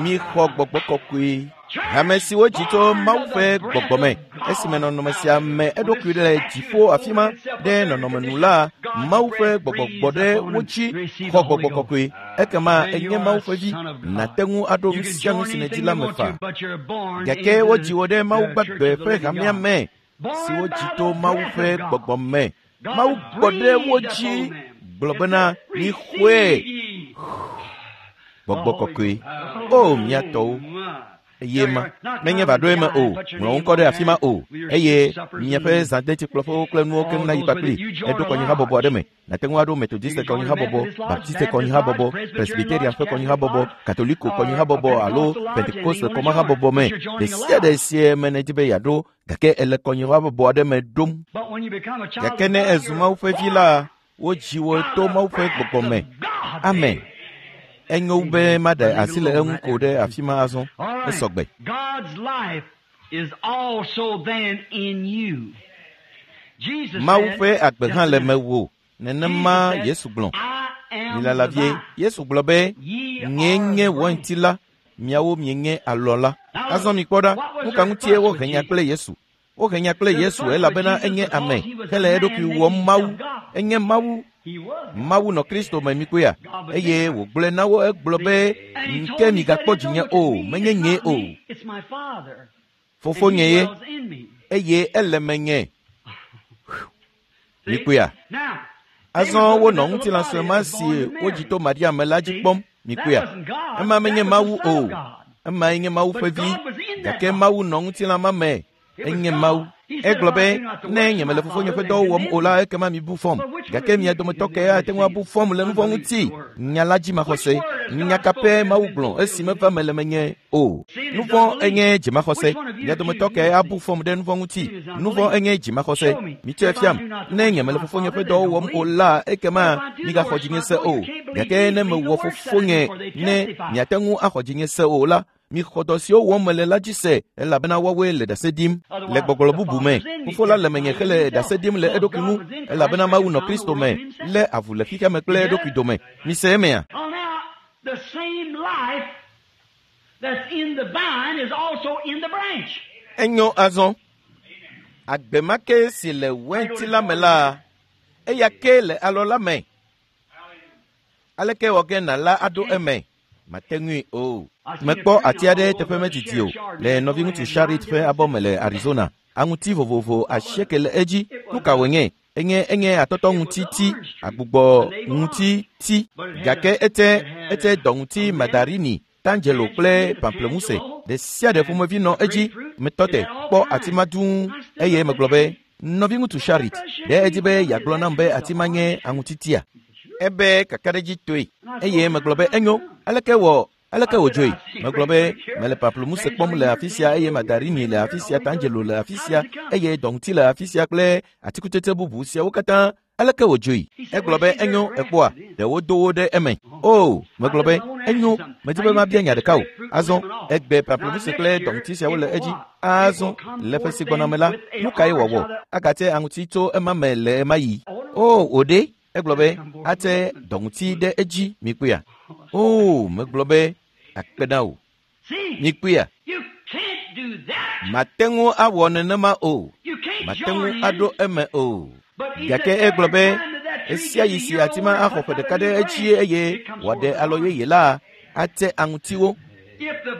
mixɔ gbɔgbɔ kɔkɔe. Hame si wodzi tso Mawu ƒe gbɔgbɔ me, esime nɔnɔme sia me eɖokui le dziƒo afi ma ɖe nɔnɔme nu la, Mawu ƒe gbɔgbɔ gbɔ ɖe wo dzi xɔ gbɔgbɔ kɔkɔe. Ekema enye Mawu ƒe vi, nàte ŋu aɖo nu sia nu si nèdi la me faa. Gake wodzi wò ɖe Mawu gbagbe ƒe hamea me si wodzi to Mawu ƒe gbɔgbɔ me. Mawu gbɔ ɖe wo dzi gblɔ bena, mixɔe gbɔgbɔ kɔkɔe. O mía tɔwo, eye ma menye va ɖo eme o, ŋlɔ wo ŋkɔ ɖe afi ma o, eye miaƒe zãdetsikplɔƒewo kple nuwo keŋ nayi kpakpli. Eɖo kɔnyihabɔbɔ aɖe me. Nàte ŋu aɖo Methodiste kɔnyihabɔbɔ, Baptiste kɔnyihabɔbɔ, Presbyterian ƒe kɔnyihabɔbɔ, Katoliko kɔnyihabɔbɔ alo Pentekoste kɔmahabɔbɔ me. Ɖe sia ɖe sie me nèdi be yeaɖo, gake ele kɔnyihabɔbɔ aɖe me ɖom. But when you become a child Gake ne of God, èzu Mawu ƒe vi la, wodzi wò to Mawu ƒe gbɔgbɔ me. Amen. Enyo wu be maɖe asi le eŋu ko ɖe afi ma azɔ. Esɔgbe. Mawu ƒe agbe hã le mewò. Nenema Yesu gblɔ. Milala vie. Yesu gblɔ be, nyee nye wainti la, miawo mienye alɔ la. Azɔ mikpɔ ɖa, nu ka ŋutie wohe nya kple Yesu? Wohe nya kple Yesu elabena enye ame hele eɖokui wɔm Mawu. Enye Mawu. Mawu nɔ Kristo me mikpɔea? Eye wògblɔe na wo egblɔ be, ke migakpɔ dzinye o, menye nyee o. Fofonye ye, eye ele menye. Mikpɔea? Azɔ wonɔ ŋutilã sue ma si wodzi to Maria me la dzi kpɔm. Mikpɔea? Ema menye Mawu o. Emae nye Mawu ƒe vi. Gake Mawu nɔ ŋutilã ma me. Enye Mawu. Egblɔ be, ne nyemele fofonye ƒe dɔwo wɔm o la, ekema mibu fɔm. Gake mia dometɔ ke ate ŋu abu fɔm le nuvɔ̃ ŋuti. Nya la dzi maxɔse. Nya ka pɛ Mawu gblɔ esi meva me le menye o. Nuvɔ̃ enye dzimaxɔse. Mia dometɔ ke abu fɔm ɖe nuvɔ̃ ŋuti. Nuvɔ̃ enye dzimaxɔse. Mitsɔe fiam. Ne nyemele fofonye ƒe dɔwo wɔm o la, ekema migaxɔ dzinye se o. Gake ne mewɔ fofonye, ne miate ŋu axɔ dzinye se o la, mixɔ dɔ siwo wɔm mele la dzi se, elabena woawoe le ɖase ɖim. Le gbɔgblɔ bubu me, fofo la le menye hele ɖase ɖim le eɖokui ŋu, elabena Mawu nɔ Kristo me, lé avu le xexea me kple eɖokui dome. Mise emea? Enyo azɔ. Agbe ma ke si le wainti la me la, eya ke le alɔ la me. Aleke wɔ ge nàla aɖo eme? Mate ŋui o. Mekpɔ ati aɖe teƒe medidi o le nɔviŋutsu Sharit ƒe abɔ me le Arizona. Aŋuti vovovo 8 le edzi. Nu ka wònye? Enye enye atɔtɔ ŋuti ti, agbugbɔ ŋuti ti. Gake ete ete dɔ ŋuti mandarini, tangelo kple pamplemousse. Ɖe sia ɖe ƒomevi nɔ edzi. Metɔ te kpɔ ati ma dũu eye megblɔ be, nɔviŋutsu Sharit, ɖe edi be yeagblɔ nam be ati ma nye aŋutitia? Ebe kakaɖedzitɔe. Eye megblɔ be enyo, aleke wɔ aleke wòdzoe? Megblɔ be mele pamplemousse kpɔm le afi sia eye mandarini le afi sia, tangelo le afi sia eye dɔŋuti le afi sia kple atikutsetse bubu siawo katã. Aleke wòdzoe? Egblɔ be enyo, ekpɔa, ɖe wodo wo ɖe eme. O, megblɔ be enyo, medi be mabia nya ɖeka o. Azɔ, egbe pamplemousse kple dɔŋuti siawo le edzi. Azɔ, le ƒe si gbɔna me la, nu kae wòawɔ? Agate aŋuti tso ema me le ema yi. O, wòɖe? Egblɔ be ate dɔŋuti ɖe edzi, mikpɔea? O, megblɔ be akpe na wò. Mikpɔea? Mate ŋu awɔ nenema o. Mate ŋu aɖo eme o. Gake egblɔ be esia yi si ati ma axɔ ƒe ɖeka ɖe edzi eye wòaɖe alɔ yeye la, ate aŋutiwo.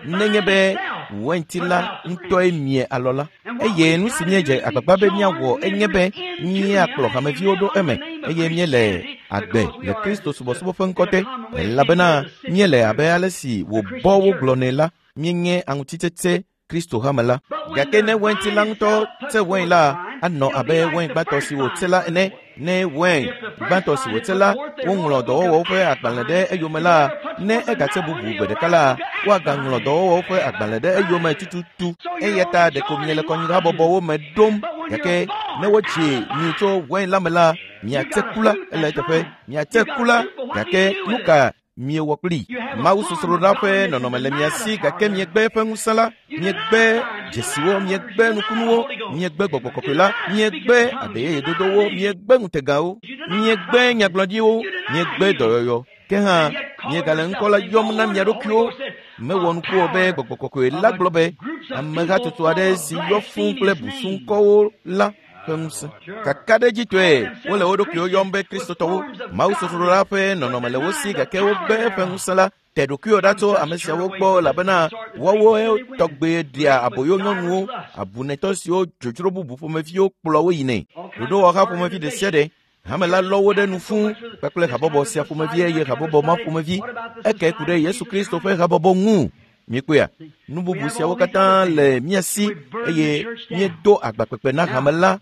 Nenye be wainti la ŋutɔe mie alɔ la. Eye nu si míedze agbagba be míawɔ enye be míakplɔ hameviwo ɖo eme eye míele agbe le Kristo subɔsubɔ ƒe ŋkɔ te, elabena míele abe ale si wòbɔ wogblɔnɛ la, míenye aŋutitsetse Kristo hame la. Gake ne wainti la ŋutɔ tse wain la, anɔ abe wain gbãtɔ si wòtse la ene. Ne wain gbãtɔ si wòtse la, woŋlɔ dɔwɔwɔwo ƒe agbalẽ ɖe eyome la, ne egatse bubu gbe ɖeka la, woagaŋlɔ dɔwɔwɔwo ƒe agbalẽ ɖe eyome tututu. Eya ta ɖeko miele kɔnyihabɔbɔwo me ɖom. Gake ne wodzi mi tso wain la me la, miatse ku la ele eteƒe. Miatse ku la, gake nu ka miewɔ kpli? Mawu sosroɖa ƒe nɔnɔme le mia si, gake miegbe eƒe ŋusẽ la, miegbe dzesiwo, miegbe nukunuwo, miegbe gbɔgbɔ kɔkɔe la, miegbe adeyeyedodowo, miegbe ŋutegawo, miegbe nyagblɔɖiwo, miegbe dɔyɔyɔ. Ke hã miegale ŋkɔ la yɔm na mia ɖokuiwo. Mewɔ nuku o be gbɔgbɔ kɔkɔe la gblɔ be amehatsotso aɖe si yɔ fũu kple busuŋkɔwo la ƒe ŋusẽ. Kakaɖedzitɔe wole wo ɖokuiwo yɔm be Kristotɔwo. Mawu sosroɖa ƒe nɔnɔme le wo si gake wogbe eƒe ŋusẽ la. Te ɖokuiwò ɖa tso ame siawo gbɔ elabena woawoe tɔgbe ɖea aboyo nyɔnuwo, abunetɔ siwo dzodzro bubu ƒomeviwo kplɔ wo yinɛ. Ɖoɖowɔha ƒomevi ɖe sia ɖe. Hame la lɔ wo ɖe nu fũu kpakple habɔbɔ sia ƒomevi eye habɔbɔ ma ƒomevi. Eke ku ɖe Yesu Kristo ƒe habɔbɔ ŋu. Mikpɔea? Nu bubu siawo katã le mía si eye míedo agbakpekpe na hame la.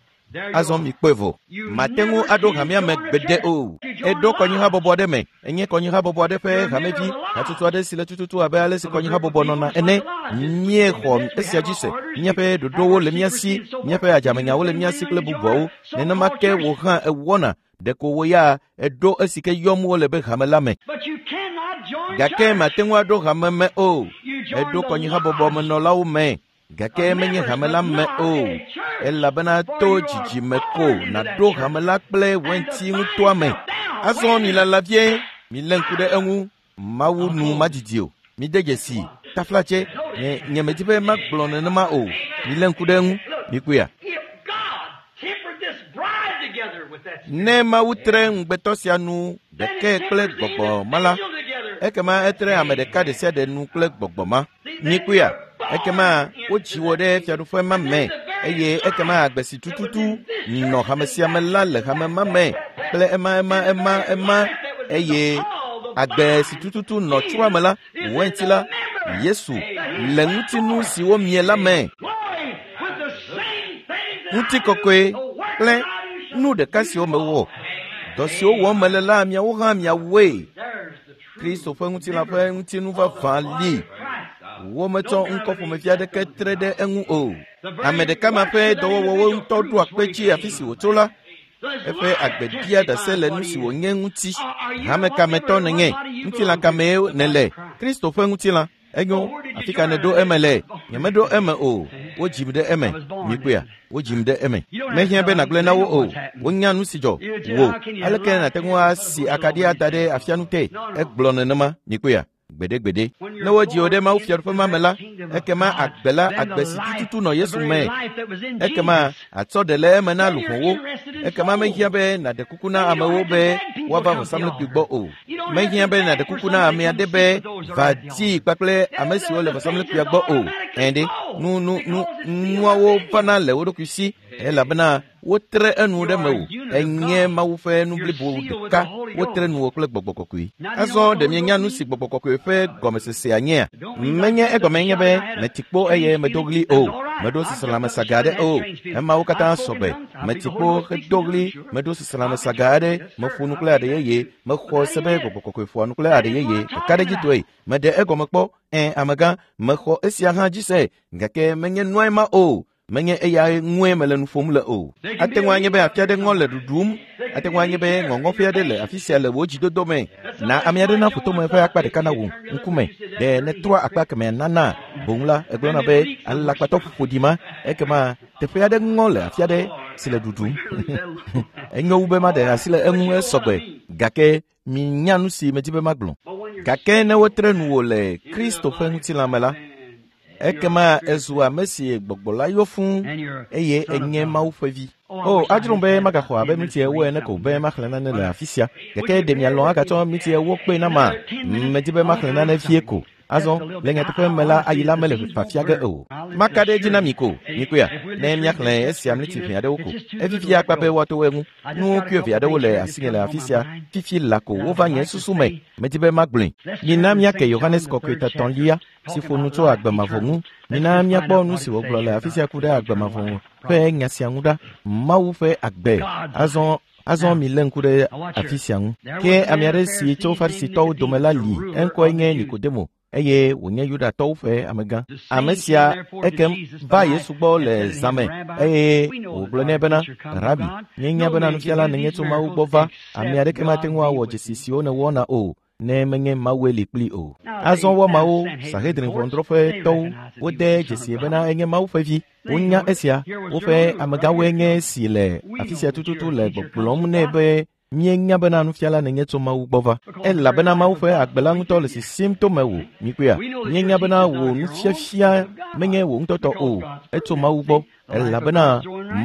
Azɔ mikpɔe vɔ. Mate ŋu aɖo hamea me gbeɖe o. Eɖo kɔnyihabɔbɔ aɖe me. Enye kɔnyihabɔbɔ aɖe ƒe hamevi, hatsotso aɖe si le tututu abe ale si kɔnyihabɔbɔ nɔna ene. Míexɔ esia dzi se. Míaƒe ɖoɖowo le mía si, míaƒe adzamenyawo le mía si kple bubuawo. Nenema ke wò hã ewɔna. Ɖeko wò ya eɖo esi ke yɔm wole be hame la me. Gake mate ŋu aɖo hame me o. Eɖo kɔnyihabɔbɔmenɔlawo me. Gake menye hame la me o. Elabena to dzidzime ko nàɖo hame la kple wɛnti ŋutɔa me. Azɔ milala vie, milé ŋku ɖe eŋu. Mawu nu madidi o. Mide dzesi, taflatse, nye nyemedi be magblɔ nenema o. Milé ŋku ɖe eŋu. Mikpɔea? Ne Mawu tre ŋugbetɔ sia nu ɖekae kple gbɔgbɔ ma la, ekema etre ame ɖeka ɖe sia ɖe nu kple gbɔgbɔ ma. Mikpɔea? Ekema wodzi wò ɖe fiaɖuƒe ma me eye ekema agbe si tututu nɔ hame sia me la le hame ma me kple ema ema ema ema eye agbe si tututu nɔ tsroa me la, wɛnti la, Yesu le ŋutinu siwo mie la me. Ŋutikɔkɔe kple nu ɖeka siwo mewɔ, dɔ siwo wɔm mele la, miawo hã miawɔe. Kristo ƒe ŋutilã ƒe ŋutinu vavã li. Wometsɔ ŋkɔ ƒomevi aɖeke tre ɖe eŋu o. Ame ɖeka ma ƒe dɔwɔwɔwo ŋutɔ ɖoa kpe dzi afi si wòtso la. Eƒe agbe ɖia ɖase le nu si wònye ŋuti. Hame kametɔ nènye, ŋutilã kamee nèle, Kristo ƒe ŋutilã. Enyo, afi ka nèɖo eme le? Nyemeɖo eme o. Wodzim ɖe eme. Mikpɔea? Wodzim ɖe eme. Mehiã be nàgblɔe na wo o. Wonya nu si dzɔ. Wò, aleke nàte ŋu asi akaɖi ada ɖe afianu te? Egblɔ nenema. Mikpɔea? Gbeɖegbeɖe. Ne wodzi wò ɖe Mawu fiaɖuƒe ma me la, ekema agbe la, agbe si tututu nɔ Yesu me. Ekema atsɔ ɖe le eme na luʋɔwo. Ekema mehiã be nàɖe kuku na amewo be woava vɔsamlekpui gbɔ o. Mehiã be nàɖe kuku na ame aɖe be va dii kpakple ame siwo le vɔsamlekpuia gbɔ o. Ɛ̃ ɖe, nu nu nu nuawo vana le wo ɖokui si elabena wotre enu ɖe mewò. Enye Mawu ƒe nu blibo ɖeka. Wotre nuwò kple gbɔgbɔ kɔkɔe. Azɔ ɖe mienya nu si gbɔgbɔ kɔkɔe ƒe gɔmesesea nyea? Menye egɔme nye be meti kpo eye medo ɣli o. Meɖo seselãme saga aɖe o. Emawo katã sɔgbe. Meti kpo hedo ɣli, meɖo seselãme saga aɖe, meƒo nu kple aɖe yeye, mexɔ se be gbɔgbɔ kɔkɔe ƒoa nu kple aɖe yeye. Kakaɖedzitɔe, meɖe egɔme kpɔ. Ẽ, amegã, mexɔ esia hã dzi se, gake menye nuae ma o. Menye eyae ŋue mele nu ƒom le o. Ate ŋu anye be afi aɖe ŋɔ le ɖuɖum. Ate ŋu anye be ŋɔŋɔƒe aɖe le afi sia le wò dzidodo me. Na ame aɖe naƒo tome ƒe akpa ɖeka na wò ŋkume. Ɖe nètrɔa akpa kemɛa nana boŋ la, egblɔna be alakpatɔ ƒoɖi ma. Ekema teƒe aɖe ŋɔ le afi aɖe si le ɖuɖum. Enyo wu be maɖe asi le eŋu esɔgbe. Gake minya nu si medi be magblɔ. Gake ne wotre nuwò le Kristo ƒe ŋutilã me la, ekema ezu ame si gbɔgbɔ la yɔ fũu eye enye Mawu ƒe vi. O, adzrom be magaxɔ abe minti ewo ene ko be maxlẽ nane le afi sia. Gake ɖe mialɔ̃ agatsɔ minti ewo kpee nama? Medi be maxlẽ nane vie ko. Azɔ, le nyateƒe me la, ayi la mele fafia ge o. Maka ɖe edzi na mi ko, mikpɔea, ne míaxlẽ esia mliti ʋɛ aɖewo ko. Evivia akpa be woato eŋu. Nu wuieve aɖewo le asinye le afi sia. Fifi la ko wova nye susu me. Medi be magblɔe. Mina míake Yohanes Kɔkɔe Tatɔ̃lia si ƒo nu tso agbe mavɔ ŋu. Mina míakpɔ nu si wògblɔ le afi sia ku ɖe agbe mavɔ ƒe nya sia ŋu ɖa. Mawu ƒe agbe. Azɔ Azɔ milé ŋku ɖe afi sia ŋu. Ke ame aɖe si tso Farisitɔwo dome la li, eŋkɔe nye Nikodemo eye wònye Yudatɔwo ƒe amegã. Ame sia ekem va Yesu gbɔ le zã me eye wògblɔ nɛ bena, Rabi, míenya bena nufiala nènye tso Mawu gbɔ va. Ame aɖeke mate ŋu awɔ dzesi siwo nèwɔna o, ne menye Mawue li kpli o. Azɔ woamawo, Sanhedrin ʋɔnudrɔ̃ƒetɔwo, wode dzesie bena enye Mawu ƒe vi. Wonya esia. Woƒe amegãwoe nye esi le afi sia tututu le gbɔgblɔm nɛ be míenya bena nufiala nènye tso Mawu gbɔ va. Elabena Mawu ƒe agbe la ŋutɔ le sisim to mewò. Mikpɔea? Míenya bena wò nufiafia menye wò ŋutɔ tɔ o. Etso Mawu gbɔ. Elabena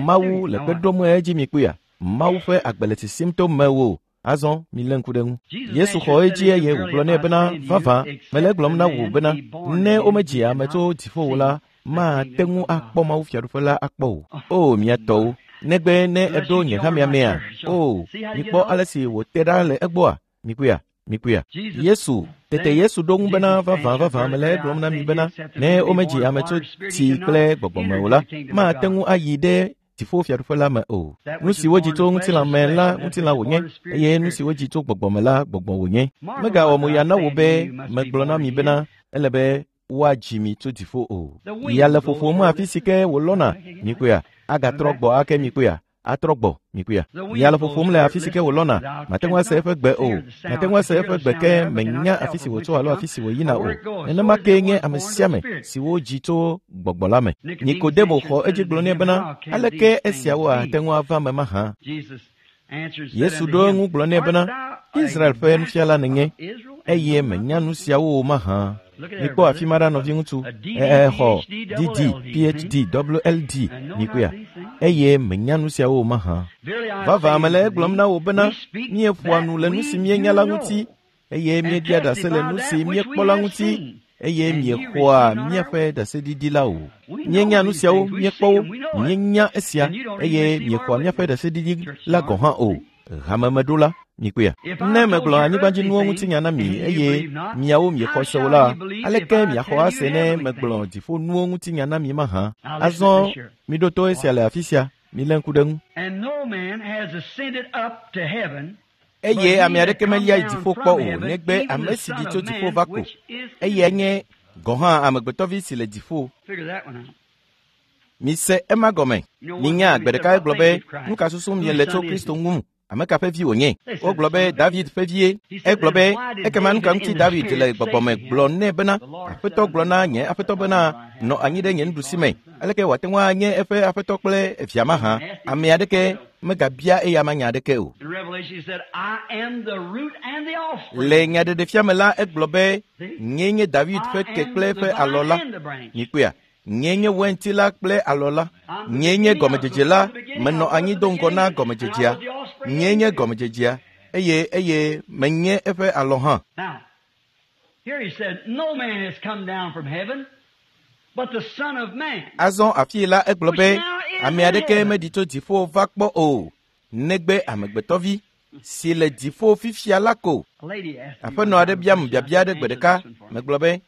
Mawu le kpe ɖom edzi mikpɔea? Mawu ƒe agbe le sisim to mewò. Azɔ milé ŋku ɖe eŋu. Yesu xɔ edzi eye wògblɔ nɛ bena, Vavã, mele egblɔm na wò bena, ne womedzi ame tso dziƒo o la, mate ŋu akpɔ Mawu fiaɖuƒe la akpɔ o. O, mia tɔwo, negbe ne èɖo nye hamea mea? O, mikpɔ ale si wòte ɖa le egbɔa? Mikpɔea? Mikpɔea? Yesu, tete Yesu ɖo ŋu bena, Vavã, vavã, mele egblɔm na mi bena, ne womedzi ame tso tsi kple gbɔgbɔ me o la, mate ŋu ayi ɖe Dziƒofiaɖuƒe la me o. Nu si wodzi tso ŋutilã me la, ŋutilã wònye, eye nu si wodzi tso gbɔgbɔ me la, gbɔgbɔ wònye. Megawɔ mo ya na wò be megblɔ na mi bena ele be woadzi mi tso dziƒo o. Ya le ƒoƒom afi si ke wòlɔna, mikpɔea, agatrɔ gbɔ ake mikpɔea, atrɔ gbɔ mikpɔea. Ya le ƒoƒom le afi si ke wòlɔna, mate ŋu ase eƒe gbe o, mate ŋu ase eƒe gbe ke menya afi si wòtso alo afi si wòyina o. Nenema kee nye ame sia ame si wodzi tso gbɔgbɔ la me. Nikodemo xɔ edzi gblɔ nɛ bena, aleke esiawo ate ŋu ava eme mahã? Yesu ɖo eŋu gblɔ nɛ bena, Israel ƒe nufiala nènye, eye menya nu siawo o mahã? Mikpɔ afi ma ɖa nɔviŋutsu, exɔ DD, PhD, WLD, mikpɔea, eye menya nu siawo o mahã. Vavã mele egblɔm na wò bena, míeƒoa nu le nu si míenya la ŋuti, eye míeɖia ɖase le nu si míekpɔ la ŋuti, eye miexɔa míaƒe ɖaseɖiɖi la o. Míenya nu siawo, míekpɔ wo, míenya esia, eye miexɔa míaƒe ɖaseɖiɖi la gɔ̃ hã o. Hamemeɖola, mikpɔea. Ne megblɔ anyigbadzinuwo ŋutinya na mi eye miawo miexɔ se o la, aleke miaxɔ ase ne megblɔ dziƒonuwo ŋutinya na mi mahã? Azɔ miɖo to esia le afi sia, milé ŋku ɖe eŋu. Eye ame aɖeke melia yi dziƒo kpɔ o, negbe ame si ɖi tso dziƒo va ko. Eyae nye gɔ̃ hã amegbetɔvi si le dziƒo. Mise ema gɔme. Minya gbe ɖeka egblɔ be, nu ka susum miele tso Kristo ŋu? Ame ka ƒe vi wònye? Wogblɔ be David ƒe vie. Egblɔ be, ekema nu ka ŋuti David le gbɔgbɔ me gblɔ nɛ bena, Aƒetɔ gblɔ na nye aƒetɔ bena, nɔ anyi ɖe nye nuɖusi me. Aleke wòate ŋu anye eƒe aƒetɔ kple via mahã? Ame aɖeke megabia eya ma nya aɖeke o. Le nyaɖeɖefia me la, egblɔ be, nyee nye David ƒe ke kple eƒe alɔ la. Mikpɔea? Nyee nye wainti la kple alɔ la. Nyee nye gɔmedzedze la, menɔ anyi do ŋgɔ na gɔmedzedzea. Nyee nye gɔmedzedzea, eye menye eƒe alɔ hã. Azɔ afii la egblɔ be, ame aɖeke meɖi tso dziƒo va kpɔ o, negbe amegbetɔvi si le dziƒo fifia la ko. Aƒenɔ aɖe biam biabia aɖe gbe ɖeka, megblɔ be,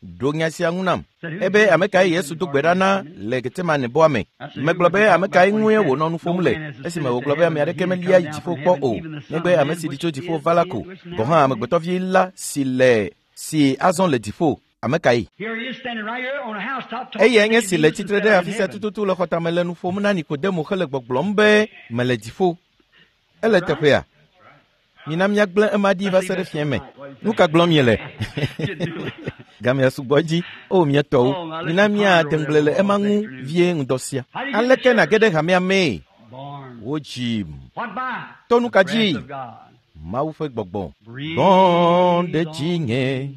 ɖo nya sia ŋu nam. Ebe ame kae Yesu do gbe ɖa na le Getsemane bɔa me? Megblɔ be ame kae ŋue wònɔ nu ƒom le esime wògblɔ be ame aɖeke melia yi dziƒo kpɔ o, negbe ame si ɖi tso dziƒo va la ko. Gɔ̃ hã amegbetɔvi la si le si azɔ le dziƒo, ame kae? Eyae nye si le tsitre ɖe afi sia tututu le xɔtame le nu ƒom na Nikodemo hele gbɔgblɔm be mele dziƒo. Ele teƒea? Mina míagblẽ ema ɖi va se ɖe fiẽ me. Nu ka gblɔm miele? Gamea sugbɔ dzi. O mía tɔwo, mina míate ŋugble le ema ŋu vie ŋdɔ sia. Aleke nàge ɖe hamea mee? Wodzim. To nu ka dzi? Mawu ƒe gbɔgbɔ. Gbɔ ɖe dzinye.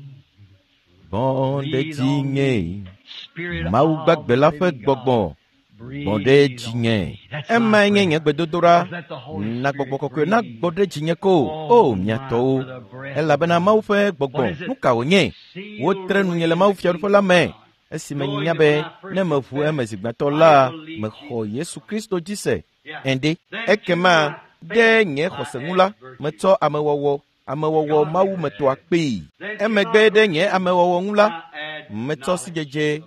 Gbɔ ɖe dzinye. Mawu gbagbe la ƒe gbɔgbɔ. Gbɔ ɖe dzinye. Emae nye nye gbedodoɖa. Na gbɔgbɔ kɔkɔe nagbɔ ɖe dzinye ko. O mía tɔwo, elabena Mawu ƒe gbɔgbɔ, nu ka wònye? Wotre nunye le Mawu fiaɖuƒe la me. Esime nya be ne meʋu eme zi gbãtɔ la, mexɔ Yesu Kristo dzi se. Ende. Ekema ɖe nye xɔse ŋu la, metsɔ amewɔwɔ Mawu metɔa kpee. Emegbe ɖe nye amewɔwɔ ŋu la, metsɔ sidzedze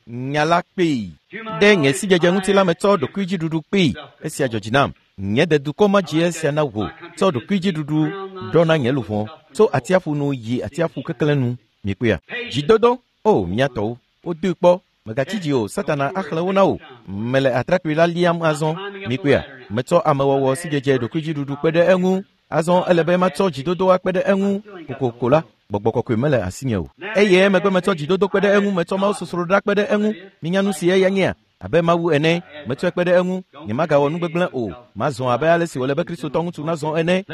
nya la kpee. Ɖe nye sidzedze ŋuti la metsɔ ɖokuidziɖuɖu kpee. Esia dzɔ dzi nam. Nye dedukɔ ma dzi esia na wò. Tsɔ ɖokuidziɖuɖu ɖɔ na nye luʋɔ. Tso atsiaƒu nu yi atsiaƒu keklẽ nu. Mikpɔea? Dzidodo, o mía tɔwo, wodoe kpɔ. Megatsi dzi o, Satana axlẽ wo na wò. Mele atrakpui la liam azɔ. Mikpɔea? Metsɔ amewɔwɔ sidzedze ɖokuidziɖuɖu kpe ɖe eŋu. Azɔ ele be matsɔ dzidodo akpe ɖe eŋu. Kokoko la, gbɔgbɔ kɔkɔe mele asinye o. Eye emegbe metsɔ dzidodo kpe ɖe eŋu, metsɔ Mawu sosroɖa kpe ɖe eŋu. Minya nu si eya nyea? Abe Mawu ene, metsɔe kpe ɖe eŋu. Nyemagawɔ nu gbegblẽ o. Mazɔ abe ale si wòle be Kristotɔ ŋutsu nazɔ ene.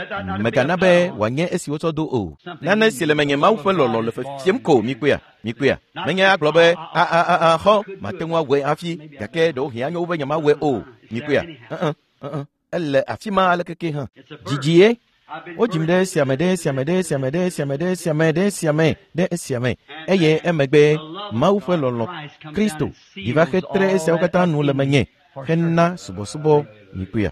Mègana be wòanye esi wotsɔ do o. Nane si le menye Mawu ƒe lɔlɔ̃ le fefiem ko, mikpɔea? Mikpɔea? Menye agblɔ be, a xɔ, mate ŋu awɔe hafi, gake ɖewohĩ anyo wu be nyemawɔe o. Mikpɔea? Ele afi ma aleke ke hã. Dzidzie. Wodzim ɖe esia me, ɖe esia me, ɖe esia me, ɖe esia me, ɖe esia me, ɖe esia me, ɖe esia me. Eye emegbe Mawu ƒe lɔlɔ̃ Kristo ɖi va hetre esiawo katã nu le menye hena subɔsubɔ. Mikpɔea?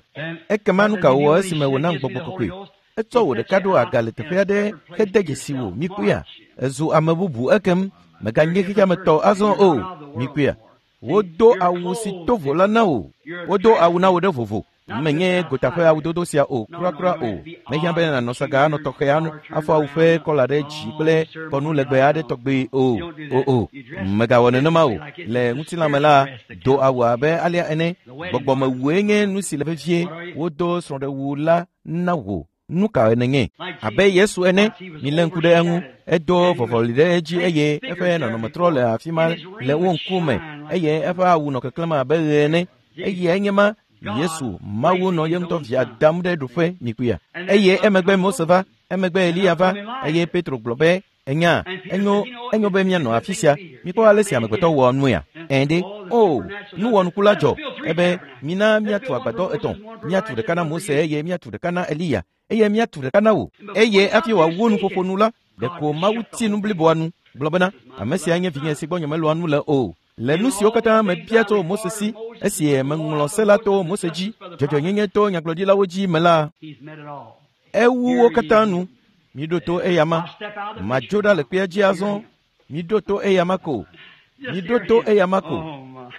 Ekema nu ka wòwɔ esime wònam gbɔgbɔ kɔkɔe? Etsɔ wò ɖeka ɖo aga le teƒe aɖe hede dzesi wò. Mikpɔea? Ezu ame bubu ekem. Meganye xexeametɔ azɔ o. Mikpɔea? Wodo awu si to vo la na wò. Wodo awu na wò ɖe vovo. Menye gota ƒe awudodo sia o, kurakura o. Mehiã be nànɔ saga anɔ tɔxɛ anɔ afɔ awu ƒe kɔla ɖe dzi kple kɔnu legbe aɖe tɔgbe o. O o, mègawɔ nenema o. Le ŋutilã me la, do awu abe alea ene. Gbɔgbɔmewue nye nu si le vevie. Wodo srɔ̃ɖewu la na wò. Nu ka nènye? Abe Yesu ene, milé ŋku ɖe eŋu. Edo vɔvɔli ɖe edzi eye eƒe nɔnɔme trɔ le afi ma le wo ŋkume eye eƒe awu nɔ keklẽm abe ɣe ene. Eyae nye ma Yesu, Mawu nɔ ye ŋutɔ via dam ɖe ɖoƒe mikpuia. Eye emegbe Mose va, emegbe Eliya va, eye Petro gblɔ be, Enya, enyo, enyo be míanɔ afi sia. Mikpɔ ale si amegbetɔ wɔa nuea. Ẽ ɖe, o, nuwɔnuku la dzɔ. Ebe, mina míatu agbadɔ etɔ̃. Míatu ɖeka na Mose eye míatu ɖeka na Eliya eye míatu ɖeka na wò. Eye hafi wòawu nuƒoƒo nu la, ɖeko Mawu ti nu bliboa nu, gblɔ bena, ame sia nye vinye si gbɔ nyemelɔ̃a nu le o. Le nu siwo katã mebia tso Mose si, esi meŋlɔ se la to Mose dzi, dzɔdzɔenyenye to nyagblɔɖilawo dzi me la, ewu wo katã nu. Miɖo to eyama. Madzo ɖa le kpea dzi azɔ. Miɖo to eyama ko. Miɖo to eyama ko.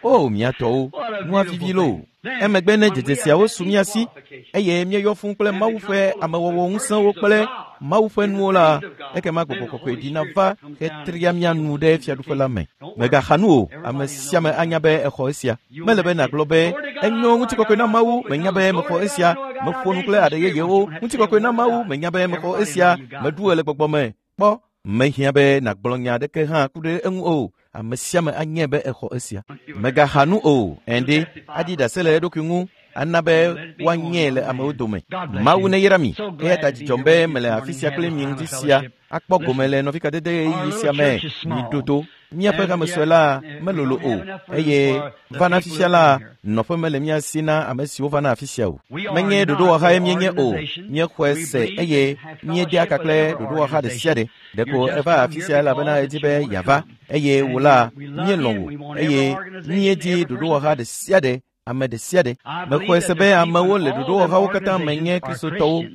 O, mia tɔwo, nua vivi loo. Emegbe ne dzedze siawo su mía si, eye míeyɔ fũu kple Mawu ƒe amewɔwɔ ŋusẽwo kple Mawu ƒe nuwo la, ekema Gbɔgbɔ Kɔkɔe ɖina va hetria mía nu ɖe fiaɖuƒe la me. Mègaxa nu o, ame sia ame anya be exɔ esia. Mele be nàgblɔ be, Enyo, ŋutikɔkɔe na Mawu, menya be mexɔ esia. Meƒo nu kple aɖe yeyewo. Ŋutikɔkɔe na Mawu, menya be mexɔ esia. Meɖu ɣe le gbɔgbɔ me. Kpɔ, mehiã be nàgblɔ nya aɖeke hã ku ɖe eŋu o. Ame sia ame anyae be exɔ esia. Mègaxa nu o, ɛ̃ aɖi ɖase le eɖokui ŋu ana be woanyae le amewo dome. Mawu neyra mi. Eya ta dzidzɔm be mele afi sia kple mi ŋdi sia akpɔ gome le nɔvikadede ɣeyiɣi sia me. Miɖo to. Míaƒe hame sue la melolo o eye vana fifia la, nɔƒe mele mía si na ame siwo vana afi sia o. Menye ɖoɖowɔhae míenye o. Míexɔe se eye míedea ka kple ɖoɖowɔha ɖe sia ɖe. Ɖeko eva afi sia elabena edi be yeava eye wò la, míelɔ̃ wò eye míedi ɖoɖowɔha ɖe sia ɖe, ame ɖe sia ɖe. Mexɔe se be amewo le ɖoɖowɔhawo katã me nye Kristotɔwo.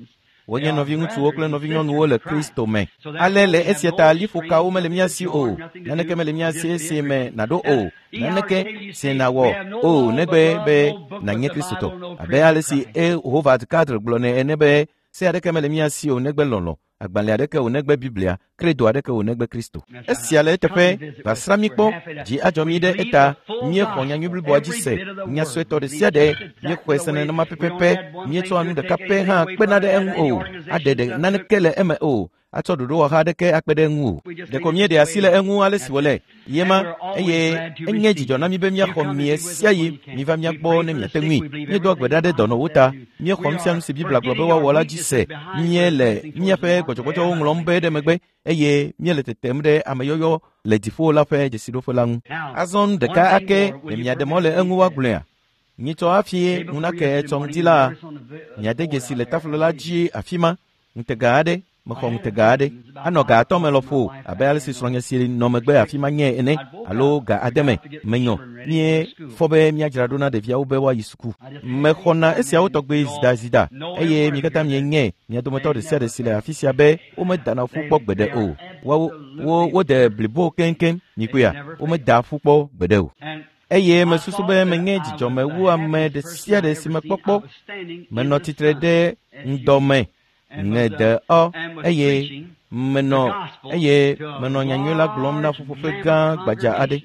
Wonye nɔviŋutsuwo kple nɔvinyɔnuwo le Kristo me. Ale le esia ta liƒokawo mele mía si o, naneke mele mía si esi me nàɖo o, naneke si nàwɔ o negbe be nànye Kristotɔ. Abe ale si E. Howard Carter gblɔnɛ ene be, se aɖeke mele mía si o negbe lɔlɔ̃, agbalẽ aɖeke o negbe Biblia, kredo aɖeke o negbe Kristo. Esia le eteƒe, va srã mí kpɔ, dzi adzɔ mí ɖe eta, míexɔ nyanyui bliboa dzi se, nya suetɔ ɖe sia ɖe, míexɔe se nenema pɛpɛpɛ, míetsɔa nu ɖeka pɛ hã kpena ɖe eŋu o, aɖe ɖe naneke le eme o, atsɔ ɖoɖowɔha aɖeke akpe ɖe eŋu o. Ɖeko míeɖe asi le eŋu ale si wòle ye ma, eye enye dzidzɔ na mí be míaxɔ mi ɣesiaɣi miva mía gbɔ ne miate ŋui. Míedoa gbe ɖa ɖe dɔnɔwo ta. Míexɔ nu sia nu si Biblia gblɔ be woawɔ la dzi se. Míele míaƒe gbɔdzɔgbɔdzɔwo ŋlɔm be ɖe megbe eye míele tetem ɖe ameyɔyɔ le dziƒo la ƒe dzesiɖoƒe la ŋu. Azɔ nu ɖeka ake ɖe miaɖe mɔ le eŋu woagblɔea? Nyitsɔ hafi ŋu nake etsɔ ŋdi la, miade dzesi le taflo la dzi afi ma, ŋutega aɖe, mexɔ ŋutega aɖe. Anɔ ga atɔ̃ me lɔƒo abe ale si srɔ̃nye si nɔ megbe afi ma nye ene alo ga ade me. Menyɔ. Míefɔ be míadzra ɖo na ɖeviawo be woayi suku. Mexɔna esiawo tɔgbe zidazida eye mi katã mienye mia dometɔ ɖe sia ɖe si le afi sia be womedana ƒu kpɔ gbeɖe o. Woawo, wo, wode blibo keŋkeŋ. Mikpɔea? Womedaa ƒu kpɔ gbeɖe o. Eye mesusu be menye dzidzɔme wu ame ɖe sia ɖe si mekpɔ kpɔ. Menɔ tsitre ɖe ŋdɔ me ŋe ɔ eye menɔ eye menɔ nyanyui la gblɔm na ƒuƒoƒe gã gbadza aɖe.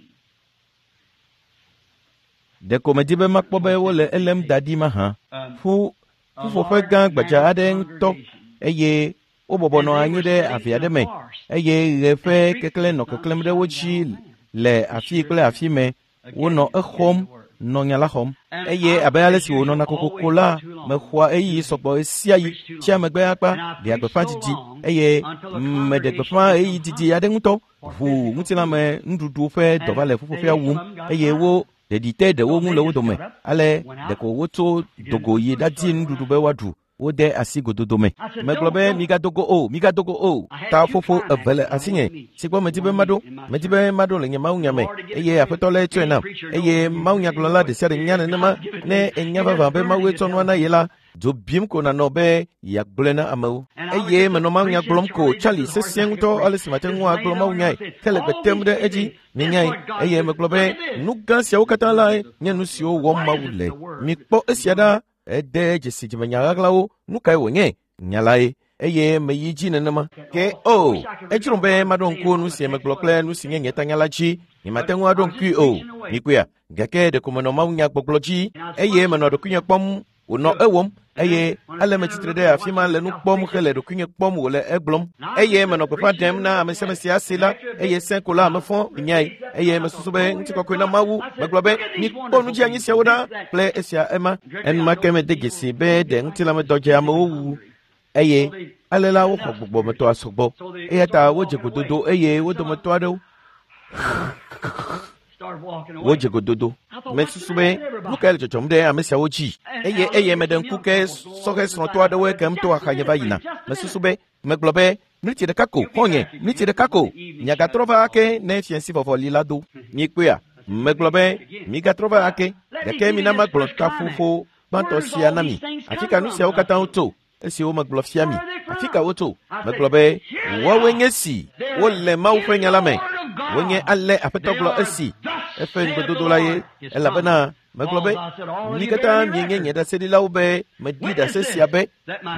Ɖeko medi be makpɔ be wole elém da ɖi mahã. Ƒu ƒuƒoƒe gã gbadza aɖe ŋutɔ eye wobɔbɔ nɔ anyi ɖe ave aɖe me eye ɣe ƒe keklẽ nɔ keklẽm ɖe wo dzi le afi kple afi me. Wonɔ exɔm nɔ nya la xɔm. Eye abe ale si wònɔna kokoko la, mexɔa ɣeyiɣi sɔgbɔ ɣesiaɣi tsia megbe akpa ɖea gbeƒã didi eye meɖe gbeƒã ɣeyiɣi didi aɖe ŋutɔ. Ʋu ŋutilãme nuɖuɖu ƒe dɔ va le ƒuƒoƒea wum eye wo ɖeɖi te ɖewo ŋu le wo dome. Ale ɖeko wotso do go yi ɖadi nuɖuɖu be woaɖu. Wode asi gododo me. Megblɔ be migadogo o, migadogo o. Taƒoƒo eve le asinye si gbɔ medi be maɖo. Medi be maɖo le nye mawunya me eye Aƒetɔ lae tsɔe nam. Eye mawunyagblɔla ɖe sia ɖe nya nenema ne enya vavã be Mawue tsɔ nua na ye la, dzo bim ko nànɔ be yeagblɔe na amewo. Eye menɔ mawunya gblɔm ko Charlie sesĩe ŋutɔ ale si mate ŋu agblɔ mawunyae hele gbe tem ɖe edzi. Minyae, eye megblɔ be nu gã siawo katã lae nye nu siwo wɔm Mawu le. Mikpɔ esia ɖa. Ede dzesi dzimenya ɣaɣlawo. Nu kae wònye? Nya lae. Eye meyi dzi nenema. Ke o, edzrom be maɖo ŋku nu si megblɔ kple nu si nye nye tanya la dzi. Nyemate ŋu aɖo ŋkui o. Mikpɔea? Gake ɖeko menɔ mawunyagbɔgblɔ dzi eye menɔ ɖokuinye kpɔm wònɔ ewɔm eye ale metsitre ɖe afi ma le nu kpɔm hele ɖokuinye kpɔm wòle egblɔm eye menɔ gbeƒã ɖem na ame sia ame si ase la eye sẽ ko la mefɔ nyae eye mesusu be ŋutikɔkɔe na Mawu. Megblɔ be mikpɔ nudzianyi siawo ɖa kple esia ema. Enumake mede dzesi be ɖe ŋutilãmedɔ dze amewo wu eye ale la woxɔ gbɔgbɔmetɔa sɔgbɔ eya ta wodze gododo eye wo dometɔ aɖewo wodze gododo. Mesusu be nu kae le dzɔdzɔm ɖe ame siawo dzi eye eye meɖe ŋku ke sɔhɛ srɔ̃tɔ aɖewoe kem to axanye va yina. Mesusu be megblɔ be miniti ɖeka ko xɔ̃nye, miniti ɖeka ko miagatrɔ va ake ne fiẽsi vɔvɔli la do. Mikpɔea? Megblɔ be migatrɔ va ake gake mina magblɔ taƒoƒo gbãtɔ sia na mi. Afi ka nu siawo katã tso? Esiwo megblɔ fia mi. Afi ka wotso? Megblɔ be woawoe nye si. Wole Mawu ƒe nya la me. Wonye ale Aƒetɔ gblɔ esi. Eƒe ŋugbedodo la ye. Elabena megblɔ be mi katã mienye nye ɖaseɖilawo be meɖi ɖase sia be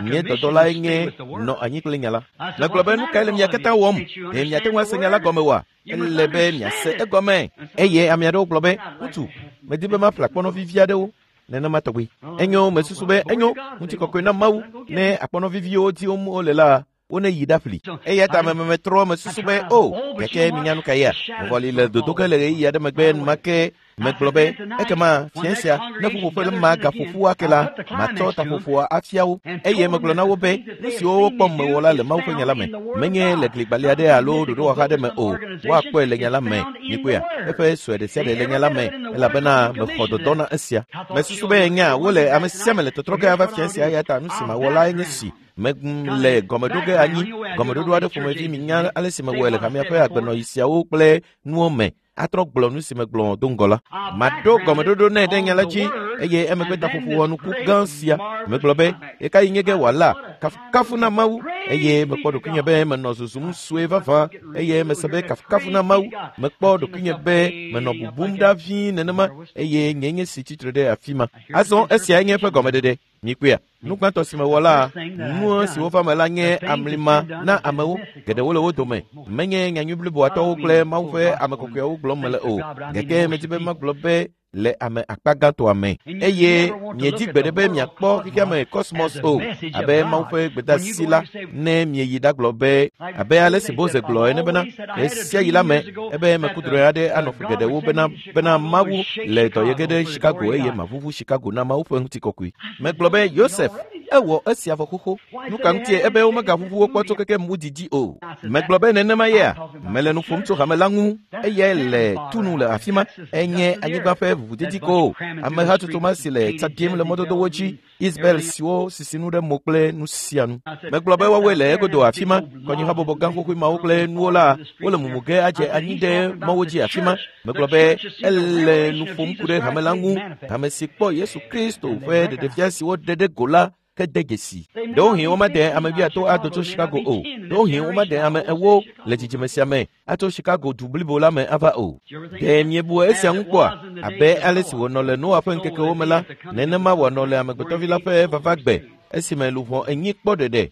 nye dɔdɔlae nye nɔ anyi kple nya la. Megblɔ be nu kae le mia katã wɔm? Ɖe miate ŋu ase nya la gɔme oa? Ele be miase egɔme. Eye ame aɖewo gblɔ be, ŋutsu, medi be maƒle akpɔnɔ vivi aɖewo. Nenema tɔgbi. Enyo, mesusu be enyo, ŋutikɔkɔe na Mawu ne akpɔnɔ viviwo dim wole la, wone yi ɖaƒli. Eya ta mememetrɔ mesusu be, o, gake minya nu ka yea? Vɔvɔli le dodo ge le ɣeyiɣi aɖe megbe enumake megblɔ be, ekema fiẽ sia, ne ƒuƒoƒe ma gaƒoƒu ake la, matsɔ taƒoƒoa afia wo. Eye megblɔ na wo be, nu siwo wokpɔm mewɔ la le Mawu ƒe nya la me, menye le gligbalẽ aɖe alo ɖoɖowɔha aɖe me o, woakpɔe le nya la me. Mikpɔea? Eƒe sue ɖe sia ɖe le nya la me, elabena mexɔ dɔdɔ na esia. Mesusu be nya wole ame sia ame le tɔtrɔ ge ava fiẽ sia eya ta nu si mawɔ lae nye si. Mele gɔmeɖo ge anyi, gɔmeɖoɖo aɖe ƒomevi minya ale si mewɔe le hamea ƒe agbenɔɣi siawo kple nuwo me. Atrɔ gblɔ nu si megblɔ do ŋgɔ la. Maɖo gɔmeɖoɖo nɛ ɖe nya la dzi eye emegbe taƒoƒo wɔnuku gã sia. Megblɔ be ɣekaɣi nye ge wòala kafukafu na Mawu eye mekpɔ ɖokuinye be menɔ zuzum sue vavã eye mese be kafukafu na Mawu. Mekpɔ ɖokuinye be menɔ bubum ɖa vie nenema eye nye nye si tsitre ɖe afi ma. Azɔ esiae nye eƒe gɔmeɖeɖe. Mikpɔea? Nu gbãtɔ si mewɔ la, nu siwo va me la nye amlima na amewo. Geɖewo le wo dome. Menye nyanyui bliboatɔwo kple Mawu ƒe ame kɔkɔeawo gblɔm mele o. Gake medi be magblɔ be le ame akpa gãtɔa me. Eye miedi gbeɖe be miakpɔ xexea me kɔsmɔs o, abe Mawu ƒe gbedeasi la, ne mieyi ɖagblɔ be, abe ale si Mose gblɔ ene bena, ɣesiaɣi la me, ebe meku drɔ̃e aɖe anɔ ƒe geɖewo bena, bena Mawu le dɔ ye ge ɖe Chicago eye maʋuʋu Chicago na Mawu ƒe ŋutikɔkɔe. Megblɔ be, Yosef, ewɔ esia vɔ xoxo. Nu ka ŋutie ebe womegaʋuʋu wo kpɔ tso keke mu didi o? Megblɔ be nenema yea? Mele nu ƒom tso hame la ŋu. Eyae le tu nu le afi ma. Enye anyigba ƒe ʋuʋudedi ko. Amehatsotso ma si le tsa ɖim le mɔdodowo dzi, Isabel siwo sisi nu ɖe mo kple nu sia nu. Megblɔ be woawoe le egodo afi ma. Kɔnyihabɔbɔ gã xoxoe mawo kple nuwo la, wole mumu ge adze anyi ɖe mɔwo dzi afi ma. Megblɔ be ele nu ƒom ku ɖe hame la ŋu. Hame si kpɔ Yesu Kristo ƒe ɖeɖefia si woɖe ɖe go la ke de dzesi. Ɖewohĩ womade ame wuiatɔ̃ ado tso Chicago o. Ɖewohĩ womade ame ewo le dzidzime sia me atso Chicago du blibo la me ava o. Ɖe miebu esia ŋu kpɔa? Abe ale si wònɔ le Noa ƒe ŋkekewo me la, nenema wòanɔ le Amegbetɔvi la ƒe vavagbe esime luʋɔ enyi kpɔ ɖeɖe.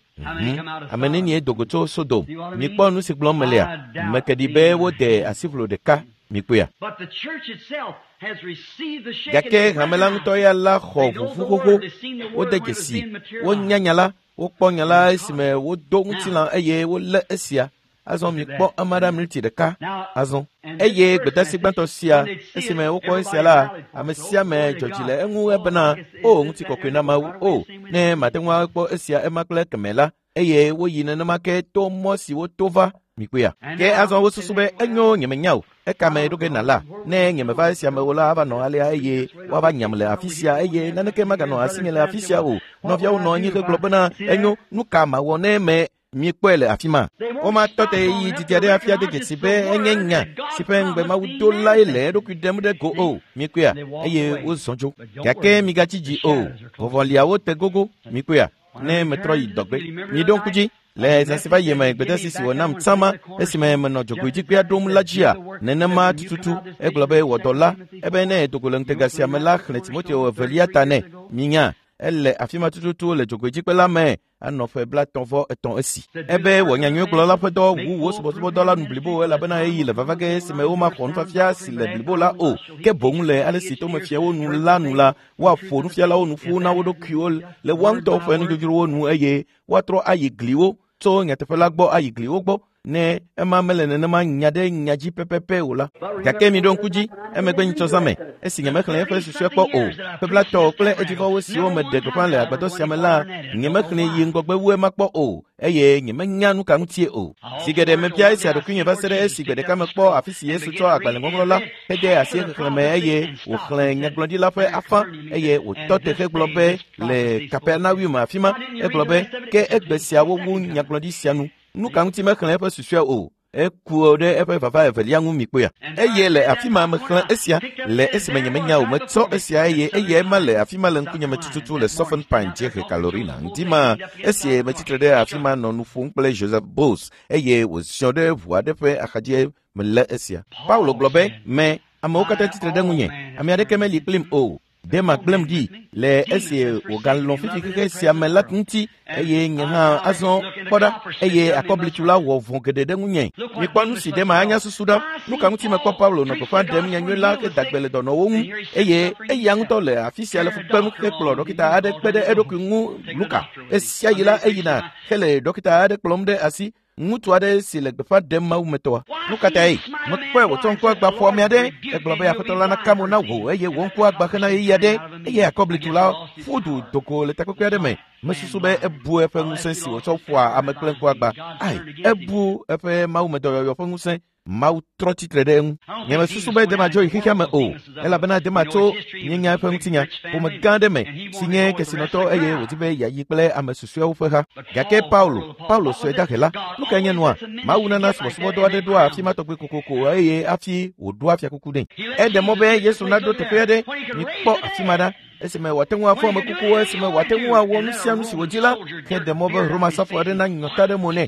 Ame nenie do go tso Sodom? Mikpɔ nu si gblɔm melea? Meke ɖi be wode asiʋlo ɖeka. Mikpɔea? Gake hame la ŋutɔ ya la xɔ ʋuʋu xoxo. Wode dzesi, wonya nya la, wokpɔ nya la esime wodo ŋutilã eye wolé esia. Azɔ mikpɔ ame aɖe miniti ɖeka azɔ. Eye gbedeasi gbãtɔ sia, esime wokpɔ esia la, ame sia ame dzɔ dzi le eŋu ebena, o ŋutikɔkɔe na Mawu, o, ne mate ŋu akpɔ esia ema kple kemɛ la, eye woyi nenema ke to mɔ si woto va. Mikpɔea? Ke azɔ wosusu be enyo nyemenya o. Eka me ɖo ge nala. Ne nyemeva esia me o la, ava nɔ alea eye woava nyam le afi sia eye naneke maganɔ asinye le afi sia o. Nɔviawo nɔ anyi hegblɔ bena enyo, nu ka mawɔ ne me miekpɔe le afi ma? Womatɔ te ɣeyiɣi didi aɖe hafi ade dzesi be enye nya si ƒe ŋugbe Mawu do lae le eɖokui ɖem ɖe go o. Miekpɔea? Eye wozɔ dzo. Gake migatsi dzi o. Vɔvɔliawo te gogo. Mikpɔea? Ne metrɔ yi dɔgbe. Miɖo ŋku dzi. Le zã si va yi me gbedeasi si wònam tsã ma esime menɔ dzogoedzikpea ɖom la dzia, nenema tututu egblɔ be wɔ dɔ la ebe ne edo go le ŋutega sia me la xlẽ Timoteo evelia ta nɛ. Minya, ele afi ma tututu le dzogoedzikpe la me anɔ ƒe 33 esi. Ebe wɔ nyanyuigblɔla ƒe dɔ wu wò subɔsubɔdɔ la nu blibo elabena ɣeyiɣi le vava ge esime womaxɔ nufiafia si le blibo la o, ke boŋ le ale si tomefiawo nu la nu la, woaƒo nufialawo nu ƒu na wo ɖokuiwo le woa ŋutɔwo ƒe nudzodzrowo nu eye woatrɔ ayi gliwo tso nyateƒe la gbɔ ayi gliwo gbɔ ne ema mele nenema nya ɖe nya dzi pɛpɛpɛ o la. Gake miɖo ŋku dzi, emegbe nyitsɔ zã me, esi nyemexlẽ eƒe susɔe kpɔ o, ƒe 30 kple edzivɔwo siwo meɖe gbeƒã le agbadɔ sia me la, nyemexlẽe yi ŋgɔgbe wu ema kpɔ o, eye nyemenya nu ka ŋutie o. Zi geɖe mebia esia ɖokuinye va se ɖe esi gbe ɖeka mekpɔ afi si Yesu tsɔ agbalẽŋɔŋlɔ la hede asi exexlẽ me eye wòxlẽ nyagblɔɖi la ƒe afã eye wòtɔ te hegblɔ be le Kapernaum afi ma, egblɔ be ke egbe siawo wu nyagblɔɖi sia nu. Nu ka ŋuti mexlẽ eƒe susɔe o? Eku ɖe eƒe vava evelia ŋu mikpɔea? Eye le afi ma mexlẽ esia le esime nyemenya o. Metsɔ esia eye eyae ma le afi ma le ŋkunye me tututu le Southern Pine dziehe Carolina. Ŋdi ma esi metsitre ɖe afi ma nɔ nu ƒom kple Joseph Bose eye wòziɔ ɖe ʋu aɖe ƒe axadzi melé esia. Paulo gblɔ be, me amewo katã tsitre ɖe ŋunye, ame aɖeke meli kplim o. Dema gblẽm ɖi le esi wògalɔ̃ fifi xexe sia me la ŋuti eye nye hã azɔ kpɔ ɖa eye akɔblitsu la wɔ vɔ̃ geɖe ɖe ŋunye. Mikpɔ nu si Dema anya susu ɖa. Nu ka ŋuti mekpɔ Paulo nɔ gbeƒã ɖem nyanyui la heda gbe le dɔnɔwo ŋu eye eya ŋutɔ le afi sia le fu kpem hekplɔ ɖɔkita aɖe kpe ɖe eɖokui ŋu Luka. Esia yi la eyina hele ɖɔkita aɖe kplɔm ɖe asi. Ŋutsu aɖe si le gbeƒã ɖem mawumetɔa. Nu ka tae? Mekpɔe wòtsɔ ŋku agba ƒo ame aɖe. Egblɔ be aƒetɔ la naka mo na wò eye wò ŋku agba hena ɣeyiɣi aɖe. Eye akɔblitu la ƒu du do go le takpekpe aɖe me. Mesusu be ebu eƒe ŋusẽ si wòtsɔ ƒoa ame kple ŋku agba. Ai, ebu eƒe mawumedɔyɔyɔ ƒe ŋusẽ. Mawu trɔ tsitre ɖe eŋu. Nyemesusu be Dema dzo yi xexea me o, elabena Dema tso míenya eƒe ŋutinya, ƒome gã aɖe me, si nye kesinɔtɔ eye wòdi be yeayi kple ame susɔeawo ƒe ha. Gake Paulo, Paulo sue dahe la, nu kae nye nua? Mawu nana subɔsubɔdɔ aɖe ɖoa afi ma tɔgbi kokoko eye hafi wòɖoa fiakuku nɛ. Eɖe mɔ be Yesu naɖo teƒe aɖe. Mikpɔ afi ma ɖa. Esime wòate ŋu afɔ ame kukuwo, esime wòate ŋu awɔ nu sia nu si wòdi la, heɖe mɔ be Roma srafo aɖe nanyɔ ta ɖe mo nɛ,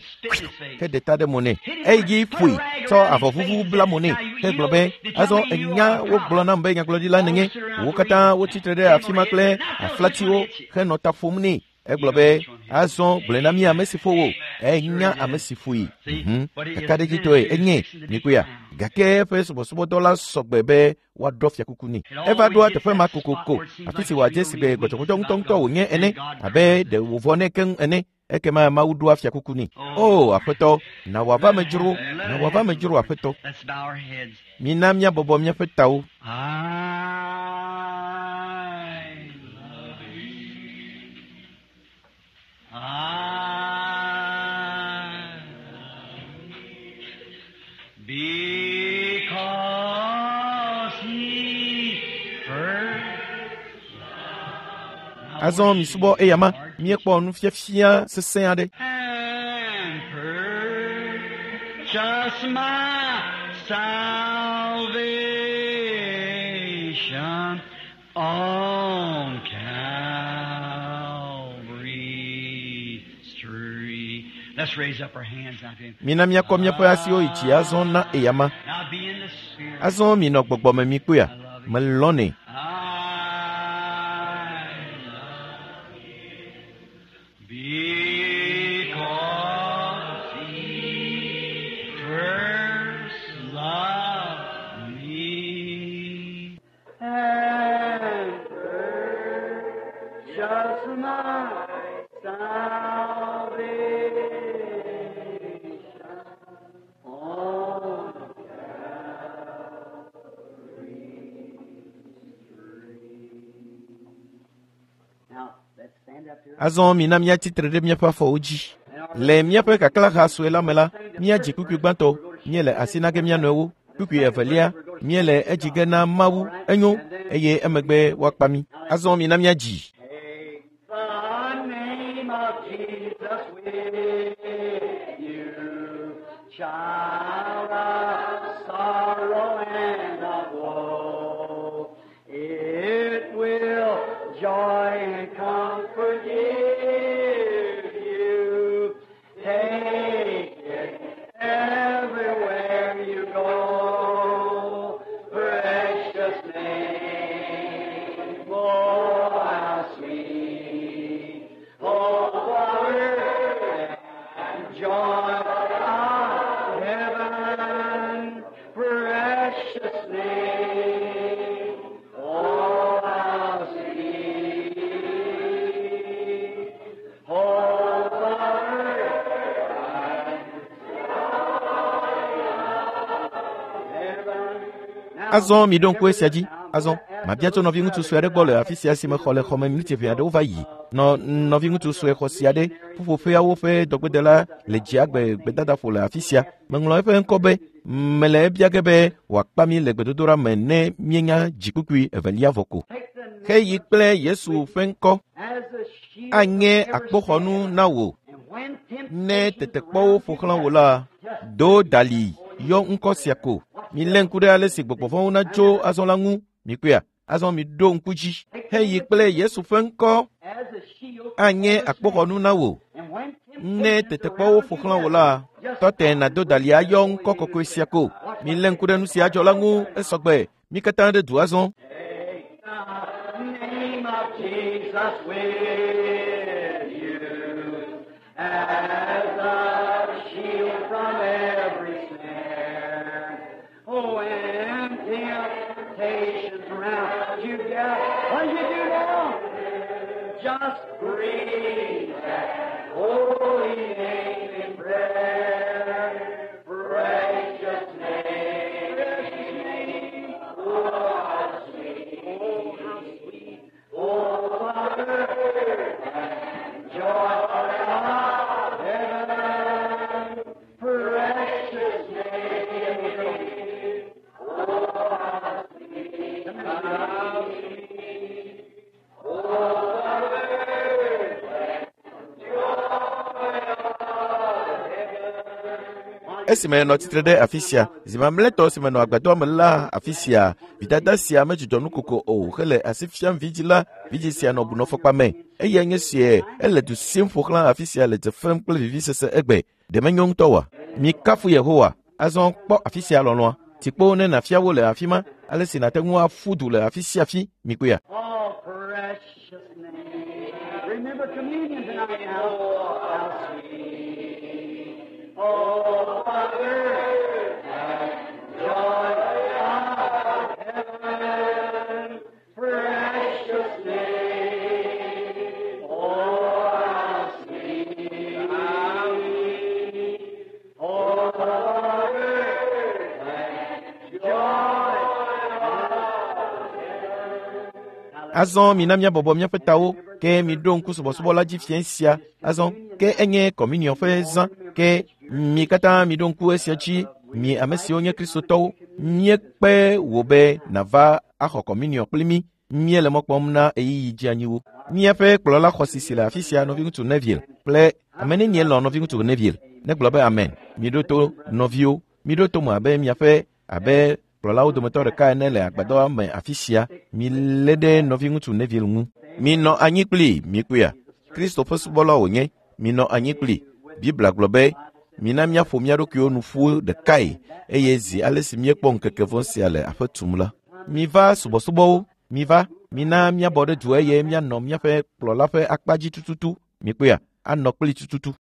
heɖe ta ɖe mo nɛ. Eyi dzi ƒoe, tsɔ avɔ vuvu bla mo nɛ, hegblɔ be, azɔ enya wogblɔ nam be nyagblɔɖila nènye. Wo katã wotsi tre ɖe afi ma kple aflatiwo henɔ ta ƒom nɛ. Egblɔ be, azɔ gblɔe na mí ame si ƒo wò. Enya ame si ƒoe. Kakaɖedzitɔe enye, mikpɔea. Gake eƒe subɔsubɔdɔ la sɔgbe be woaɖɔ fiakuku nɛ. Eva ɖoa teƒe ma kokoko, afi si wòadze si be gbɔdzɔgbɔdzɔ ŋutɔŋutɔ wònye ene, abe ɖe wòvɔ nɛ keŋ ene. Ekema Mawu ɖoa fiakuku nɛ. O, Aƒetɔ, na wòava me dzro, na wòava me dzro, Aƒetɔ. Mina míabɔbɔ míaƒe tawo. Because he first Azɔ misubɔ eyama, míekpɔ nufiafia sesẽ aɖe. and purchased my salvation on Calvary's tree. Let's raise up our hands now to him. Mina míakɔ míaƒe asiwo yi dzi azɔ na eyama. Now be in the spirit. Azɔ minɔ gbɔgbɔ me mikpɔea? Melɔ̃nɛ. I love you because he first loved me and purchased my salvation on Now, let's stand up here. Azɔ mina míatsi tre ɖe míaƒe afɔwo dzi. Le míaƒe kaklaha sue la me la, míadzi kpukpui gbãtɔ, míele asi na ge mía nɔewo. Kpukpui evelia, míele edzi ge na Mawu, enyo, eye emegbe woakpa mí. Azɔ mina míadzi. Take the name of Jesus with you, child of sorrow and of woe. It will joy and comfort give you. Take it everywhere you go. Precious name, oh how sweet, oh power and joy of heaven, precious name, oh how sweet, oh power and Azɔ miɖo ŋku esia dzi. Azɔ mabia tso nɔviŋutsu sue aɖe gbɔ le afi sia si mexɔ le xɔme miniti ʋɛ aɖewo va yi. Nɔ nɔviŋutsu sue xɔ sia ɖe ƒuƒoƒeawo ƒe dɔgbedela le dziagbe gbedadaƒo le afi sia. Meŋlɔ eƒe ŋkɔ be mele ebia ge be wòakpa mí le gbedodoɖa me ne míenya dzikpukpui evelia vɔ ko. Xeyi kple Yesu ƒe ŋkɔ As a shield anye from every akpoxɔnu na wò And when ne temptations tetekpɔwo ƒo xlã wò la, do dali yɔ ŋkɔ sia ko. Milé ŋku ɖe ale si gbɔgbɔ vɔ̃wo natso azɔ la ŋu. Mikpɔea? Azɔ miɖo ŋku dzi. Heyi kple Yesu ƒe ŋkɔ as a shield anye akpoxɔnu na wò. and when Ne temptations tetekpɔwo surround ƒo xlã you, wò la, tɔ te nàdo dali ayɔ ŋkɔ kɔkɔe sia ko. Milé ŋku ɖe nu sia dzɔ la ŋu esɔgbe. Mí katã ɖe du azɔ. Take the name of Jesus with you as a shield from every snare. Oh, when temptations round you get, what do you do now? Just breathe that holy name in prayer. Precious name, precious name. Oh, how sweet, oh, how sweet, oh, Father, and joy of heaven, precious name. Oh, how sweet, how sweet, oh, Father, and joy of heaven. Esime nɔ tsitre ɖe afi sia, zi mamlɛtɔ si menɔ agbadɔa me la afi sia, vidada sia medzudzɔ nukoko o hele asi fiam vidzi la, vidzi sia nɔ bunɔfɔkpa me. Eya nye sie, ele du sim ƒo xlã afi sia le dze fem kple vivisese egbe. Ɖe menyo ŋutɔ oa? Mikafu Yehowa. Azɔ kpɔ afi sia lɔlɔ̃a. Tikpo ne nàfia wo le afi ma, ale si nàte ŋu aƒu du le afi sia afi. Mikpɔea? Oh, precious name. Remember communion tonight now. Oh, how sweet. Oh, Father, joy of heaven. Precious name. Oh, how sweet. How sweet. Oh, Father, joy of heaven. Azɔ mina míabɔbɔ míaƒe tawo ke miɖo ŋku subɔsubɔ la dzi fiẽ sia. Azɔ ke enye kɔminiɔ ƒe zã ke mi katã miɖo ŋku esia dzi. Mi ame siwo nye kristotɔwo, míekpe wò be nàva axɔ kɔminiɔ kpli mí. Míele mɔ kpɔm na ɣeyiɣi dzeanyiwo. Míaƒe kplɔla xɔasi si le afi sia, nɔviŋutsu Neville kple ame nenie lɔ̃ nɔviŋutsu Neville. Negblɔ be amen. Miɖo to nɔviwo, miɖo to me abe miaƒe abe kplɔlawo dometɔ ɖeka ene le agbadɔa me afi sia. Milé ɖe nɔviŋutsu Neville ŋu. Minɔ anyi kpli mikpɔea? Kristo ƒe subɔla wònye. Minɔ anyi kpli. Biblia gblɔ be mina míaƒo mía ɖokuiwo nu ƒu ɖekae eye zi ale si míekpɔ ŋkeke vɔ̃ sia le aƒe tum la. Miva subɔsubɔwo, miva, mina míabɔ ɖe du eye míanɔ míaƒe kplɔla ƒe akpa dzi tututu. Mikpɔea? Anɔ kpli tututu.